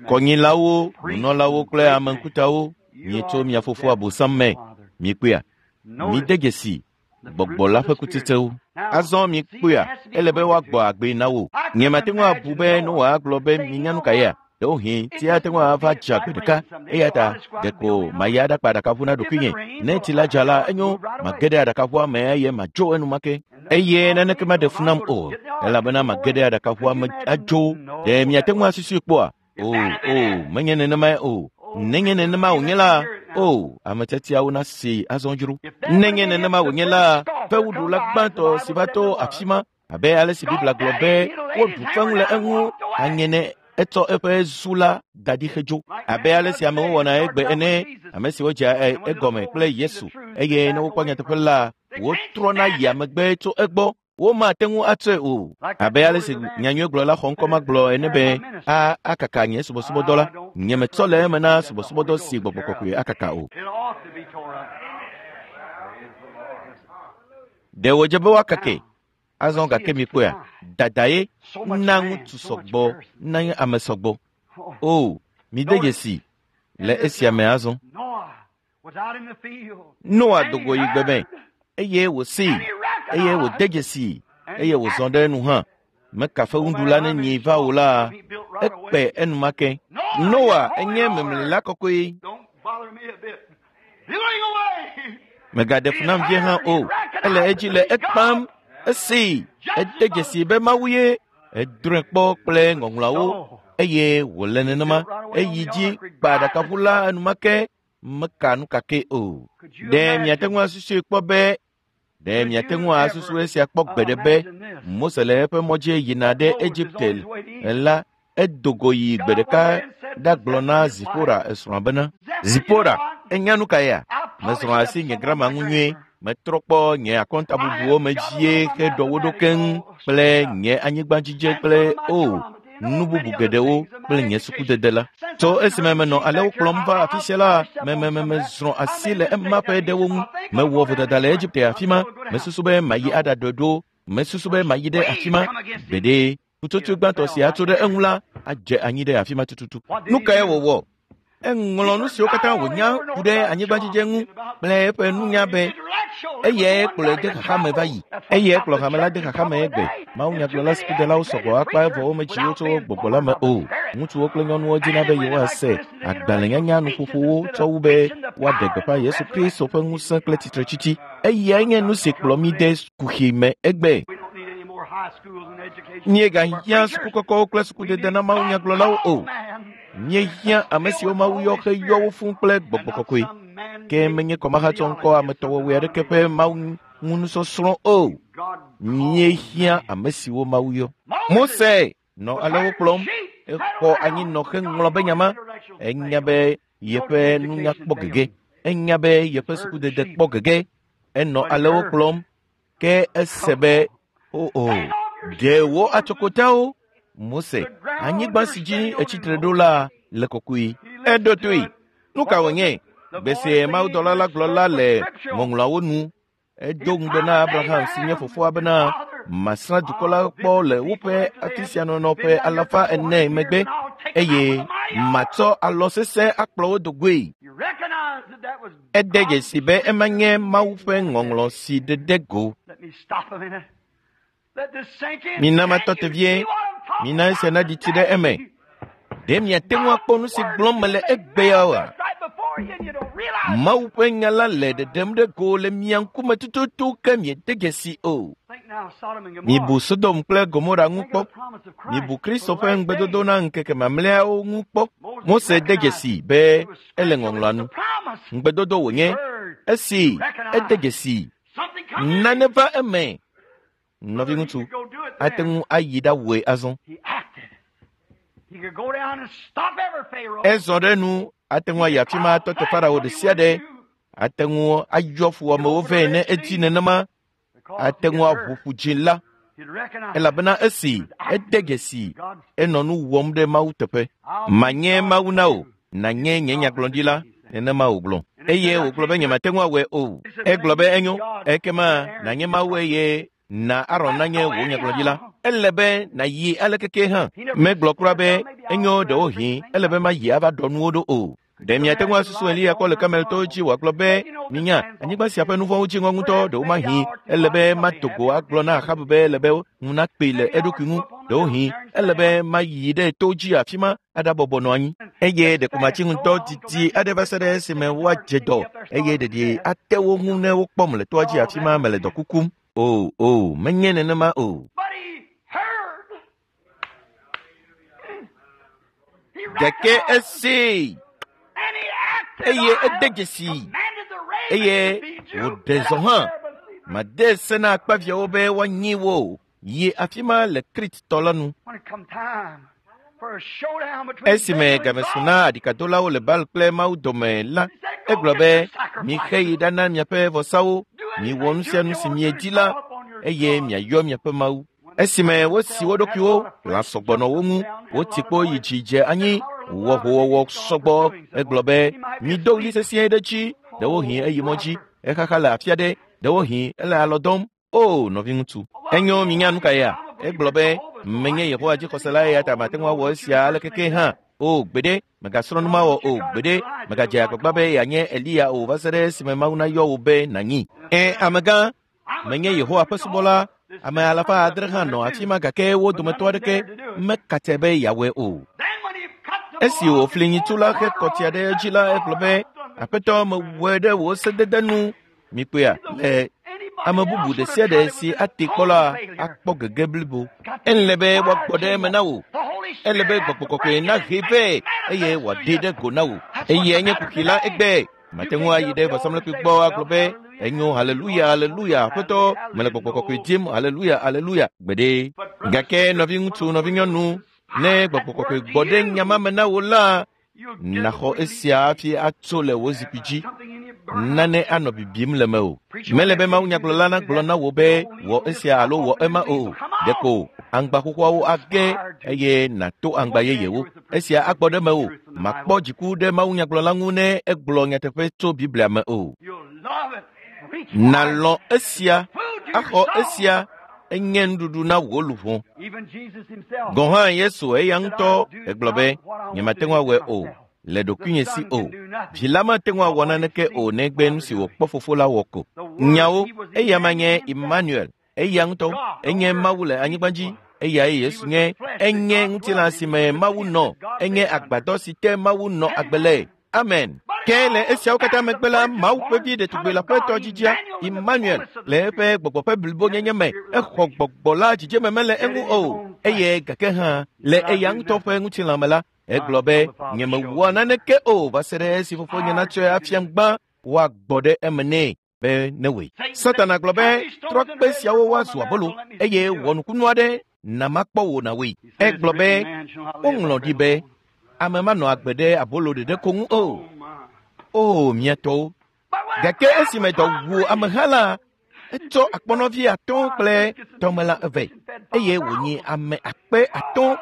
Kɔnyilawo, nunɔlawo kple ame ŋkutawo mietso mia fofo Abosam me. Miekpɔea? Mide dzesi gbɔgbɔ la ƒe kutsetsewo. Azɔ miekpɔea, ele be woagbɔ agbe na wò. Nye mate ŋu abu be Noa agblɔ be mienya nu ka yea? Ɖewohĩ tsi ate ŋu ava dza gbe ɖeka. Eya ta ɖeko mayi aɖakpa aɖakaʋu na ɖokuinye. Ne tsi la dza la, enyo mage ɖe aɖakaʋua me eye madzo enumake. Eye naneke maɖe fu nam o, elabena mage ɖe aɖakaʋua me adzo. Ɖe miate ŋu asusui kpɔa? O, o, menye nenemae o. Nenye nenema wònye la, o, ame tiatiawo nasi azɔ dzro. Nenye nenema wònye la, fewuɖula gbãtɔ si va to afi ma, abe ale si Biblia gblɔ be woɖu fewu le eŋu anye ne etsɔ eƒe zu la da ɖi hedzo. Abe ale si amewo wɔna egbe ene, ame siwo dzea egɔme kple Yesu eye ne wokpɔ nyateƒe la, wotrɔna yia megbe tso egbɔ. Womate ŋu atsɔe o. Abe ale si nyanyuiegblɔla xɔŋkɔ ma gblɔ ene be a akaka nye subɔsubɔdɔ la, nye metsɔ le eme na subɔsubɔdɔ si gbɔgbɔ kɔkɔe akaka o. Ɖe wòdze be woakake. Azɔ gake mikpɔea, dadae na ŋutsu sɔgbɔ na ame sɔgbɔ. O, mide dzesi le esia me azɔ. Noa do go yi gbe me eye wòsee eye wòde dzesi eye wòzɔ ɖe enu hã. Meka fewuɖula ne nyi va o la, ekpe enumake. Noa enye memlila kɔkɔe. Megaɖe fu nam vie hã o. Ele edzi le ekpam. Esee, ede dzesi be Mawu ye. Edrɔ̃e kpɔ kple ŋɔŋlɔawo eye wòle nenema. Eyi dzi kpa aɖakaʋu la enumake. Meka nu kake o. Ɖe miate ŋu asusui kpɔ be ɖe miate ŋu asusu esia kpɔ gbe ɖe be Mose le eƒe mɔ dzi yina ɖe Egipte la, edo go yi gbe ɖeka ɖagblɔ na Zipora esrɔ̃a bena, Zipora, enya nu ka ya? Mesrɔ̃ asi nye grama ŋu nyuie. Metrɔ kpɔ nye akɔntabubuwo me dzie heɖɔ wo ɖo keŋ kple nye anyigbadzidze kple o nu bubu geɖewo kple nye sukudede la. Tso esime menɔ alewo kplɔm va afi sia la, memememezrɔ̃ asi le ema ƒe ɖewo ŋu. Mewɔ vodada le Egipte afi ma. Mesusu be mayi aɖaɖɔe ɖo. Mesusu be mayi ɖe afi ma. Gbeɖe, ƒutsotsoe gbãtɔ si atso ɖe eŋu la adze anyi ɖe afi ma tututu. Nu kae wòwɔ? Eŋlɔ nu siwo katã wònya ku ɖe anyigbadzidze ŋu kple eƒe nunya be eyae kplɔe de xaxa me va yi. Eyae kplɔ hame la de xaxa me egbe. Mawunyagblɔla sukudelawo sɔgbɔ akpa evɔ wometsi wo tso gbɔgbɔ la me o. Ŋutsuwo kple nyɔnuwo dina be yewoase agbalẽnyanya nuƒoƒowo tsɔ wu be woaɖe gbeƒã Yesu Kristo ƒe ŋusẽ kple tsitretsitsi. Eyae nye nu si kplɔ mí de kuxi me egbe. Míegahiã sukukɔkɔwo kple sukudede na mawunyagblɔlawo o. Míehiã ame siwo Mawu yɔ heyɔ wo fũu kple gbɔgbɔ kɔkɔe. Ke menye kɔmahatsɔ ŋkɔ ametɔwɔwɔe aɖeke ƒe Mawu ŋu nusɔsrɔ̃ o. Míehiã ame siwo Mawu yɔ. Mose nɔ alewo kplɔm. Exɔ anyinɔ heŋlɔ be nya ma. Enya be yeƒe nunya kpɔ gege. Enya be yeƒe sukudede kpɔ gege. Enɔ alewo kplɔm. Ke ese be o o ɖe wo atsokotawo. Mose, anyigba si dzi etsitre ɖo la le kɔkɔe. Eɖo toe. Nu ka wònye? Gbe si mawudɔla la gblɔ la le ŋɔŋlɔawo nu. Edo ŋugbe na Abraham si nye fofoa bena masrã dukɔ la kpɔ le woƒe afi sia nɔnɔ ƒe alafa ene megbe eye matsɔ alɔ sesẽ akplɔ wo do goe. Ede dzesi be ema nye Mawu ƒe ŋɔŋlɔ si ɖeɖe go. Mina matɔ te vie. Mina esia naɖi tsi ɖe eme. Ɖe miate ŋu akpɔ nu si gblɔm mele egbea oa? Mawu ƒe nya la le ɖeɖem ɖe go le mia ŋkume tututu ke miede dzesi o. Mibu Sodom kple Gomora ŋu kpɔ. Mibu Kristo ƒe ŋugbedodo na ŋkeke mamlɛawo ŋu kpɔ. Mose de dzesi be ele ŋɔŋlɔa nu. Ŋugbedodo wònye. Esi ede dzesi, nane va eme. Nɔviŋutsu, ate ŋu ayi ɖawɔe azɔ. Ezɔ ɖe nu, ate ŋu ayi afi ma atɔ te Farao ɖe sia ɖe. Ate ŋu ayɔ fuwɔamewo vɛ ne edzi nenema. Ate ŋu aʋu ƒu dzi la, elabena esi ede dzesi enɔ nu wɔm ɖe Mawu teƒe. Manye Mawu na wò, nànye nye nyagblɔɖila, nenema wògblɔ. Eye wògblɔ be nyemate ŋu awɔe o. Egblɔ be enyo, ekema nànye Mawu eye na Aron nanye wò nyagblɔɖila. Ele be nàyi alekeke hã. Megblɔ kura be enyo ɖewohĩ ele be mayi ava ɖɔ nuwo ɖo o. Ɖe miate ŋu asusu Eliya kpɔ le Kameltowo dzi wòagblɔ be, minya, anyigba sia ƒe nu vɔ̃wo dzi ŋɔ ŋutɔ ɖewomahi ele be mato go agblɔ na Ahab be ele be ŋu nakpee le eɖokui ŋu. Ɖewohĩ ele be mayi ɖe to dzi afi ma aɖabɔbɔ nɔ anyi. Eye ɖeko matsi ŋutɔ didi aɖe va se ɖe esime woadze dɔ eye ɖeɖi ate wo ŋu ne wokpɔm le toa dzi afi ma mele dɔ kukum. O, o, menye nenema o. Gake esee. Eye ede dzesi eye wòɖe zɔ hã. Made se na akpaviãwo be woanyi wo yi afi ma le Krit tɔ la nu. Esime game su na aɖikadolawo le Baal kple Mawu dome la, egblɔ be, mixe yi ɖana miaƒe vɔsawo, miwɔ nu sia nu si miedi la, eye miayɔ miaƒe Mawu. Esime wosi wo ɖokuiwo, lã sɔgbɔ nɔ wo ŋu, woti kpo yi dzi dze anyi, wɔ howɔwɔ sɔgbɔ. Egblɔ be, mido ɣli sesĩe ɖe dzi, ɖewohĩ eyi mɔ dzi, exaxa le afi aɖe, ɖewohĩ ele alɔ dɔm. O, nɔviŋutsu, enyo minya nu ka ya? Egblɔ be, menye Yehowa dzixɔsela eya ta mate ŋu awɔ esia alekeke hã. O, gbeɖe, megasrɔ̃ nu ma wɔ o, gbeɖe, megadze agbagba be yeanye Eliya o va se ɖe esime Mawu nayɔ wò be nànyi. Ẽ, amegã, menye Yehowa ƒe subɔla. Ame alafa adre hã nɔ afi ma gake wo dometɔ aɖeke mekatse be yeawɔe o. Esi wòfli nyitsu la he kɔtia ɖe edzi la, egblɔ be, Aƒetɔ, mewɔe ɖe wò sedede nu. Mikpɔea, le ame bubu ɖe sia ɖe si ate kpɔ la akpɔ gege blibo. Ele be woagbɔ ɖe eme na wò. Ele be gbɔgbɔ kɔkɔe nahe vɛ eye wòaɖe ɖe go na wò. Eye enye kuxi la egbe. Mate ŋu ayi ɖe vɔsamlekpui gbɔ agblɔ be, enyo, haleluya, haleluya, aƒetɔ, mele gbɔgbɔ kɔkɔe dim, haleluya, haleluya, gbeɖe. Gake nɔviŋutsu, nɔvinyɔnu, ne gbɔgbɔ kɔkɔe gbɔ ɖe nya ma me na wò la, naxɔ esia hafi atso le wò zikpui dzi. Nane anɔ bibim le mewò. Mele be mawunyagblɔla nagblɔ na wò be wɔ esia alo wɔ ema o. Ɖeko aŋgba xoxoawo age eye nàto aŋgba yeyewo. Esia agbɔ ɖe mewò. Makpɔ dziku ɖe mawunyagblɔla ŋu ne egblɔ nyateƒe tso Biblia me o. Nàlɔ̃ esia, axɔ esia, enye nuɖuɖu na wò luʋɔ. Gɔ̃ hã Yesu eya ŋutɔ egblɔ be, nyemate ŋu awɔe o, le ɖokuinye si o. Vi la mate ŋu awɔ naneke o negbe nu si wòkpɔ fofo la wɔ ko. Nyawo, eya ma nye Emmanuel, eya ŋutɔ, enye Mawu le anyigba dzi, eyae Yesu nye, enye ŋutilã si me Mawu nɔ, enye agbadɔ si te Mawu nɔ agbe le. Amen. Ke le esiawo katã megbe la, Mawu ƒe vi ɖetugbi la ƒe tɔdzidzia, Emmanuel, le eƒe gbɔgbɔ ƒe blibonyenye me, exɔ gbɔgbɔ la dzidzeme mele eŋu o. Eye gake hã, le eya ŋutɔ ƒe ŋutilã me la, egblɔ be, nyemewɔa naneke o va se ɖe esi fofonye natsɔe afiam gbã, woagbɔ ɖe eme nɛ be newɔe. Satana gblɔ be, trɔ kpe siawo woazu abolo, eye wɔ nukunu aɖe na makpɔ wò nawɔe. Egblɔ be, woŋlɔ ɖi be, ame manɔ agbe ɖe abolo ɖeɖe ko ŋu o. O, mía tɔwo. Gake esime dɔ wu ameha la, etsɔ akpɔnɔvi atɔ̃ kple tɔmelã eve eye wònyi ame akpe atɔ̃.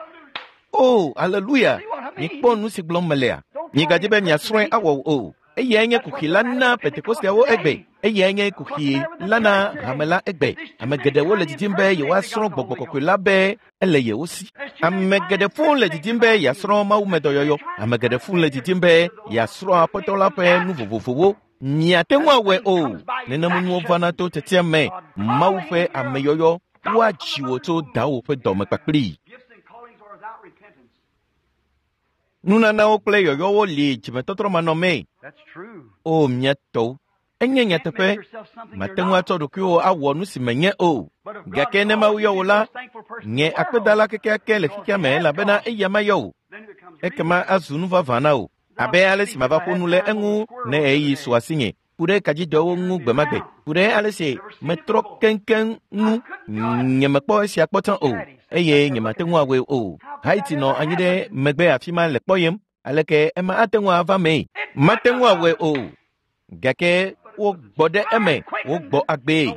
O, aleluya! Mikpɔ nu si gblɔm melea. Migadzi be miasrɔ̃e awɔ o. Eyae nye kuxi la na Pentekosteawo egbe. Eyae nye kuxi la na hame la egbe. Ame geɖewo le didim be yewoasrɔ̃ gbɔgbɔ kɔkɔe la be ele yewo si. Ame geɖe fũu le didim be yeasrɔ̃ mawumedɔyɔyɔ. Ame geɖe fũu le didim be yeasrɔ̃ Aƒetɔ la ƒe nu vovovowo. Miate ŋu awɔe o. Nenema nuwo vana to tiatia me. Mawu ƒe ameyɔyɔ woadzi wò tso dawò ƒe dɔme kpakplii. Nunanawo kple yɔyɔwo li dzimetɔtrɔ manɔmee. O, mía tɔwo, enye nyateƒe, mate ŋu atsɔ ɖokuiwò awɔ nu si menye o. Gake ne Mawu yɔ wò la, nye akpedala kekeake le xexea me elabena eya mayɔ wò. Ekema azu nu vavã na wò. Abe ale si mava ƒo nu le eŋu ne ɣeyiɣi su asinye, ku ɖe kadzidɔwo ŋu gbemagbe, ku ɖe ale si metrɔ keŋkeŋ ŋu. Nyemekpɔ esia kpɔtɔ o eye nyemate ŋu awɔe o. Haiti nɔ anyi ɖe megbe afi ma le kpɔyem aleke ema ate ŋu ava mee. Mate ŋu awɔe o. Gake wogbɔ ɖe eme, wogbɔ agbee.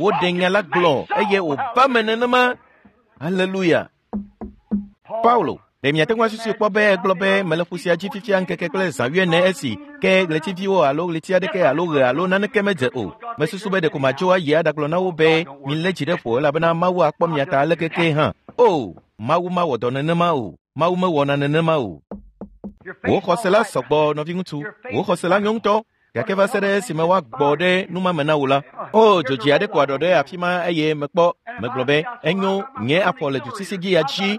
Woɖe nya la gblɔ eye wòva me nenema. Haleluya. Paulo, ɖe miate ŋu asusui kpɔ be egblɔ be mele ƒu sia dzi fifia ŋkeke kple zã wuiene esi ke ɣletiviwo alo ɣleti aɖeke alo ɣe alo naneke medze o. Mesusu be ɖeko matso ayi aɖagblɔ na wo be milé dzi ɖe ƒo elabena Mawu akpɔ mia ta aleke ke hã. O, Mawu mawɔ dɔ nenema o. Mawu mewɔna nenema o. Wò xɔse la sɔgbɔ nɔviŋutsu, wò xɔse la nyo ŋutɔ. Gake va se ɖe esime woagbɔ ɖe numame na wò la, o dzodzi aɖe ko aɖɔ ɖe afi ma eye mekpɔ megblɔ be enyo nye afɔ le dusisi dzi ya dzi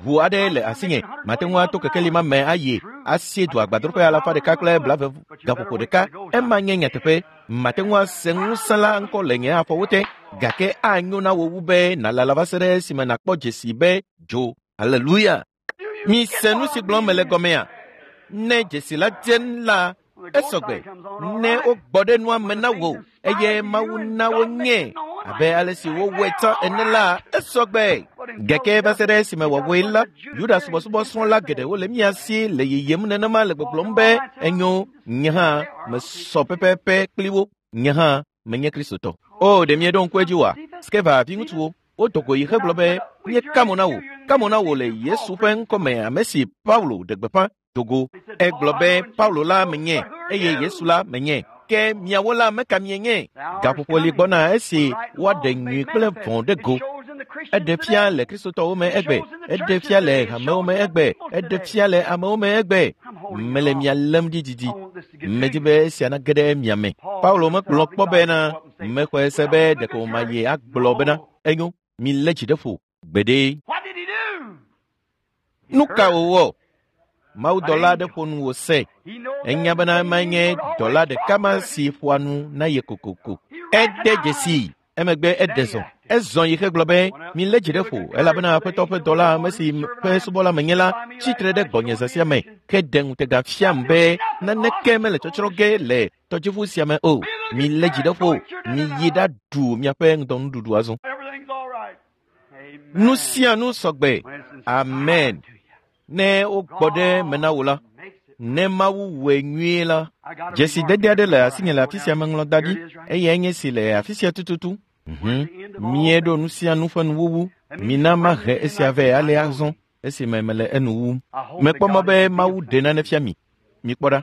ʋu aɖe le asinye mate ŋu ato kekeli ma me ayi asie du agbadroƒe alafa ɖeka kple blaeve gaƒoƒo ɖeka. Ema nye nyateƒe. Mate ŋu ase ŋusẽ la ŋkɔ le nye afɔwo te gake anyo na wò wu be nàlala va se ɖe esime nàkpɔ dzesi be dzo. Haleluya. Mise nu si gblɔm mele gɔmea? Ne dzesi la dze la esɔgbe ne wogbɔ ɖe nua me na wò eye Mawu na wonye abe ale si wowɔe tsã ene la esɔgbe. Gake va se ɖe esime wòawɔe la, Yuda subɔsubɔsrɔ̃la geɖewo le mía si le yiyim nenema le gbɔgblɔm be enyo nye hã mesɔ pɛpɛpɛ kpli wo. Nye hã menye Kristotɔ. O, ɖe mieɖo ŋku edzi oa? Skeva viŋutsuwo wodo go yi hegblɔ be míeka mo na wò, ka mo na wò le Yesu ƒe ŋkɔme ame si Paulo ɖe gbeƒã dogo. Egblɔ be Paulo la menye eye Yesu la menye. Ke miawo la meka mienye. Gaƒoƒo li gbɔna esi woaɖe nyui kple vɔ̃ ɖe go. Eɖe fia le Kristotɔwo me egbe, eɖe fia le hamewo me egbe, eɖe fia le amewo me egbe. Mele mia lém ɖi didi. Medi be esia nage ɖe mia me. Paulo mekplɔ kpɔ bena mexɔe se be ɖeko mayi agblɔ bena enyo milé dzi ɖe ƒo gbeɖe. Nu ka wòwɔ? Mawudɔla aɖe ƒo nu wòse. Enya bena emae nye dɔla ɖeka ma si ƒoa nu na ye kokoko. Ede dzesii. Emegbe eɖe zɔ. Ezɔ yi hegblɔ be milé dzi ɖe ƒo elabena Aƒetɔ ƒe dɔla ame si ƒe subɔla menye la tsitre ɖe gbɔnye zã sia me ke ɖe ŋutega fiam be naneke mele tsɔtsrɔ̃ ge le tɔdziʋu sia me o. Milé dzi ɖe ƒo. Miyi ɖaɖu miaƒe ŋdɔnuɖuɖu azɔ. Nu sia nu sɔgbe. Amen. Ne wogbɔ ɖe me na wò la, ne Mawu wɔe nyuie la, dzesidede aɖe le asinye le afi sia meŋlɔ da ɖi eyae nye si le afi sia tututu. Mhm. Míeɖo nu sia nu ƒe nuwuwu. Mina mahe esia vɛ ale azɔ esime mele enu wum. Mekpɔ mɔ be Mawu ɖe nane fia mi. Mikpɔ ɖa.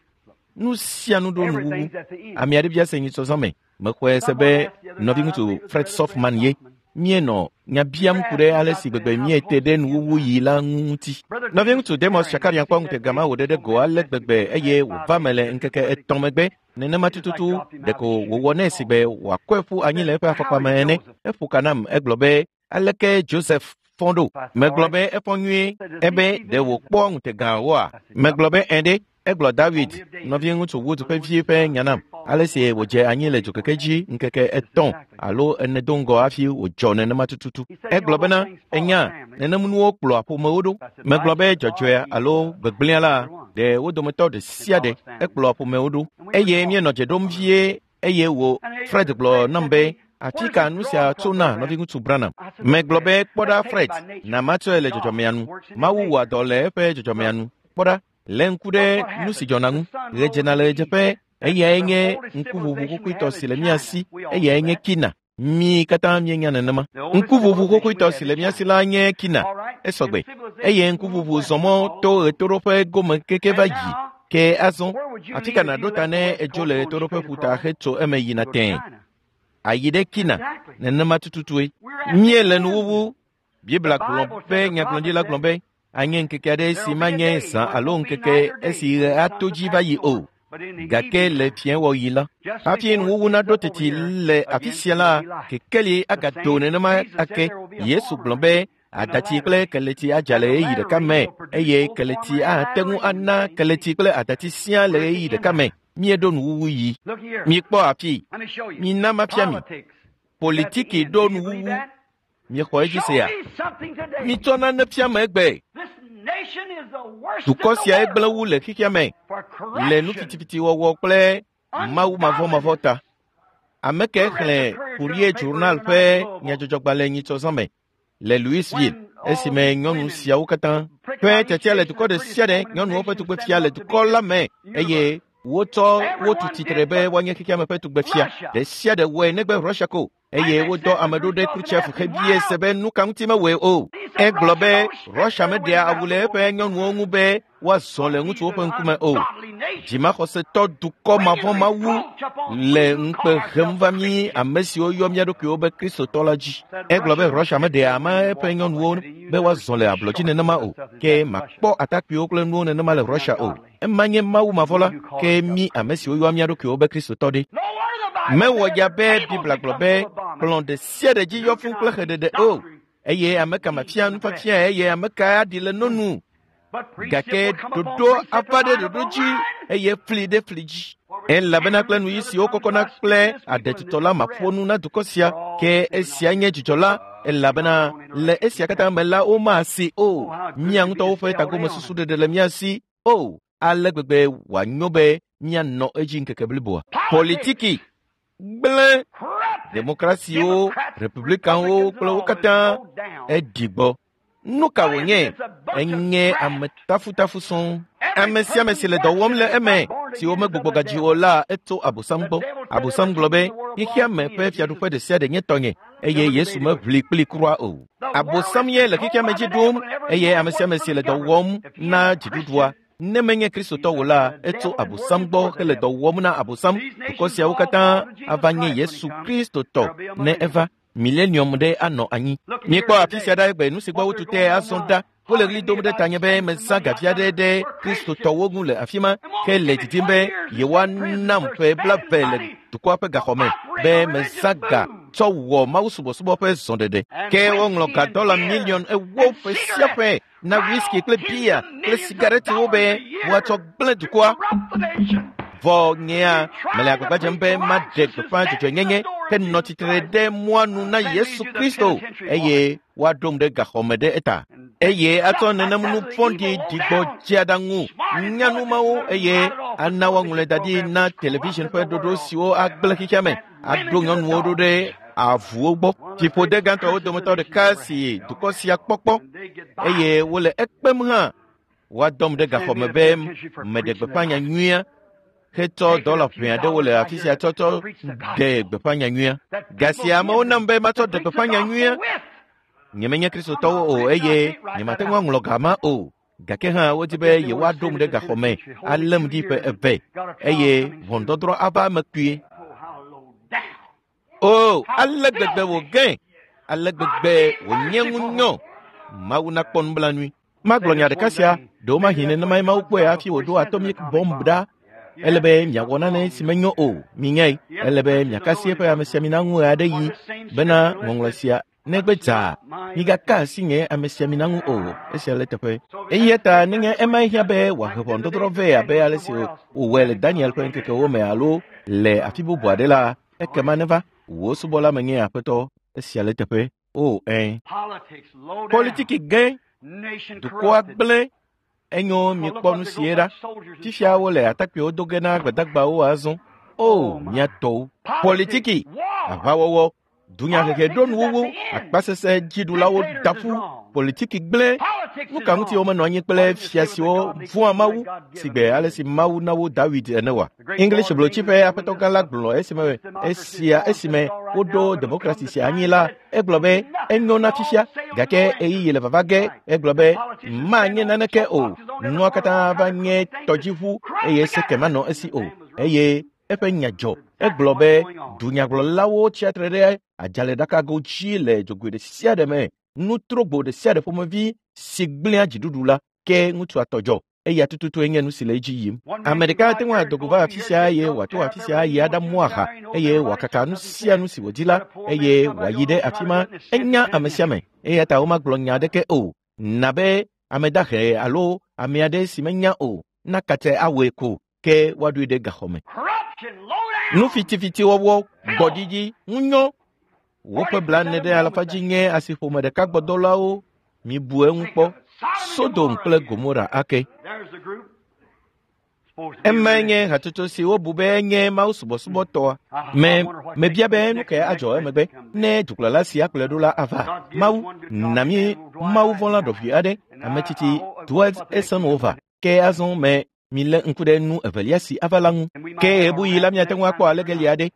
Nu sia nu ɖo nuwuwu. Ame aɖe bia se nyitsɔzã me. Mexɔe se be nɔviŋutsu Fred Softman ye. Míenɔ nya biam ku ɖe ale si gbegbe míete ɖe nuwuwu yi la ŋu ŋuti. Nɔviŋutsu Demos Shakarian kpɔ ŋutega ma wòɖe ɖe go ale gbegbe eye wòva me le ŋkeke etɔ̃ megbe. Nenema tututu ɖeko wòwɔ nɛ si be wòakɔe ƒu anyi le eƒe afɔkpa me ene. Eƒo ka nam egblɔ be aleke Joseph fɔ ɖo. Megblɔ be efɔ nyuie ebe ɖe wòkpɔ ŋutegawoa? Megblɔ be ẽ ɖe. Egblɔ David, nɔviŋutsu Wood ƒe vi ƒe nya nam, ale si wòdze anyi le dzokeke dzi ŋkeke etɔ̃ alo ene do ŋgɔ hafi wòdzɔ nenema tututu. Egblɔ bena enya nenem nuwo kplɔa ƒomewo ɖo. Megblɔ be dzɔdzɔea alo gbegblẽa la ɖe wo dometɔ ɖe sia ɖe ekplɔa ƒomewo ɖo. Eye míenɔ dze ɖom vie eye wò Fred gblɔ nam be afi ka nu sia tso na nɔviŋutsu Branham. Megblɔ be kpɔ ɖa Fred, na matsɔe le dzɔdzɔmea nu. Mawu wɔa dɔ le eƒe dzɔdzɔmea nu. Kpɔ ɖa. Le ŋku ɖe nu si dzɔna ŋu. Ɣe dzena le ɣedzeƒe eyae nye ŋkuʋuʋu xoxoetɔ si le mía si eyae nye Kina. Mí katã míenya nenema. Ŋkuʋuʋu xoxoetɔ si le mía si la nye Kina. Esɔgbe. Eye ŋkuʋuʋu zɔ mɔ to ɣetoɖoƒe gome keke va yi. Ke azɔ, afi ka nàɖo ta ne edzo le ɣetoɖoƒe ƒuta hetso eme yina tẽe? Ayi ɖe Kina. Nenema tututue. Míele nuwuwu. Biblia gblɔ be nyagblɔɖila gblɔ be anye ŋkeke aɖe si manye zã alo ŋkeke esi ɣe ato dzi va yi o. Gake le fiẽwɔɣi la, hafi nuwuwu naɖo teti le afi sia la, kekeli agado nenema ake. Yesu gblɔ be adatsi kple keleti adza le ɣeyiɣi ɖeka me eye keleti ate ŋu ana keleti kple adatsi siaa le ɣeyiɣi ɖeka me. Míeɖo nuwuwu yi. Mikpɔ afi. Mina mafia mi. Politiki ɖo nuwuwu. Miexɔ edzi sea? Mitsɔ nane fia me egbe. Dukɔ sia egblẽ wu le xexea me le nu fitifitiwɔwɔ kple Mawu mavɔmavɔ ta. Ame ke xlẽ Courier Journal ƒe nyadzɔdzɔgbalẽ nyitsɔzã me le Louisville esime nyɔnu siawo katã ƒe tiatia le dukɔ ɖe sia ɖe nyɔnuwo ƒe tugbefia le dukɔ la me eye wotsɔ wotu tsitre be woanye xexeame ƒe tugbefia ɖe sia ɖe wɔe negbe Russia ko eye wodɔ ame ɖo ɖe Khrushchev hebie se be nu ka ŋuti mewɔe o. Egblɔ be Russia meɖea awu le eƒe nyɔnuwo ŋu be woazɔ le ŋutsuwo ƒe ŋkume o. Dzimaxɔsetɔ dukɔ mavɔ̃mawu le ŋukpe hem va mí ame siwo yɔ mía ɖokuiwo be Kristotɔ la dzi. Egblɔ be Russia meɖea ama eƒe nyɔnuwo be woazɔ le ablɔdzi nenema o, ke makpɔ atakpuiwo kple nuwo nenema le Russia o. Ema nye Mawu mavɔ̃la, ke mí ame siwo yɔa mía ɖokuiwo be Kristotɔ ɖe. Mewɔ ya be Biblia gblɔ be kplɔ̃ ɖe sia ɖe dzi yɔ fũu kple xeɖeɖe o, eye ame ka mafia nufiafia eye ame ka aɖi le nonu. Gake ɖoɖo ava ɖe ɖoɖo dzi eye fli ɖe fli dzi. Elabena kple nuyi siwo kɔkɔna kple aɖetutɔ la maƒo nu na dukɔ sia, ke esia nye dzidzɔ la, elabena le esia katã me la womasi o. Mía ŋutɔwo ƒe tagomesusu ɖeɖe le mía si o. Ale gbegbe wòanyo be míanɔ edzi ŋkeke bliboa. Politiki gblẽ demokrasiwo, republikanwo kple wo katã eɖi gbɔ. Nu ka wònye? Enye ame tafutafu sɔŋ. Ame sia ame si le dɔ wɔm le eme si womegbugbɔ gadzi o la etso Abosam gbɔ. Abosam gblɔ be xexeame ƒe fiaɖuƒe ɖe sia ɖe nye tɔnye eye Yesu meʋli kpli kura o. Abosam ye le xexeame dzi ɖum eye ame sia ame si le dɔ wɔm na dziɖuɖua ne menye Kristotɔ o la, etso Abosam gbɔ hele dɔ wɔm na Abosam. Dukɔ siawo katã ava nye Yesu Kristotɔ ne eva. Millennium ɖe anɔ anyi. Míekpɔ afi sia ɖa egbe nu si gbɔ wotu te azɔ ɖa. Wole ɣli dom ɖe tanye be mezã gavi aɖe ɖe Kristotɔwo ŋu le afi ma ke le didim be yewoanam ƒe blaeve le dukɔa ƒe gaxɔ me be mezã ga tsɔ wɔ mawusubɔsubɔ ƒe zɔɖeɖe. Ke woŋlɔ ga dɔla miliɔn ewo ƒe sia ƒe na whisky kple bia kple sigaretiwo be woatsɔ gblẽ dukɔa. Vɔ nyea mele agbagba dzem be maɖe gbeƒã dzɔdzɔenyenye ke nɔ tsitre ɖe mɔa nu na Yesu Kristo eye woaɖom ɖe gaxɔme ɖe eta. Eye atsɔ nenem nu vɔ̃ɖi ɖigbɔ dzeaɖaŋu nyanu mawo eye ana woaŋlɔe da ɖi na television ƒe ɖoɖo siwo agblẽ xexeame aɖo nyɔnuwo ɖo ɖe avuwo gbɔ. Fiƒode gãtɔwo dometɔ ɖeka si dukɔ sia kpɔkpɔ eye wole ekpem hã woadɔm ɖe gaxɔme be meɖe gbeƒã nyanyuia hetsɔ dɔla ʋɛ aɖewo le afi sia tsɔtsɔ ɖe gbeƒã nyanyuia. Ga sia amewo nam be matsɔ ɖe gbeƒã nyanyuia. Nyemenye Kristotɔwo o eye nyemate ŋu aŋlɔ ga ma o. Gake hã wodi be yewoaɖom ɖe gaxɔme além ɖi ƒe eve eye ʋɔnudɔdrɔ̃ ava eme kpuie. O, ale gbegbe wògẽ, ale gbegbe wònye ŋunyɔ. Mawu nakpɔ nublanui. Magblɔ nya ɖeka sia, ɖewomahi nenemae Mawu kpɔe hafi wòɖo atomic bomb ɖa. Ele be miawɔ nane si menyo o, minyae. Ele be miakasi eƒe amesiamina ŋu ɣe aɖe yi bena ŋɔŋlɔ sia negbe dzaa. Migaka asi nye amesiamina ŋu o, esia le teƒe. Eya ta nenye emae hiã be wòahe ʋɔnudɔdrɔ̃ vɛ abe ale si wòwɔe le Daniel ƒe ŋkekewo me alo le afi bubu aɖe la, ekema neva. Wò subɔla menye Aƒetɔ, esia le teƒe. O, ẽ. Politiki gẽ, dukɔa gblẽ. Enyo miekpɔ nu sie ɖa. Fifia wole atakpuiwo do ge na gbadagbawo azɔ. O, mía tɔwo. Politiki, aʋawɔwɔ, dunyahehe ɖo nuwuwu, akpasesẽ dziɖulawo da ƒu, politiki gblẽ. Nu ka ŋuti womenɔ anyi kple fia siwo vɔ̃a Mawu si gbe ale si Mawu na wo Dawid ene oa? English blotsi ƒe aƒetɔ gã la gblɔ esime esia esime woɖo demokrasi sia anyi la, egblɔ be enyo na fifia gake ɣeyiɣi le vava ge. Egblɔ be manye naneke o, nua katã va nye tɔdziʋu eye seke manɔ esi o. Eye eƒe nya dzɔ. Egblɔ be dunyagblɔlawo tsia tre ɖe adzalẽɖakago dzi le dzogoe ɖe sia ɖe me. Nutrogbo ɖe sia ɖe ƒomevi si gblẽa dziɖuɖu la, ke ŋutsua tɔ dzɔ. Eya tututue nye nu si le edzi yim. Ame ɖeka ate ŋu ado go va afi sia eye wòato afi sia ayi aɖamu aha eye wòakaka nu sia nu si wòdi la eye wòayi ɖe afi ma. Enya ame sia ame eya ta womagblɔ nya aɖeke o. Na be ame dahe alo ame aɖe si menya o nakate awɔe ko ke woaɖoe ɖe gaxɔme. Nu fitifitiwɔwɔ, gbɔɖiɖi, ŋunyɔ. Woƒe blaene ɖe alafa dzi nye asiƒome ɖeka gbɔdɔlawo. Mibu eŋu kpɔ. Sodom kple Gomora ake. Emae nye hatsotso si wobu be nye Mawu subɔsubɔtɔa. Me mebia be nu kae adzɔ emegbe ne dukplɔla sia kplɔe ɖo la ava. Mawu na mí Mawu vɔ̃la ɖɔʋui aɖe, ame tsitsi Dwight Eisenhower. Ke azɔ me milé ŋku ɖe nu evelia si ava la ŋu. Ke ɣebuɣi la miate ŋu akpɔ alegeli aɖe.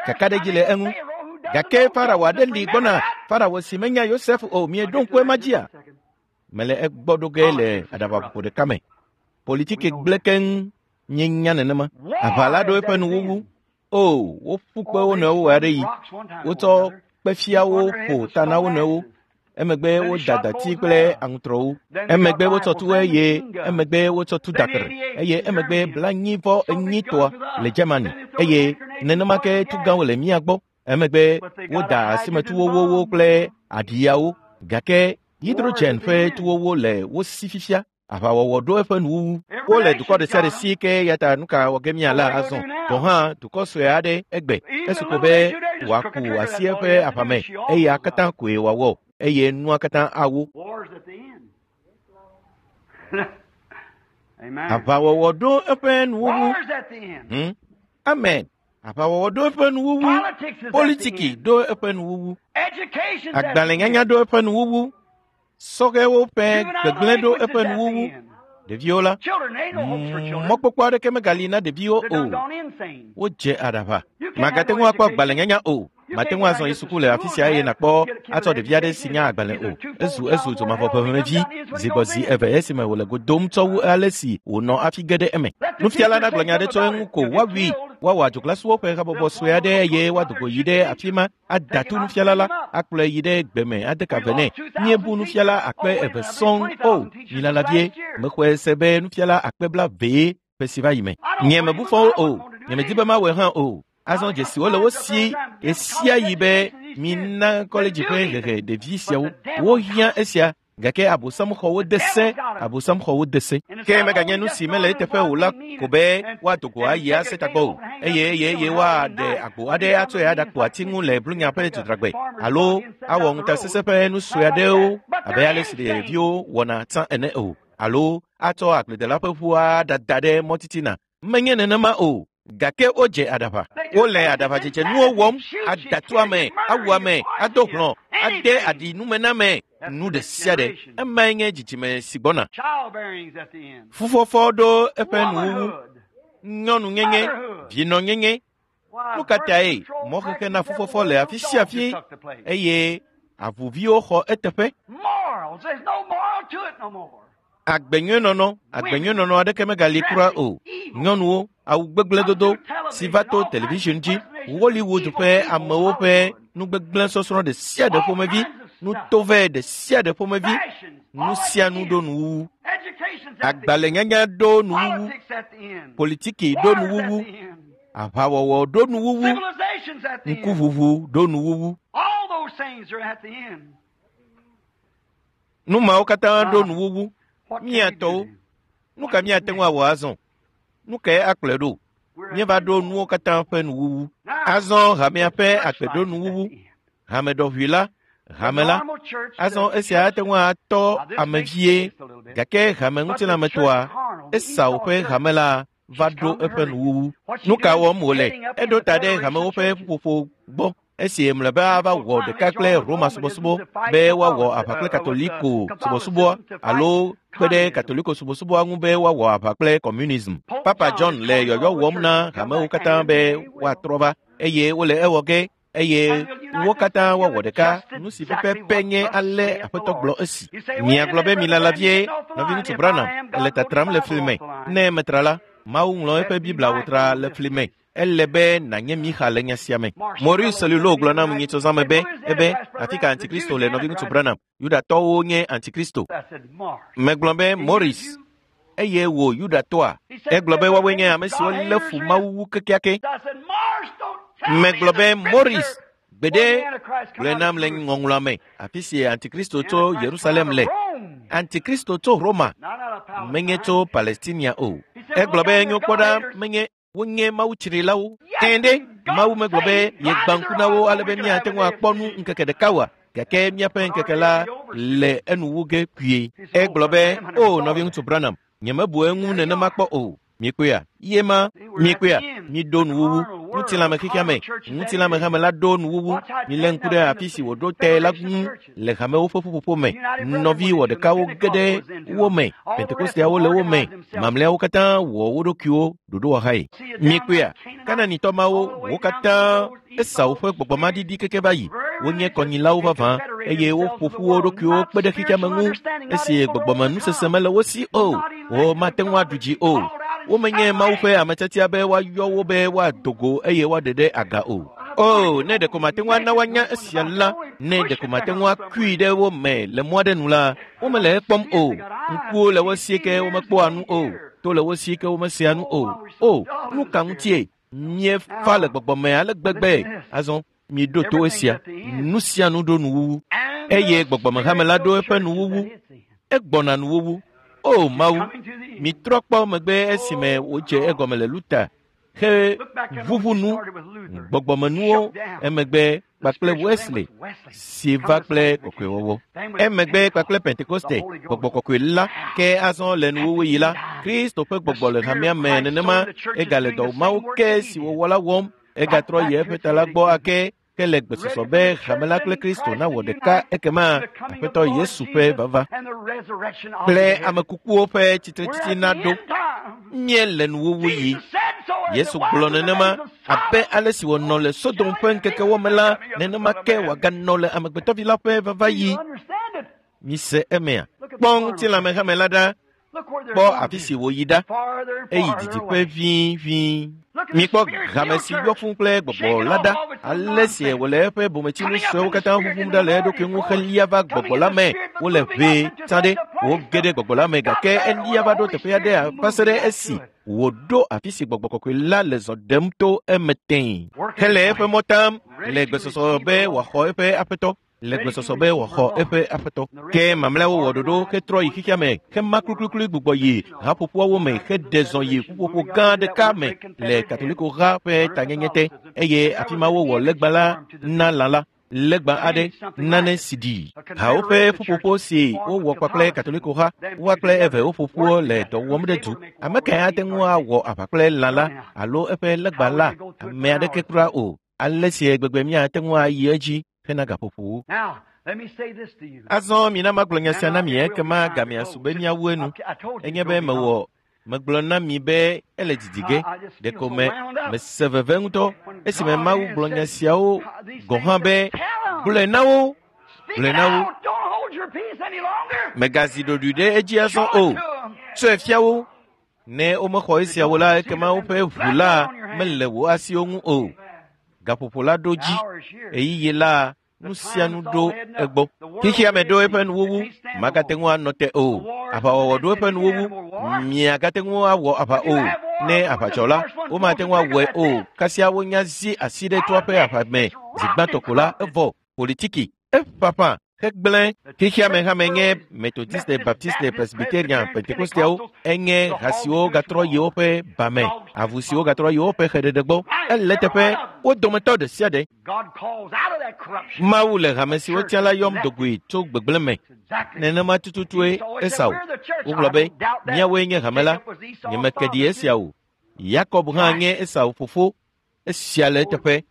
Kakaɖedzi le eŋu. Gake Farao aɖe li gbɔna, Farao si menya Yosef o, mieɖo ŋku ema dzia? Mele egbɔ ɖo ge le aɖabaƒoƒo ɖeka me. Politiki gblẽ keŋ míenya nenema. Aʋa la ɖo eƒe nuwuwu. O, woƒu kpe wo nɔewo ɣeaɖeɣi. Wotsɔ kpefiawo ƒo ta na wo nɔewo. Emegbe woda dati kple aŋutrɔwo. Emegbe wotsɔ tu eye emegbe wotsɔ tu dakre eye emegbe blanyi vɔ enyitɔa le Germany eye nenema ke tu gãwo le mía gbɔ. Emegbe woda asimetuwowo kple aɖiyawo gake hydrogen ƒe tuwowo le wo si fifia. Aʋawɔwɔ ɖo eƒe nuwuwu. Wole dukɔ ɖe sia ɖe si ke ya ta nu ka wɔ ge míala azɔ. Gɔ̃ hã dukɔ sue aɖe egbe esu ko be wòaku asi eƒe aʋame eya katã koe wòawɔ eye nua katã awo. Aʋawɔwɔ ɖo eƒe nuwuwu. Hmm? Amen. Aʋawɔwɔ ɖo eƒe nuwuwu. Politiki ɖo eƒe nuwuwu. Agbalẽnyanya ɖo eƒe nuwuwu. Sɔhɛwo ƒe gbegblẽ ɖo eƒe nuwuwu. Ɖeviwo la, mɔkpɔkpɔ aɖeke megali na ɖeviwo o. Wodze aɖaʋa. Màgate ŋu akpɔ agbalẽnyanya o. Màte ŋu azɔ yi suku le afi sia eye nàkpɔ atsɔ ɖevi aɖe si nya agbalẽ o. Ezu ezu dzomavɔʋeʋẽmevi zi gbɔ zi eve esime wòle go dom tsɔ wu ale si wònɔ hafi ge ɖe eme. Nufiala nagblɔ nya aɖe tso eŋu ko woawui, woawɔ adzoglasuwo ƒe habɔbɔ sue aɖe eye woado go yi ɖe afi ma ada tu nufiala la, akplɔe yi ɖe gbeme ade ka ve nɛ. Míebu nufiala akpe eve sɔŋ o, milala vie, mexɔe se be nufiala akpe blavee ƒe si va yi me. Nye mebu fɔ wo o, nye medi be mawɔe hã o. Azɔ dzesiwo le wo si ɣesia ɣi be mina kɔledzi ƒe hehe ɖevi siawo. Wohiã esia gake Abosam xɔ wo de se, Abosam xɔ wo de se. Ke meganye nu si mele eteƒe o la ko be woado go ayi ase tagbɔ o eye eye eye woaɖe agbo aɖe atsɔe aɖakpo ati ŋu le Blunya ƒe dzodragbe alo awɔ ŋutasesẽ ƒe nu sue aɖewo abe ale si ɖeviwo wɔna tsã ene o alo atsɔ agbledela ƒe ʋu aɖada ɖe mɔ titina. Menye nenema o. Gake wodze aɖaʋa. Wole aɖaʋadzedze nuwo wɔm, ada tu ame, awu ame, ado hlɔ̃, ade aɖi nume na ame, nu ɖe sia ɖe. Emae nye dzidzime si gbɔna. Fufɔfɔ ɖo eƒe nuwuwu. Nyɔnunyenye, vinɔnyenye. Nu ka tae mɔxexe na fufɔfɔ le afi sia afi eye avuviwo xɔ eteƒe? Agbenyuienɔnɔ, agbenyuienɔnɔ aɖeke megali kura o. Nyɔnuwo, awu gbegblẽ dodo si va to television dzi, Hollywood ƒe amewo ƒe nugbegblẽ sɔsrɔ̃ ɖe sia ɖe ƒomevi, nutovɛ ɖe sia ɖe ƒomevi, nu sia nu ɖo nuwuwu. Agbalẽnyanya ɖo nuwuwu, politiki ɖo nuwuwu, aʋawɔwɔ ɖo nuwuwu, ŋkuʋuʋu ɖo nuwuwu. Nu mawo katã ɖo nuwuwu. Míatɔwo, nu ka míate ŋu awɔ azɔ? Nu kae akplɔe ɖo? Míeva ɖo nuwo katã ƒe nuwuwu. Azɔ hamea ƒe agbe ɖo nuwuwu. Hame ɖɔʋui la, hame la. Azɔ esia ate ŋu atɔ ame vie, gake hame ŋutilãmetɔa, Esau ƒe hame la va ɖo eƒe nuwuwu. Nu ka wɔm wòle? Eɖo ta ɖe hamewo ƒe ƒuƒoƒo gbɔ. Esi mlɔeba ava wɔ ɖeka kple Roma subɔsubɔ be woawɔ aʋa kple Katoliko subɔsubɔa alo kpe ɖe Katoliko subɔsubɔa ŋu be woawɔ aʋa kple communism. Papa John le yɔyɔ wɔm na hamewo katã be woatrɔ va eye wole ewɔ ge eye wo katã woawɔ ɖeka. Nu si pɛpɛpɛ nye ale Aƒetɔ gblɔ esi. Miagblɔ be milala vie, nɔviŋutsu Branham ele tatram le fli me. Ne metra la, Mawu ŋlɔ eƒe Biblia wòtra le fli me. Ele be nànye Mixa le nya sia me. Maurice Cellulo gblɔ nam nyitsɔzãme be ebe afi ka Antikristo le nɔviŋutsu Branham. Yudatɔwo nye Antikristo. Megblɔ be Maurice, eye wò Yudatɔa? Egblɔ be woawoe nye ame siwo lé fu Mawu wu kekeake. Megblɔ be Maurice, gbeɖe gblɔe nam le ŋɔŋlɔa me afi si Antikristo tso Yerusalem le. Antikristo tso Roma, menye tso Palestinia o. Egblɔ be nyo kpɔ ɖa menye wonye Mawu tsrilawo. Ɛ̃ ɖe, Mawu megblɔ be yegbã ŋku na wo ale be míate ŋu akpɔ nu ŋkeke ɖeka oa? Gake míaƒe ŋkeke la le enu wu ge kpuie. Egblɔ be, o nɔviŋutsu Branham, nyemebu eŋu nenema kpɔ o. Mikpɔea, ye ma, mikpɔea, miɖo nuwuwu. Ŋutilãme xexea me, ŋutilãme hame la ɖo nuwuwu. Milé ŋku ɖe afi si wòɖo te la ŋu le hamewo ƒe ƒuƒoƒo me. Nɔvi wɔ ɖekawo ge ɖe wo me. Pentekosteawo le wo me. Mamlɛawo katã wɔ wo ɖokuiwo ɖoɖowɔhae. Mikpɔea, Kananitɔ mawo wo katã Esau ƒe gbɔgbɔmaɖiɖi keke va yi. Wonye kɔnyilawo vavã eye woƒo ƒu wo ɖokuiwo kpe ɖe xexea me ŋu esi gbɔgbɔmenusese mele wo si o. Womate ŋu aɖu dzi o. Womenye Mawu ƒe ame tiatia be woayɔ wo be woado go eye woaɖe ɖe aga o. O, ne ɖeko mate ŋu ana woanya esia la, ne ɖeko mate ŋu akui ɖe wo me le mɔ aɖe nu la, womele ekpɔm o. Ŋkuwo le wo si ke womekpɔa nu o. To le wo si ke womesea nu o. O, nu ka ŋutie? Míefa le gbɔgbɔme ale gbegbe. Azɔ miɖo to esia. Nu sia nu ɖo nuwuwu. Eye gbɔgbɔmehame la ɖo eƒe nuwuwu. Egbɔna nuwuwu. O Mawu, mitrɔ kpɔ megbe esime wòdze egɔme le Luta he ʋuʋu nu gbɔgbɔmenuwo emegbe kpakple Wesley si va kple kɔkɔewɔwɔ. Emegbe kpakple Pentekoste gbɔgbɔ kɔkɔe la ke azɔ le nuwuwu yi la, Kristo ƒe gbɔgbɔ le hamea me nenema egale dɔ mawo ke si wòwɔ la wɔm. Egatrɔ yi eƒe ta la gbɔ ake ke le gbesɔsɔ be hame la kple Kristo nawɔ ɖeka ekema Aƒetɔ Yesu ƒe vava kple ame kukuwo ƒe tsitretsitsi naɖo. Míele nuwuwu yi. Yesu gblɔ nenema abe ale si wònɔ le Sodom ƒe ŋkekewo me la, nenema ke wòaganɔ le Amegbetɔvi la ƒe vava yi. Mise emea. Kpɔ ŋutilãme hame la ɖa. Kpɔ afi si wòyi ɖa. Eyi didiƒe ʋĩʋĩ. Mikpɔ hame si yɔ fũu kple gbɔgbɔ la ɖa. Ale si wòle eƒe bometsinu suewo katã ʋuʋum ɖa le eɖokui ŋu helia va gbɔgbɔ la me. Wole ʋee tsã ɖe. Woge ɖe gbɔgbɔ la me gake elia va ɖo teƒe aɖe va se ɖe esi wòɖo afi si gbɔgbɔ kɔkɔe la le zɔ ɖem to eme tẽe. Hele eƒe mɔ tam le gbesɔsɔ be wòaxɔ eƒe aƒetɔ. Le gbesɔsɔ be wòaxɔ eƒe aƒetɔ. Ke mamlɛawo wɔ ɖoɖo hetrɔ yi xexea me, hema klukluklu gbugbɔ yi haƒoƒoawo me heɖe zɔ yi ƒuƒoƒo gã ɖeka me le Katoliko ha ƒe tanyenye te eye afi ma wowɔ legba la na lã la. Legba aɖe nane si ɖi. Hawo ƒe ƒuƒoƒo si wowɔ kpakple Katoliko ha, woa kple eve woƒoƒuwo le dɔ wɔm ɖe du. Ame kae ate ŋu awɔ aʋa kple lã la alo eƒe legba la? Ame aɖeke kura o. Ale si gbegbe míate ŋu ayi edzi hena gaƒoƒowo. Azɔ mina magblɔ nya sia na mi ekema gamea su be míawu enu. Enye be mewɔ megblɔ na mi be ele didi ge. Ɖeko me mese veve ŋutɔ esime Mawu gblɔ nya siawo gɔ̃ hã be gblɔe na wo, gblɔe na wo. Megazi ɖoɖoe ɖe edzi azɔ o. Tsɔe fia wo. Ne womexɔ esiawo la, ekema woƒe ʋu la mele wò asiwo ŋu o. Gaƒoƒo la ɖo dzi. Ɣeyiɣi la nu sia nu ɖo egbɔ. Xexea me ɖo eƒe nuwuwu. Magate ŋu anɔ te o. Aʋawɔwɔ ɖo eƒe nuwuwu. Miagate ŋu awɔ aʋa o. Ne aʋa dzɔ la, womate ŋu awɔe o. Kasia wonya zi asi ɖe toa ƒe aʋa me zi gbãtɔ ko la, evɔ. Politiki eƒaƒã hegblẽ. Xexea me hame nye Methodiste, Baptiste, Presbyterian, Pentekosteawo enye ha siwo gatrɔ yi woƒe ba me, avu siwo gatrɔ yi woƒe xeɖeɖe gbɔ. Ele teƒe wo dometɔ ɖe sia ɖe. Mawu le hame si wotia la yɔm dogoe tso gbegblẽ me. Nenema tututue Esau. Wogblɔ be míawoe nye hame la. Nyemeke ɖi esia o. Yakob hã nye Esau fofo. Esia le eteƒe.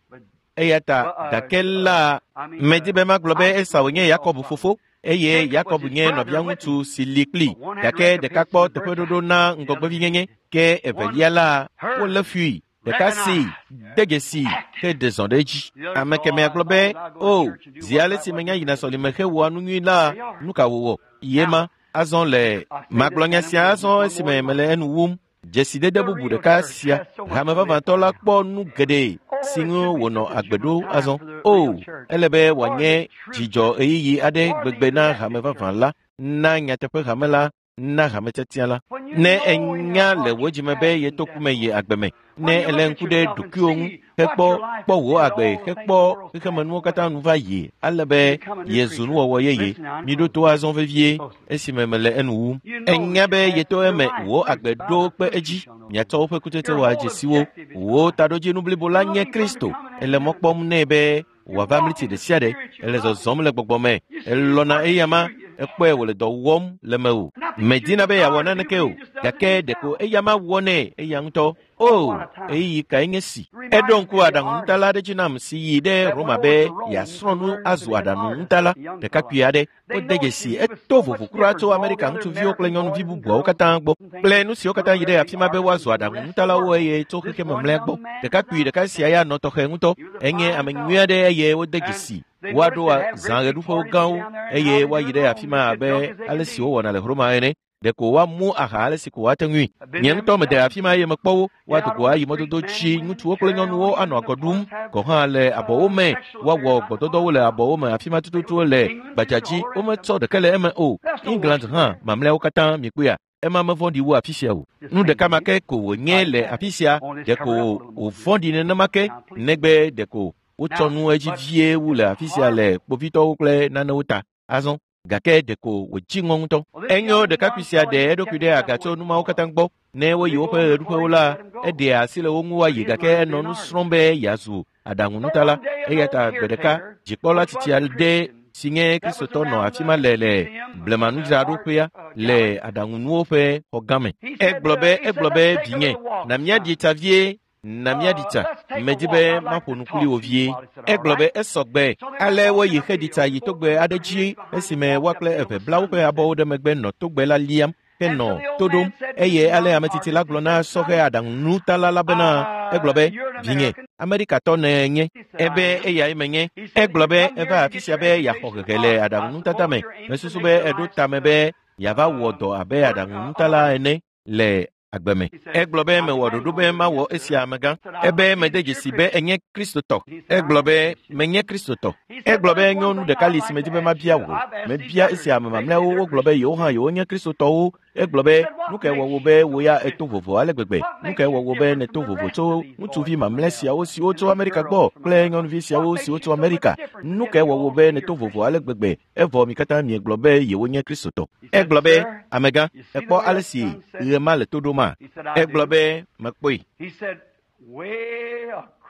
Eya ta gake la medi be magblɔ be Esau nye Yakob fofo eye Yakob nye nɔviaŋutsu si li kpli gake ɖeka kpɔ teƒeɖoɖo na ŋgɔgbevinyenye ke evelia la wolé fui. Ɖeka si de dzesi heɖe zɔ ɖe edzi. Ame kemɛa gblɔ be o zi ale si menya yina sɔlime hewɔa nu nyui la nu ka wòwɔ ye ma azɔ le magblɔ nya sia azɔ esime mele enu wum. Dzesidede bubu ɖeka sia hame vavãtɔ la kpɔ nu geɖe si ŋu wònɔ agbe ɖo azɔ. O, ele be wòanye dzidzɔ ɣeyiɣi aɖe gbegbe na hame vavã la, na nyateƒe hame la, na hame tiatia la. Ne enya le wò dzime be yeto ku me yi agbe me, ne èlé ŋku ɖe ɖokuiwò ŋu hekpɔ kpɔ wò agbe hekpɔ xexemenuwo katã nu va yi ale be yezu nuwɔwɔ yeye. Miɖo to azɔ vevie esime mele enu wum. Enya be yeto eme wò agbe ɖo kpe edzi. Miatsɔ woƒe kutsetse wɔ adzesiwo. Wò taɖodzinu blibo la nye Kristo. Ele mɔ kpɔm nɛ be wòava mliti ɖe sia ɖe. Ele zɔzɔm le gbɔgbɔ me. Elɔ̃na eyama. Ekpɔe wòle dɔ wɔm le mewò. Medina be yeawɔ naneke o, gake ɖeko eya ma wɔnɛ eya ŋutɔ. O, ɣeyiɣi kae nye si. Eɖo ŋku aɖaŋunutala aɖe dzi nam si yi ɖe Roma be yeasrɔ̃ nu azu aɖaŋunutala ɖekakpui aɖe. Wode dzesi eto vovo kura tso Amerika ŋutsuviwo kple nyɔnuvi bubuawo katã gbɔ kple nu siwo katã yi ɖe afi ma be woazu aɖaŋunutalawo eye tso xexeme mlɔea gbɔ. Ɖekakpui ɖeka sia ya nɔ tɔxɛ ŋutɔ. Enye ame nyui aɖe eye wode dzesi. Woaɖo zãɣeɖuƒewo gãwo eye woayi ɖe afi ma abe ale si wowɔna le Roma ene. Ɖeko woamu aha ale si ko woate ŋui. Nye ŋutɔ mede afi ma eye mekpɔ wo. Woado go ayi mɔdodo dzi. Ŋutsuwo kple nyɔnuwo anɔ agɔ ɖum gɔ̃ hã le abɔwo me. Woawɔ gbɔdɔdɔwo le abɔwo me afi ma tututu le gbadza dzi. Wometsɔ ɖeke le eme o. England hã mamlɛawo katã mikpɔea. Ema mevɔ̃ɖi wu afi sia o. Nu ɖeka ma ke ko wònye le afi sia. Ɖeko wòvɔ̃ɖi nenema ke negbe ɖeko wotsɔ nu edzi vie wu le afi sia le kpovitɔwo kple nanewo ta. Azɔ gake ɖeko wòdzi ŋɔ ŋutɔ. Enyo ɖekakpui sia ɖe eɖokui ɖe aga tso nu mawo katã gbɔ. Ne woyi woƒe ɣeɖuƒewo la, eɖea asi le wo ŋu woayi gake enɔ nu srɔ̃m be yeazu aɖaŋunutala. Eya ta gbe ɖeka dzikpɔla tsitsi aɖe si nye Kristotɔ nɔ afi ma le le blemanudzraɖoƒea le aɖaŋunuwo ƒe xɔgã me. Egblɔ be egblɔ be vinye, na míaɖi tsa vie. Na míaɖi tsa. Medi be maƒo nu kpli wò vie. Egblɔ be esɔ gbe. Ale woyi xeɖi tsa yi togbɛ aɖe dzi esime woa kple eve bla woƒe abɔwo ɖe megbe nɔ togbɛ la liam henɔ to ɖom. Eye ale ame tsitsi la gblɔ na sɔhɛ aɖaŋunutala la bena egblɔ be vinye, Amerikatɔ nènye. Ebe eyae menye. Egblɔ be eva afi sia be yeaxɔ hehe le aɖaŋunutata me. Mesusu be eɖo tame be yeava wɔ dɔ abe aɖaŋunutala ene le agbe me. Egblɔ be mewɔ ɖoɖo be mawɔ esia amegã. Ebe mede dzesi be enye Kristotɔ. Egblɔ be menye Kristotɔ. Egblɔ be nyɔnu ɖeka li si medi be mabia wò. Mebia esia ame mamlɛawo wogblɔ be yewo hã yewonye Kristotɔwo. Egblɔ be nu kae wɔ wò be wò ya èto vovo ale gbegbe? Nu kae wɔ wò be nèto vovo tso ŋutsuvi mamlɛ siawo siwo tso Amerika gbɔ kple nyɔnuvi siawo siwo tso Amerika? Nu kae wɔ wò be nèto vovo ale gbegbe? Evɔ mi katã miegblɔ be yewonye Kristotɔ. Egblɔ be amegã, èkpɔ ale si ɣe ma le to ɖoma? Egblɔ be mekpɔe.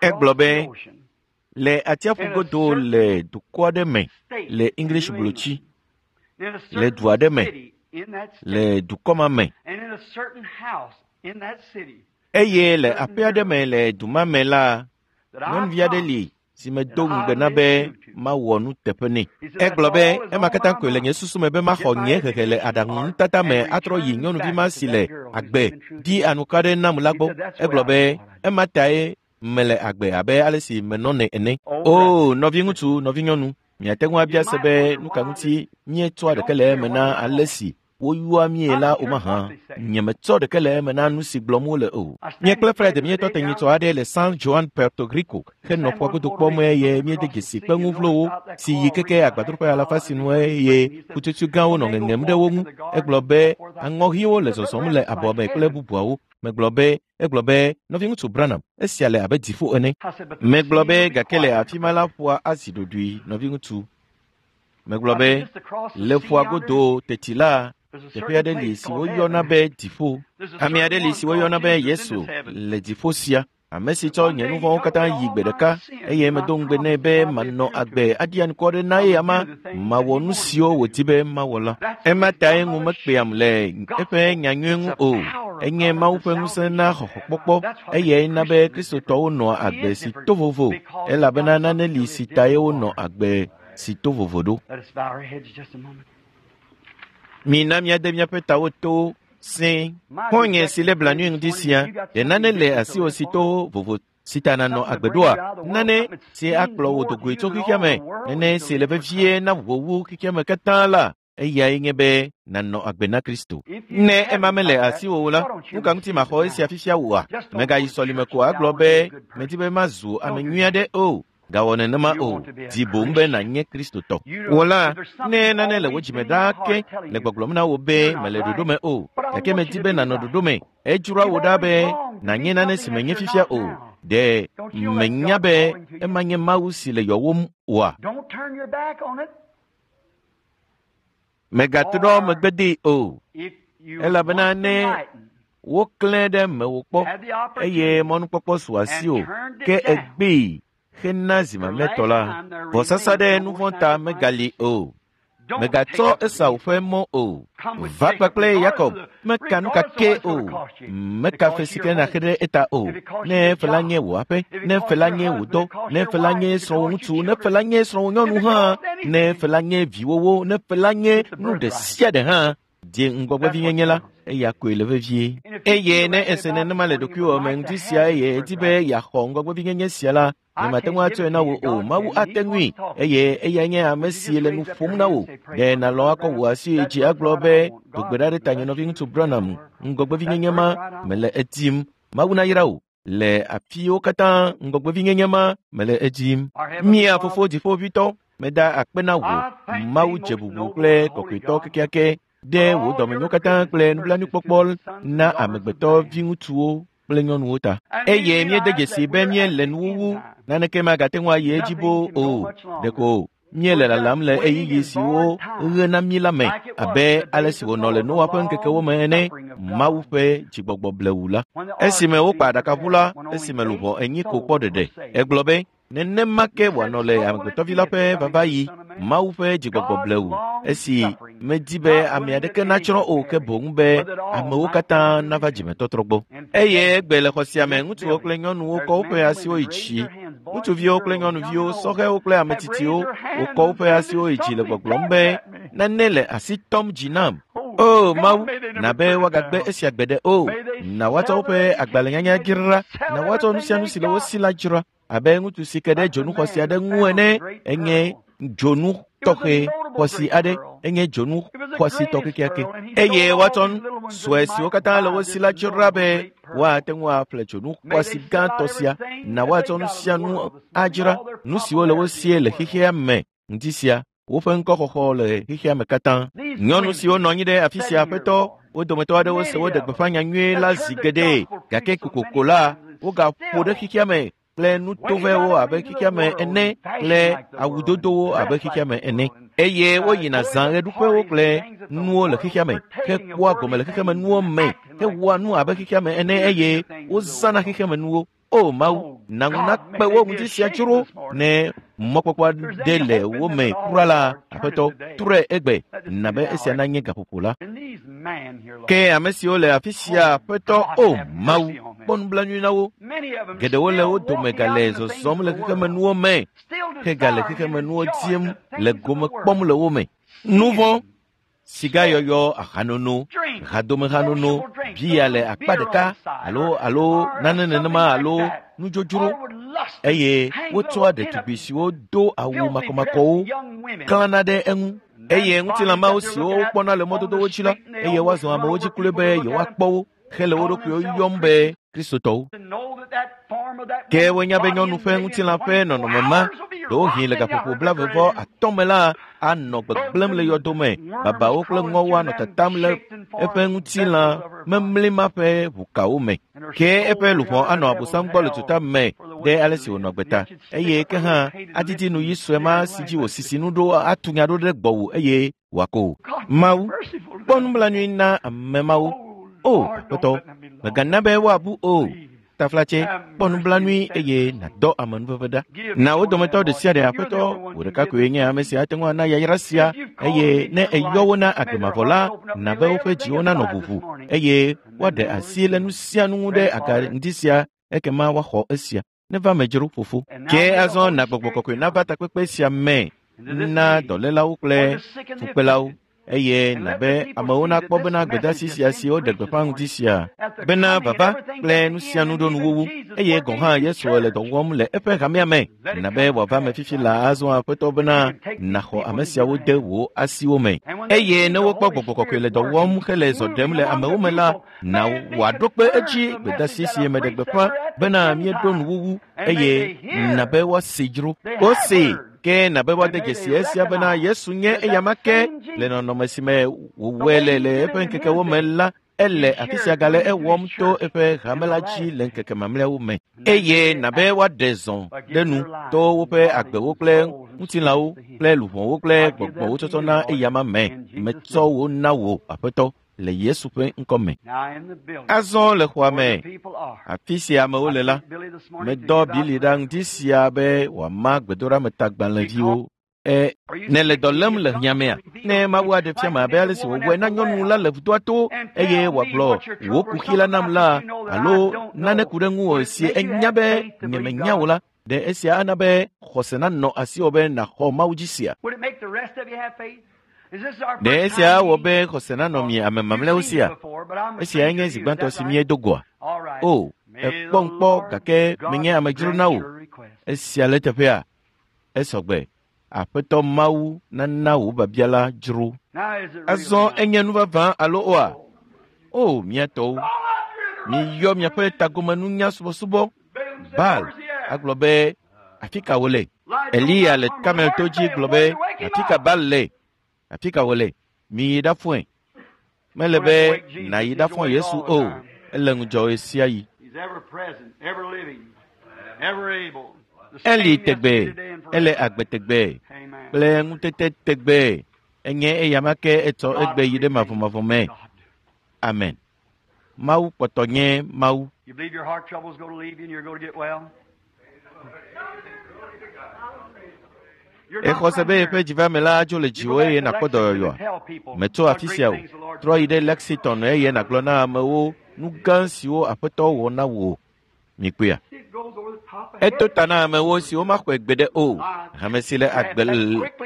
Egblɔ be le atsiaƒu godo le dukɔ aɖe me le English blotsi, le du aɖe me le dukɔ ma me eye le aƒe aɖe me le du ma me la, nyɔnuvi aɖe li si medo ŋugbe na be mawɔ nuteƒe nɛ. Egblɔ be ema katã koe le nye susu me be maxɔ nye hehe le aɖaŋunutata me atrɔ yi nyɔnuvi ma si le agbe di anuka ɖe nam la gbɔ. Egblɔ be ema tae mele agbe abe ale si menɔnɛ ene. O nɔviŋutsu, nɔvinyɔnu, miate ŋu abia se be nu ka ŋuti míetsɔa ɖeke le eme na ale si woyɔa mie la o mahã. Nyemetsɔ ɖeke le eme na nu si gblɔm wole o. Nye kple Fred míetɔ te nyitsɔ aɖe le San Juan, Puerto Rico henɔ ƒua godo kpɔm eye míede dzesi kpe ŋuvlowo si yi keke agbadroƒe alafa si nu eye ƒutsotsoe gãwo nɔ ŋeŋem ɖe wo ŋu. Egblɔ be aŋɔʋiwo le zɔzɔm le abɔ me kple bubuawo. Megblɔ be egblɔ be nɔviŋutsu Branham, esia le abe dziƒo ene. Megblɔ be gake le afi ma la ƒua azi ɖoɖoe nɔviŋutsu. Megblɔ be le ƒua godo teti la, teƒe aɖe li si woyɔna be dziƒo. Ame aɖe li si woyɔna be Yesu le dziƒo sia. Ame si tsɔ nye nu vɔ̃wo katã yi gbe ɖeka eye medo ŋugbe nɛ be manɔ agbe aɖi anukware ɖe na ye ama mawɔ nu siwo wòdi be mawɔ la. Ema tae ŋu mekpeam le eƒe nyanyui ŋu o. Enye Mawu ƒe ŋusẽ na xɔxɔkpɔkpɔ eye na be Kristotɔwo nɔa agbe si to vovo elabena nane li si tae wonɔ agbe si to vovo ɖo. Mina míade míaƒe tawo to sẽe. Xɔ̃nye si lé blanui ŋdi sia, ɖe nane le asiwò si to vovo si ta nànɔ agbe ɖoa? Nane si akplɔ wò dogoe tso xexea me, nane si le vevie na wò wu xexea me katã la, eyae nye be nànɔ agbe na Kristo. Ne ema mele asiwò o la, nu ka ŋuti maxɔ esia fifia wòa? Mègayi sɔlime ko agblɔ be medi be mazu ame nyui aɖe o. Gawɔ nenema o, di boŋ be nànye Kristotɔ. Wò la, ne nane le wò dzime ɖaa ke le gbɔgblɔm na wò be mele ɖoɖo me o, gake medi be nànɔ ɖoɖo me. Edzroa wò ɖa be nànye nane si menye fifia o. Ɖe menya be ema nye Mawu si le yɔwòm oa? Mègatrɔ megbe dee o, elabena ne woklẽ ɖe mewò kpɔ eye mɔnukpɔkpɔ su asiwò ke egbee hena zi mamlɛtɔ la, vɔsasa ɖe nu vɔ̃ ta megali o. Mègatsɔ Esau ƒe mɔ o. Va kpakple Yakob meka nu kake o. Meka fe si ke nàxe ɖe eta o. Ne fe la nye wò aƒe, ne fe la nye wò dɔ, ne fe la nye srɔ̃wò ŋutsu, ne fe la nye srɔ̃wò nyɔnu hã, ne fe la nye viwòwo, ne fe la nye nu ɖe sia ɖe hã, die ŋgɔgbevinyenye la, eya koe le vevie. Eye ne ese nenema le ɖokuiwò me ŋdi sia eye edi be yeaxɔ ŋgɔgbevinyenye sia la, nyemate ŋu atsɔe na wò o. Mawu ate ŋui eye eyae nye ame si le nu ƒom na wò. Ɖe nàlɔ̃ akɔ wò asi yi dzi agblɔ be do gbe ɖa ɖe tanye nɔviŋutsu Branham, ŋgɔgbevinyenye ma mele edim. Mawu nayra wò. Le afiwo katã ŋgɔgbevinyenye ma mele edim. Mía fofo dziƒoʋĩtɔ, meda akpe na wò, Mawu dze bubu kple kɔkɔetɔ kekeake ɖe wò dɔmenyo katã kple nublanuikpɔkpɔ na amegbetɔ viŋutsuwo kple nyɔnuwo ta. Eye míede dzesi be míele nuwuwu, naneke magate ŋu ayi edzi boo o. Ɖeko míele lalam le ɣeyiɣi siwo ɣe na mí la me, abe ale si wònɔ le Noa ƒe ŋkekewo me ene, Mawu ƒe dzigbɔgbɔ blewu la. Esime wokpa aɖakaʋu la, esime luʋɔ enyi ko kpɔ ɖeɖe. Egblɔ be, nenema ke wòanɔ le amegbetɔvi la ƒe vavaɣi, Mawu ƒe dzigbɔgbɔ blewu, esi medi be ame aɖeke natsrɔ̃ o ke boŋ be amewo katã nava dzimetɔtrɔ gbɔ. Eye egbe le xɔ sia me, ŋutsuwo kple nyɔnuwo kɔ woƒe asiwo yi dzi. Ŋutsuviwo kple nyɔnuviwo, sɔhɛwo kple ametsitsiwo, wokɔ woƒe asiwo yi dzi le gbɔgblɔm be nane le asi tɔm dzi nam. O Mawu, na be woagagbe esia gbeɖe o. Na woatsɔ woƒe agbalẽnyanya dzra, na woatsɔ nu sia nu si le wo si la dzra. Abe ŋutsu si ke ɖe dzonu xɔasi aɖe ŋu ene, enye dzonu tɔxɛ xɔasi aɖe, enye dzonu xɔasitɔ kekeake. Eye woatsɔ nu sue siwo katã le wo si la dzra be woate ŋu aƒle dzonu xɔasi gãtɔ sia. Na woatsɔ nu sia nu adzra, nu siwo le wo sie le xexea me ŋdi sia, woƒe ŋkɔxɔxɔ le xexea me katã. Nyɔnu siwo nɔ anyi ɖe afi sia aƒetɔ, wo dometɔ aɖewo se woɖe gbeƒã nyanyui la zi geɖe, gake kokoko la, wogaƒo ɖe xexea me kple nutovɛwo abe xexea me ene kple awudodowo abe xexea me ene. Eye woyina zã ɣeɖuƒewo kple nuwo le xexea me, hekpɔa gome le xexeme nuwo me, hewɔa nu abe xexea me ene eye wozãna xexeme nuwo. O Mawu, na ŋu nakpe wo ŋdi sia dzro ne mɔkpɔkpɔ aɖe le wo me kura la, aƒetɔ, trɔe egbe, na be esia nanye gaƒoƒo la. Ke ame siwo le afi sia, aƒetɔ, o Mawu, kpɔ nublanui na wo. Geɖewo le wo dome gale zɔzɔm le xexemenuwo me, hegale xexemenuwo dim le gome kpɔm le wo me. Nu vɔ̃, sigayɔyɔ, ahanono, hadomehanono, bia le akpa ɖeka alo alo nane nenema alo nudzodzro eye wotsɔa ɖetugbi siwo do awu makɔmakɔwo klãna ɖe eŋu. Eye ŋutilãmawo siwo wokpɔna le mɔdodowo dzi la, eye woazɔ amewo dzi kloe be yewoakpɔ wo hele wo ɖokuiwo yɔm be Kristotɔwo. Ke wonya be nyɔnu ƒe ŋutilã ƒe nɔnɔme ma, ɖewohĩ le gaƒoƒo blaeve vɔ atɔ̃ me la, anɔ gbegblẽm le yɔdo me. Babawo kple ŋɔwo anɔ tatam le eƒe ŋutilã memli ma ƒe ʋukawo me. Ke eƒe luʋɔ anɔ Abosam gbɔ le tuta me ɖe ale si wònɔ gbe ta. Eye ke hã adidi nuyi sue ma si dzi wòsisi nu ɖo atu nya ɖo ɖe gbɔwò eye wòako wò. Mawu, kpɔ nublanui na ame mawo. O Aƒetɔ, mègana be woabu o. Taflatse, kpɔ nublanui eye nàdɔ amenuveve ɖa. Na wo dometɔ ɖe sia ɖe Aƒetɔ, wò ɖeka koe nye ame si ate ŋu ana yayra sia eye ne èyɔ wo na agbe mavɔ la, na be woƒe dziwo nanɔ ʋuʋu eye woaɖe asi le nu sia nu ŋu ɖe aga ŋdi sia ekema woaxɔ esia. Neva me dzro fofo. Ke azɔ na gbɔgbɔ kɔkɔe nava takpekpe sia me na dɔlélawo kple fukpelawo. Eye na be amewo nakpɔ bena gbedeasi sia si woɖe gbeƒã ŋdi sia bena vava kple nu sia nu ɖo nuwuwu eye gɔ̃ hã Yesu le dɔ wɔm le eƒe hamea me. Na be wòava me fifi la azɔ Aƒetɔ bena nàxɔ ame siawo de wò asiwo me. Eye ne wokpɔ gbɔgbɔ kɔkɔe le dɔ wɔm hele zɔ ɖem le amewo me la, na wòaɖo kpe edzi gbedeasi si meɖe gbeƒã bena míeɖo nuwuwu eye na be woasi dzro. Wosee. Ke na be woade dzesi esia bena Yesu nye eyama ke le nɔnɔme si me wòwɔe le le eƒe ŋkekewo me la, ele afi sia gale ewɔm to eƒe hame la dzi le ŋkeke mamlɛawo me. Eye na be woaɖe zɔ ɖe nu to woƒe agbewo kple ŋutilãwo kple luʋɔwo kple gbɔgbɔwo tsɔtsɔ na eyama me. Metsɔ wo na wò, Aƒetɔ, le Yesu ƒe ŋkɔ me. Azɔ le xɔa me, afi si amewo le la, medɔ Bili ɖa ŋdi sia be wòama gbedoɖametagbalẽviwo. E, ne le dɔ lém le hiãmea, ne Mawu aɖe fiam abe ale si wòwɔe na nyɔnu la le vudoa to eye wòagblɔ wò kuxi la nam la alo nane ku ɖe ŋuwò si enya be nyemenya o la, ɖe esia ana be xɔse nanɔ asiwò be nàxɔ Mawu dzi sia? Ɖe esia awɔ be xɔse nanɔ mi ame mamlɛawo sia? Esiae nye zi gbãtɔ si míedo goa? O, ekpɔm kpɔ gake menye amedzro na wò. Esia le teƒea? Esɔgbe. Aƒetɔ Mawu nana wò biabia la dzro. Azɔ enye nu vavã alo oa? O, mía tɔwo, miyɔ miaƒe tagomenunya subɔsubɔ. Baal agblɔ be, afi ka wòle? Eliya le Karmel to dzi gblɔ be, afi ka Baal le? Afi ka wòle? Miyi ɖafɔe. Mele be nàyi ɖafɔ Yesu o. Ele ŋudzɔ ɣe sia ɣi. Eli tegbee, ele agbe tegbee kple ŋutete tegbee. Enye eyama ke etsɔ egbe yi ɖe mavɔmavɔ me. Amen. Mawu kpɔtɔ nye Mawu. Exɔ se be yeƒe dzivame la dzo le dziwò eye nàkpɔ dɔyɔyɔa? Metso afi sia o. Trɔ yi ɖe Lexington eye nàgblɔ na amewo nu gã siwo Aƒetɔ wɔ na wò. Mikpɔea? Eto ta na amewo siwo maxɔe gbeɖe o. Hame si le agbe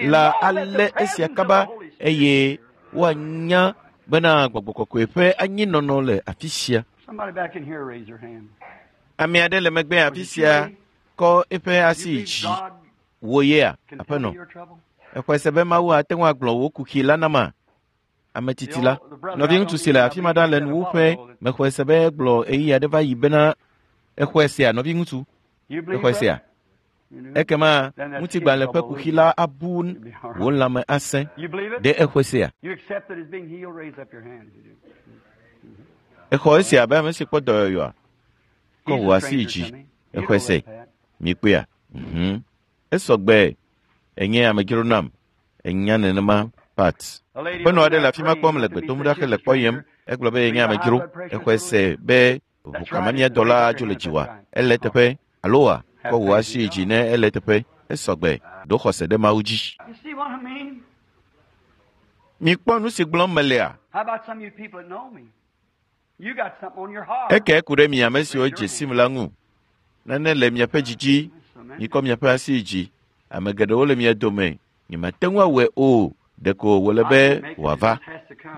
la alé esia kaba eye woanya bena Gbɔgbɔ Kɔkɔe ƒe anyinɔnɔ le afi sia. Ame aɖe le megbe afi sia kɔ eƒe asi yi dzi. Wò yea, aƒenɔ? Exɔe se be Mawu ate ŋu agblɔ wò kuxi la nama? Ame tsitsi la, nɔviŋutsu si le afi ma ɖa le nuwuƒe, mexɔe se be egblɔ ɣeyiɣi aɖe va yi bena exɔe sea, nɔviŋutsu? Exɔe sea? Ekema ŋutigbalẽ ƒe kuxi la abu wò lãme asẽ. Ɖe exɔe sea? Exɔ esia abe ame si kpɔ dɔyɔyɔa? Kɔ wò asi yi dzi. Exɔe se. Mikpɔea? Mhm. Esɔgbe. Enye amedzro nam. Enya nenema Pat. Aƒenɔ aɖe le afi ma kpɔm le gbe dom ɖa hele kpɔyem. Egblɔ be yenye amedzro. Exɔe se be ʋukamamiadɔ la dzo le dziwòa? Ele teƒe alo wa? Kɔ wò asi yi dzi ne ele teƒe. Esɔgbe. Ɖo xɔse ɖe Mawu dzi. Mikpɔ nu si gblɔm melea? Eke ku ɖe mi ame siwo dze sim la ŋu. Nane le miaƒe dzi dzi. Mikɔ miaƒe asi yi dzi. Ame geɖewo le mia dome. Nyemate ŋu awɔe o. Ɖeko wòle be wòava.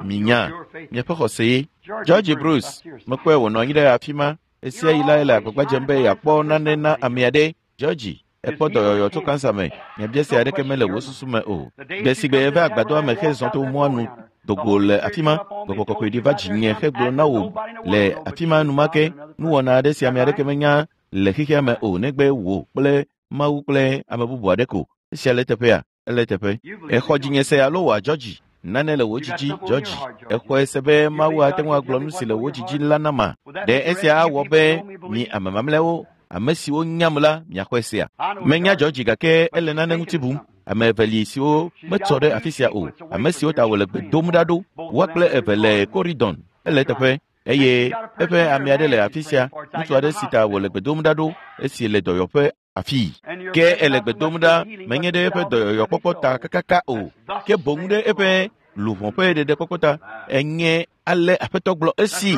Minya miaƒe xɔse ye. George Bruce, mekpɔe wònɔ anyi ɖe afi ma. Esia yi la ele agbagba dzem be yeakpɔ nane na ame aɖe. George, ekpɔ dɔyɔyɔ tso kansa me. Nyabiase aɖeke mele wò susu me o. Gbe si gbe eva agbadɔa me hezɔ to mɔa nu dogo le afi ma, Gbɔgbɔ Kɔkɔe ɖi va dzinye hegblɔ na wò le afi ma enumake nuwɔna aɖe si ame aɖeke menya le xexea me o negbe wò kple Mawu kple ame bubu aɖe ko. Esia le teƒea? Ele teƒe. Exɔ dzinye se alo wòa George? Nane le wò dzidzi, George. Exɔe se be Mawu ate ŋu agblɔ nu si le wò dzidzi la nama. Ɖe esia awɔ be mi ame mamlɛawo, ame siwo nyam la, miaxɔe sea? Menya George gake ele nane ŋuti bum. Ame eve li siwo metsɔ ɖe afi sia o. Ame siwo ta wòle gbe dom ɖa ɖo. Woa kple eve le Corridon. Ele teƒe. Eye eƒe ame aɖe le afi sia, ŋutsu aɖe si ta wòle gbe dom ɖa ɖo esi le dɔyɔƒe afii. Ke ele gbe dom ɖa menye ɖe eƒe dɔyɔyɔkpɔkpɔ ta kakaka o, ke boŋ ɖe eƒe luʋɔ ƒe ɖeɖekpɔkpɔ ta. Enye ale Aƒetɔ gblɔ esi.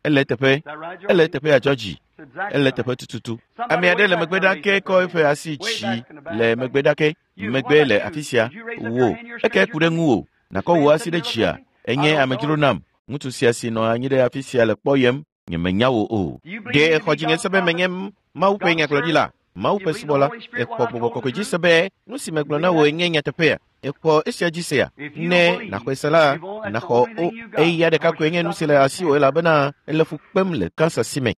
Ele teƒe. Ele teƒea George. Ele teƒe tututu. Ame aɖe le megbe ɖa ke kɔ eƒe asi dzi le megbe ɖa ke. Megbe le afi sia. Wò, eke ku ɖe ŋuwò. Nàkɔ wò asi ɖe dzia. Enye amedzro nam. Ŋutsu sia si nɔ anyi ɖe afi sia le kpɔyem. Nyemenya wò o. Ɖe exɔ dzinye se be menye Mawu ƒe nyagblɔɖila, Mawu ƒe subɔla. Exɔ Gbɔgbɔ Kɔkɔe dzi se be nu si megblɔ na wòe nye nyateƒea. Exɔ esia dzi sea? Ne nàxɔe se la, nàxɔ o. Eya ɖeka koe nye nu si le asiwò elabena ele fu kpem le kansa si me.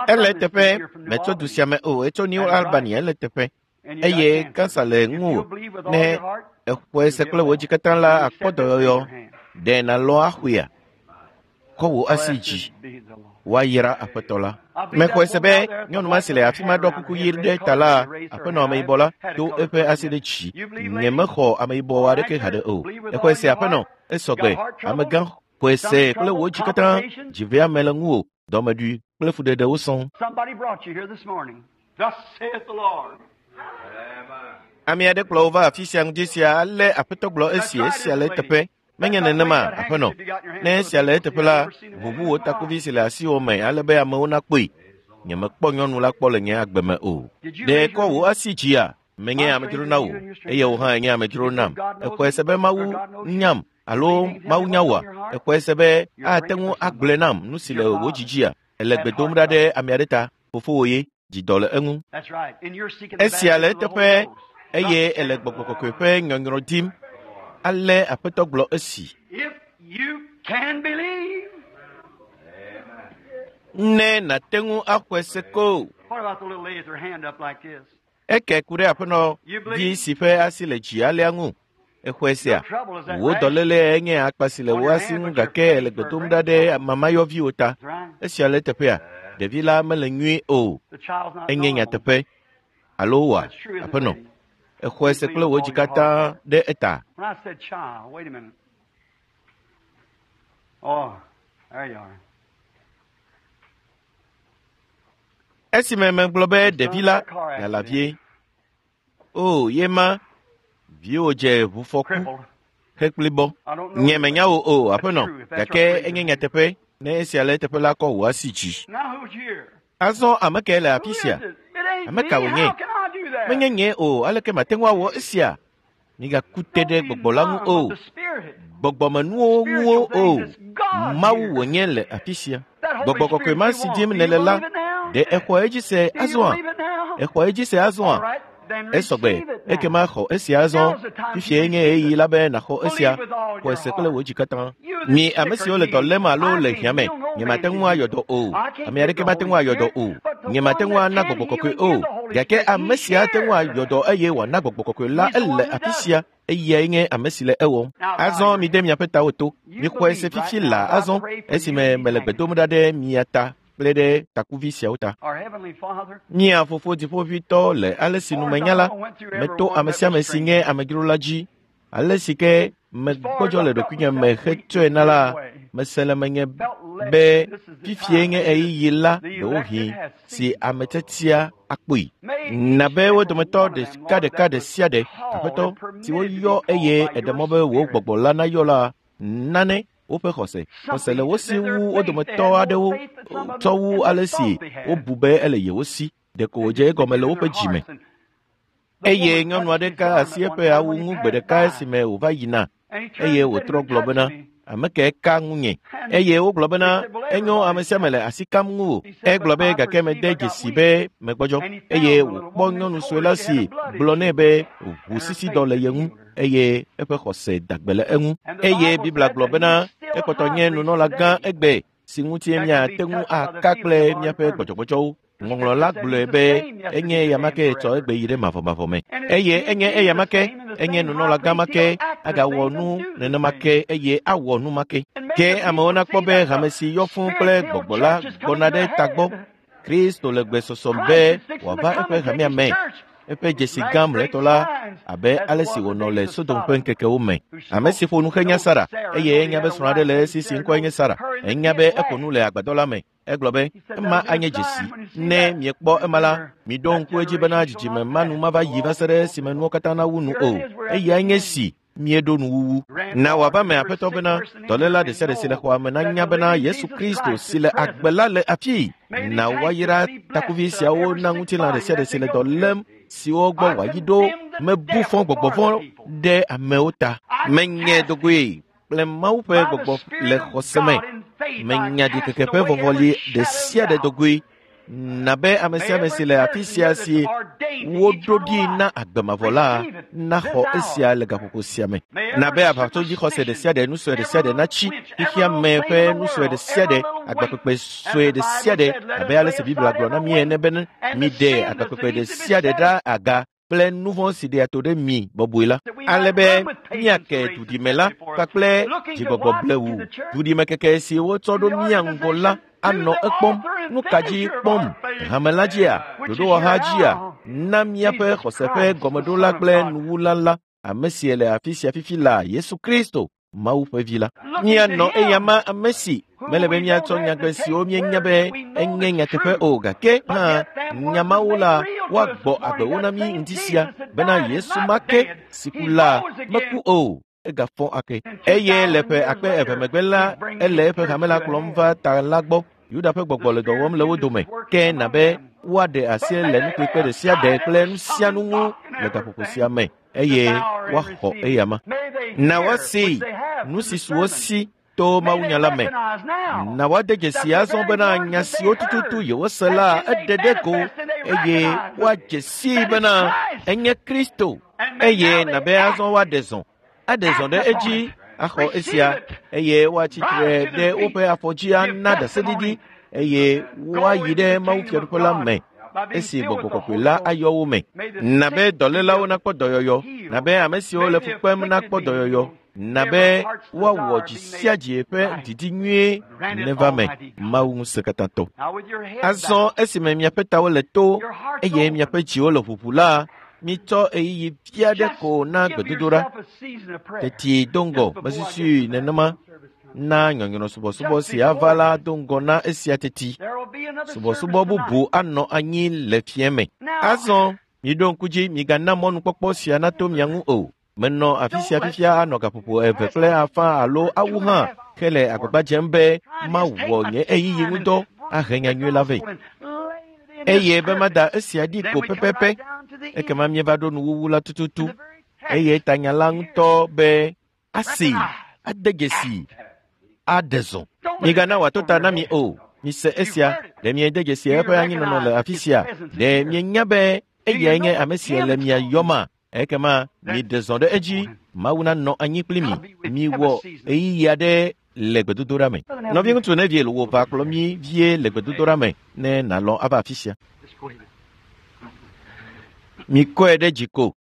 Ele teƒe, metso du sia me o, etso New Albany, ele teƒe. Eye kansa le ŋuwò. Ne exɔe se kple wò dzi katã la, akpɔ dɔyɔyɔ. Ɖe nàlɔ axɔea? Kɔ wò asi dzi. Woayra Aƒetɔ la. Mexɔe se be nyɔnu ma si le afi ma ɖɔ kuku ɣi ɖe ta la, aƒenɔ ameyibɔ la, do eƒe asi ɖe dzi. Nyemexɔ ameyibɔ aɖeke haɖe o. Exɔe se aƒenɔ, esɔgbe. Amegã xɔe se kple wò dzi katã. Dziveame le ŋuwò, dɔmeɖui kple fuɖeɖewo sɔŋ. Ame aɖe kplɔ wo va afi sia ŋdi sia ale aƒetɔ gblɔ esi esia le eteƒe. Menye nenema, aƒenɔ. Ne esia le eteƒe la, ʋuʋu wò takuvi si le asiwò me ale be amewo nakpɔe. Nyemekpɔ nyɔnu la kpɔ le nye agbe me o. Ɖe kɔ wò asi dzia? Menye amedzro na wò, eye wò hã enye amedzro nam. Exɔe se be Mawu nyam alo Mawu nya wòa? Exɔe se be ate ŋu agblɔe nam nu si le wò dzidzia? Ele gbe dom ɖa ɖe ame aɖe ta. Fofowò ye, dzidɔ le eŋu. Esia le eteƒe eye ele gbɔgbɔ kɔkɔe ƒe nyɔnyrɔ dim. Ale aƒetɔ gblɔ esi. Ne nàte ŋu axɔe se ko. Eke ku ɖe aƒenɔ vi si ƒe asi le dzi alea ŋu. Exɔe sea. Wò dɔléle enye akpa si le wò asi ŋu gake ele gbe dom ɖa ɖe mamayɔviwo ta. Esia le eteƒea. Ɖevi la mele nyuie o. Enye nyateƒe. Alo wòa, aƒenɔ. Exɔe se kple wò dzi katã ɖe eta. Esime megblɔ be ɖevi la lala vie. O, ye ma, viwò dze ʋufɔku hekplibɔ. Nye menya wò o, aƒenɔ, gake enye nyateƒe ne esia le eteƒe la kɔ wò asi dzi. Azɔ ame kae le afi sia? Ame ka wònye? Menye nye o, aleke mate ŋu awɔ esia? Migaku te ɖe gbɔgbɔ la ŋu o. Gbɔgbɔmenuwo ŋuwo o. Mawu wònye le afi sia. Gbɔgbɔ kɔkɔe ma si dim nèle la, ɖe exɔ edzi se azɔa? Exɔ edzi se azɔa? Esɔgbe, ekema xɔ esia azɔ. Fifia nye ɣeyiɣi la be nàxɔ esia. Xɔe se kple wò dzi katã. Mi ame siwo le dɔ lém alo le hiã me, nyemate ŋu ayɔ dɔ o. Ame aɖeke mate ŋu ayɔ dɔ o. Nyemate ŋu ana gbɔgbɔ kɔkɔe o. Gake ame sia ate ŋu ayɔ dɔ eye wòana gbɔgbɔ kɔkɔe la ele afi sia. Eyae nye ame si le ewɔm. Azɔ mide miaƒe tawo to. Mixɔe se fifi laa azɔ esime mele gbe dom ɖa ɖe mia ta kple ɖe takuvi siawo ta. Mía fofo dziƒoʋĩtɔ le ale si numenya la, meto ame sia ame si nye amedzro la dzi. Ale si ke megbɔdzɔ le ɖokuinye me hetsɔe na la, mese le menye be fifie nye ɣeyiɣi la ɖewohĩ si ame tiatia akpɔe. Na be wo dometɔ ɖekaɖeka ɖe sia ɖe, aƒetɔ, si woyɔ eye eɖe mɔ be wò gbɔgbɔ la nayɔ la, nane woƒe xɔse. Xɔse le wo si wu wo dometɔ aɖewo tsɔ wu ale si wobu be ele yewo si. Ɖeko wòdze egɔme le woƒe dzime. Eye nyɔnu aɖe ka asi eƒe awu ŋu gbe ɖeka esime wòva yina eye wòtrɔ gblɔ bena, ame kae ka ŋunye? Eye wogblɔ bena, enyo ame sia ame le asi kam ŋuwò. Egblɔ be gake mede dzesi be megbɔdzɔ. Eye wòkpɔ nyɔnu sue la si gblɔ nɛ be ʋusisidɔ le ye ŋu eye eƒe xɔse da gbe le eŋu. Eye Biblia gblɔ bena ekpɔtɔ nye nunɔlagã egbe si ŋuti míate ŋu aka kple míaƒe gbɔdzɔgbɔdzɔwo. Ŋɔŋlɔ la gblɔe be enye eyama ke tsɔ egbe yi ɖe mavɔmavɔ me. Eye enye eyama ke, enye nunɔlagã ma ke, agawɔ nu nenema ke eye awɔ nu ma ke. Ke amewo nakpɔ be hame si yɔ fũu kple gbɔgbɔ la gbɔna ɖe tagbɔ. Kristo le gbesɔsɔ be wòava eƒe hamea me. Eƒe dzesi gã mlɔetɔ la abe ale si wònɔ le Sodom ƒe ŋkekewo me. Ame si ƒo nu henya Sara eye enya be srɔ̃ aɖe le esi si ŋkɔe nye Sara. Enya be eƒo nu le agbadɔ la me. Egblɔ be ema anye dzesi. Ne miekpɔ ema la, miɖo ŋku edzi bena dzidzime ma nu mava yi va se ɖe esime nuwo katã nawu nu o. Eyae nye si mieɖo nuwuwu. Na wòava me aƒetɔ bena dɔléla ɖe sia ɖe si le xɔa me nanya bena Yesu Kristo si le agbe la le afii. Na woayra takuvi siawo na ŋutilã ɖe sia ɖe si le dɔ lém siwo gbɔ wòayi ɖo mebu fɔ gbɔgbɔ vɔ̃ ɖe amewo ta. Menye dogoe kple Mawu ƒe gbɔgbɔ le xɔse me. Menya ɖikeke ƒe vɔvɔli ɖe sia ɖe dogoe. Na be ame sia ame si le afi sia si woɖo ɖi na agbe mavɔ la naxɔ esia le gaƒoƒo sia me. Na be aʋatsodzixɔse ɖe sia ɖe, nu sue ɖe sia ɖe natsi xexea me ƒe nu sue ɖe sia ɖe, agbakpekpe sue ɖe sia ɖe, abe ale si Biblia gblɔ na mí ene be miɖe agbakpekpe ɖe sia ɖe ɖa aga kple nu vɔ̃ si ɖea to ɖe mi bɔbɔe la, ale be míake duɖime la kpakple dzigbɔgbɔ blewu. Duɖimekeke si wotsɔ ɖo mía ŋgɔ la anɔ ekpɔm. Nu ka dzi kpɔm? Hame la dzia? Ɖoɖowɔha dzia? Na míaƒe xɔse ƒe gɔmeɖola kple nuwula la, ame si le afi sia fifi la, Yesu Kristo, Mawu ƒe vi la. Míanɔ eyama ame si mele be míatsɔ nyagbe siwo míenya be enye nyateƒe o gake hã nya mawo la woagbɔ agbewo na mí ŋdi sia bena Yesu ma ke si ku la meku o egafɔ ake eye le ƒe akpe eve megbe la ele eƒe hame la kplɔm va ta la gbɔ. Yuda ƒe gbɔgbɔ le dɔ wɔm le wo dome ke na be woaɖe asi le nukpekpe ɖe sia ɖe kple nu sia nu ŋu le gaƒoƒo sia me eye woaxɔ eyama. Na woasee nu si su wo si to mawunya la me. Na woade dzesi azɔ bena nya siwo tututu yewose la eɖe ɖe go eye woadze sii bena enye Kristo eye na be azɔ woaɖe zɔ aɖe zɔ ɖe edzi axɔ esia eye woatsi tre ɖe woƒe afɔ dzi ana ɖaseɖiɖi eye woayi ɖe Mawu fiaɖuƒe la me esi gbɔgbɔ kɔkɔe la ayɔ wo me. Na be dɔlélawo nakpɔ dɔyɔyɔ, na be ame siwo le fu kpem nakpɔ dɔyɔyɔ, na be woawɔ dzi sia dzi ƒe didi nyuie neva me. Mawu ŋusẽkatãtɔ. Azɔ esime miaƒe tawo le to eye miaƒe dziwo le ʋuʋu la, mitsɔ ɣeyiɣi vi aɖe ko na gbedodoɖa. Teti do ŋgɔ mesusui nenema na nyɔnyrɔ subɔsubɔ si ava la do ŋgɔ na esia teti. Subɔsubɔ bubu anɔ anyi le fiẽ me. Azɔ miɖo ŋku dzi migana mɔnukpɔkpɔ sia nato mia ŋu o. Menɔ afi sia fifia anɔ gaƒoƒo eve kple afã alo awu hã ke le agbagba dzem be mawɔ nye ɣeyiɣi ŋudɔ ahe nyanyui la vɛ. Eye be mada esia ɖi ko pɛpɛpɛ ekema míeva ɖo nuwuwu la tututu eye tanya la ŋutɔ be asee ade dzesi aɖe zɔ. Migana wòato ta na mi o. Mise esia. Ɖe miede dzesi eƒe anyinɔnɔ le afi sia? Ɖe mienya be eyae nye ame si le mia yɔma? Ekema miɖe zɔ ɖe edzi. Mawu nanɔ anyi kpli mi. Miwɔ ɣeyiɣi aɖe le gbedodoɖa me. Nɔviŋutsu Neville wò va kplɔ mí vie le gbedodoɖa me ne nàlɔ̃ ava afi sia. Mikɔe ɖe dzi ko.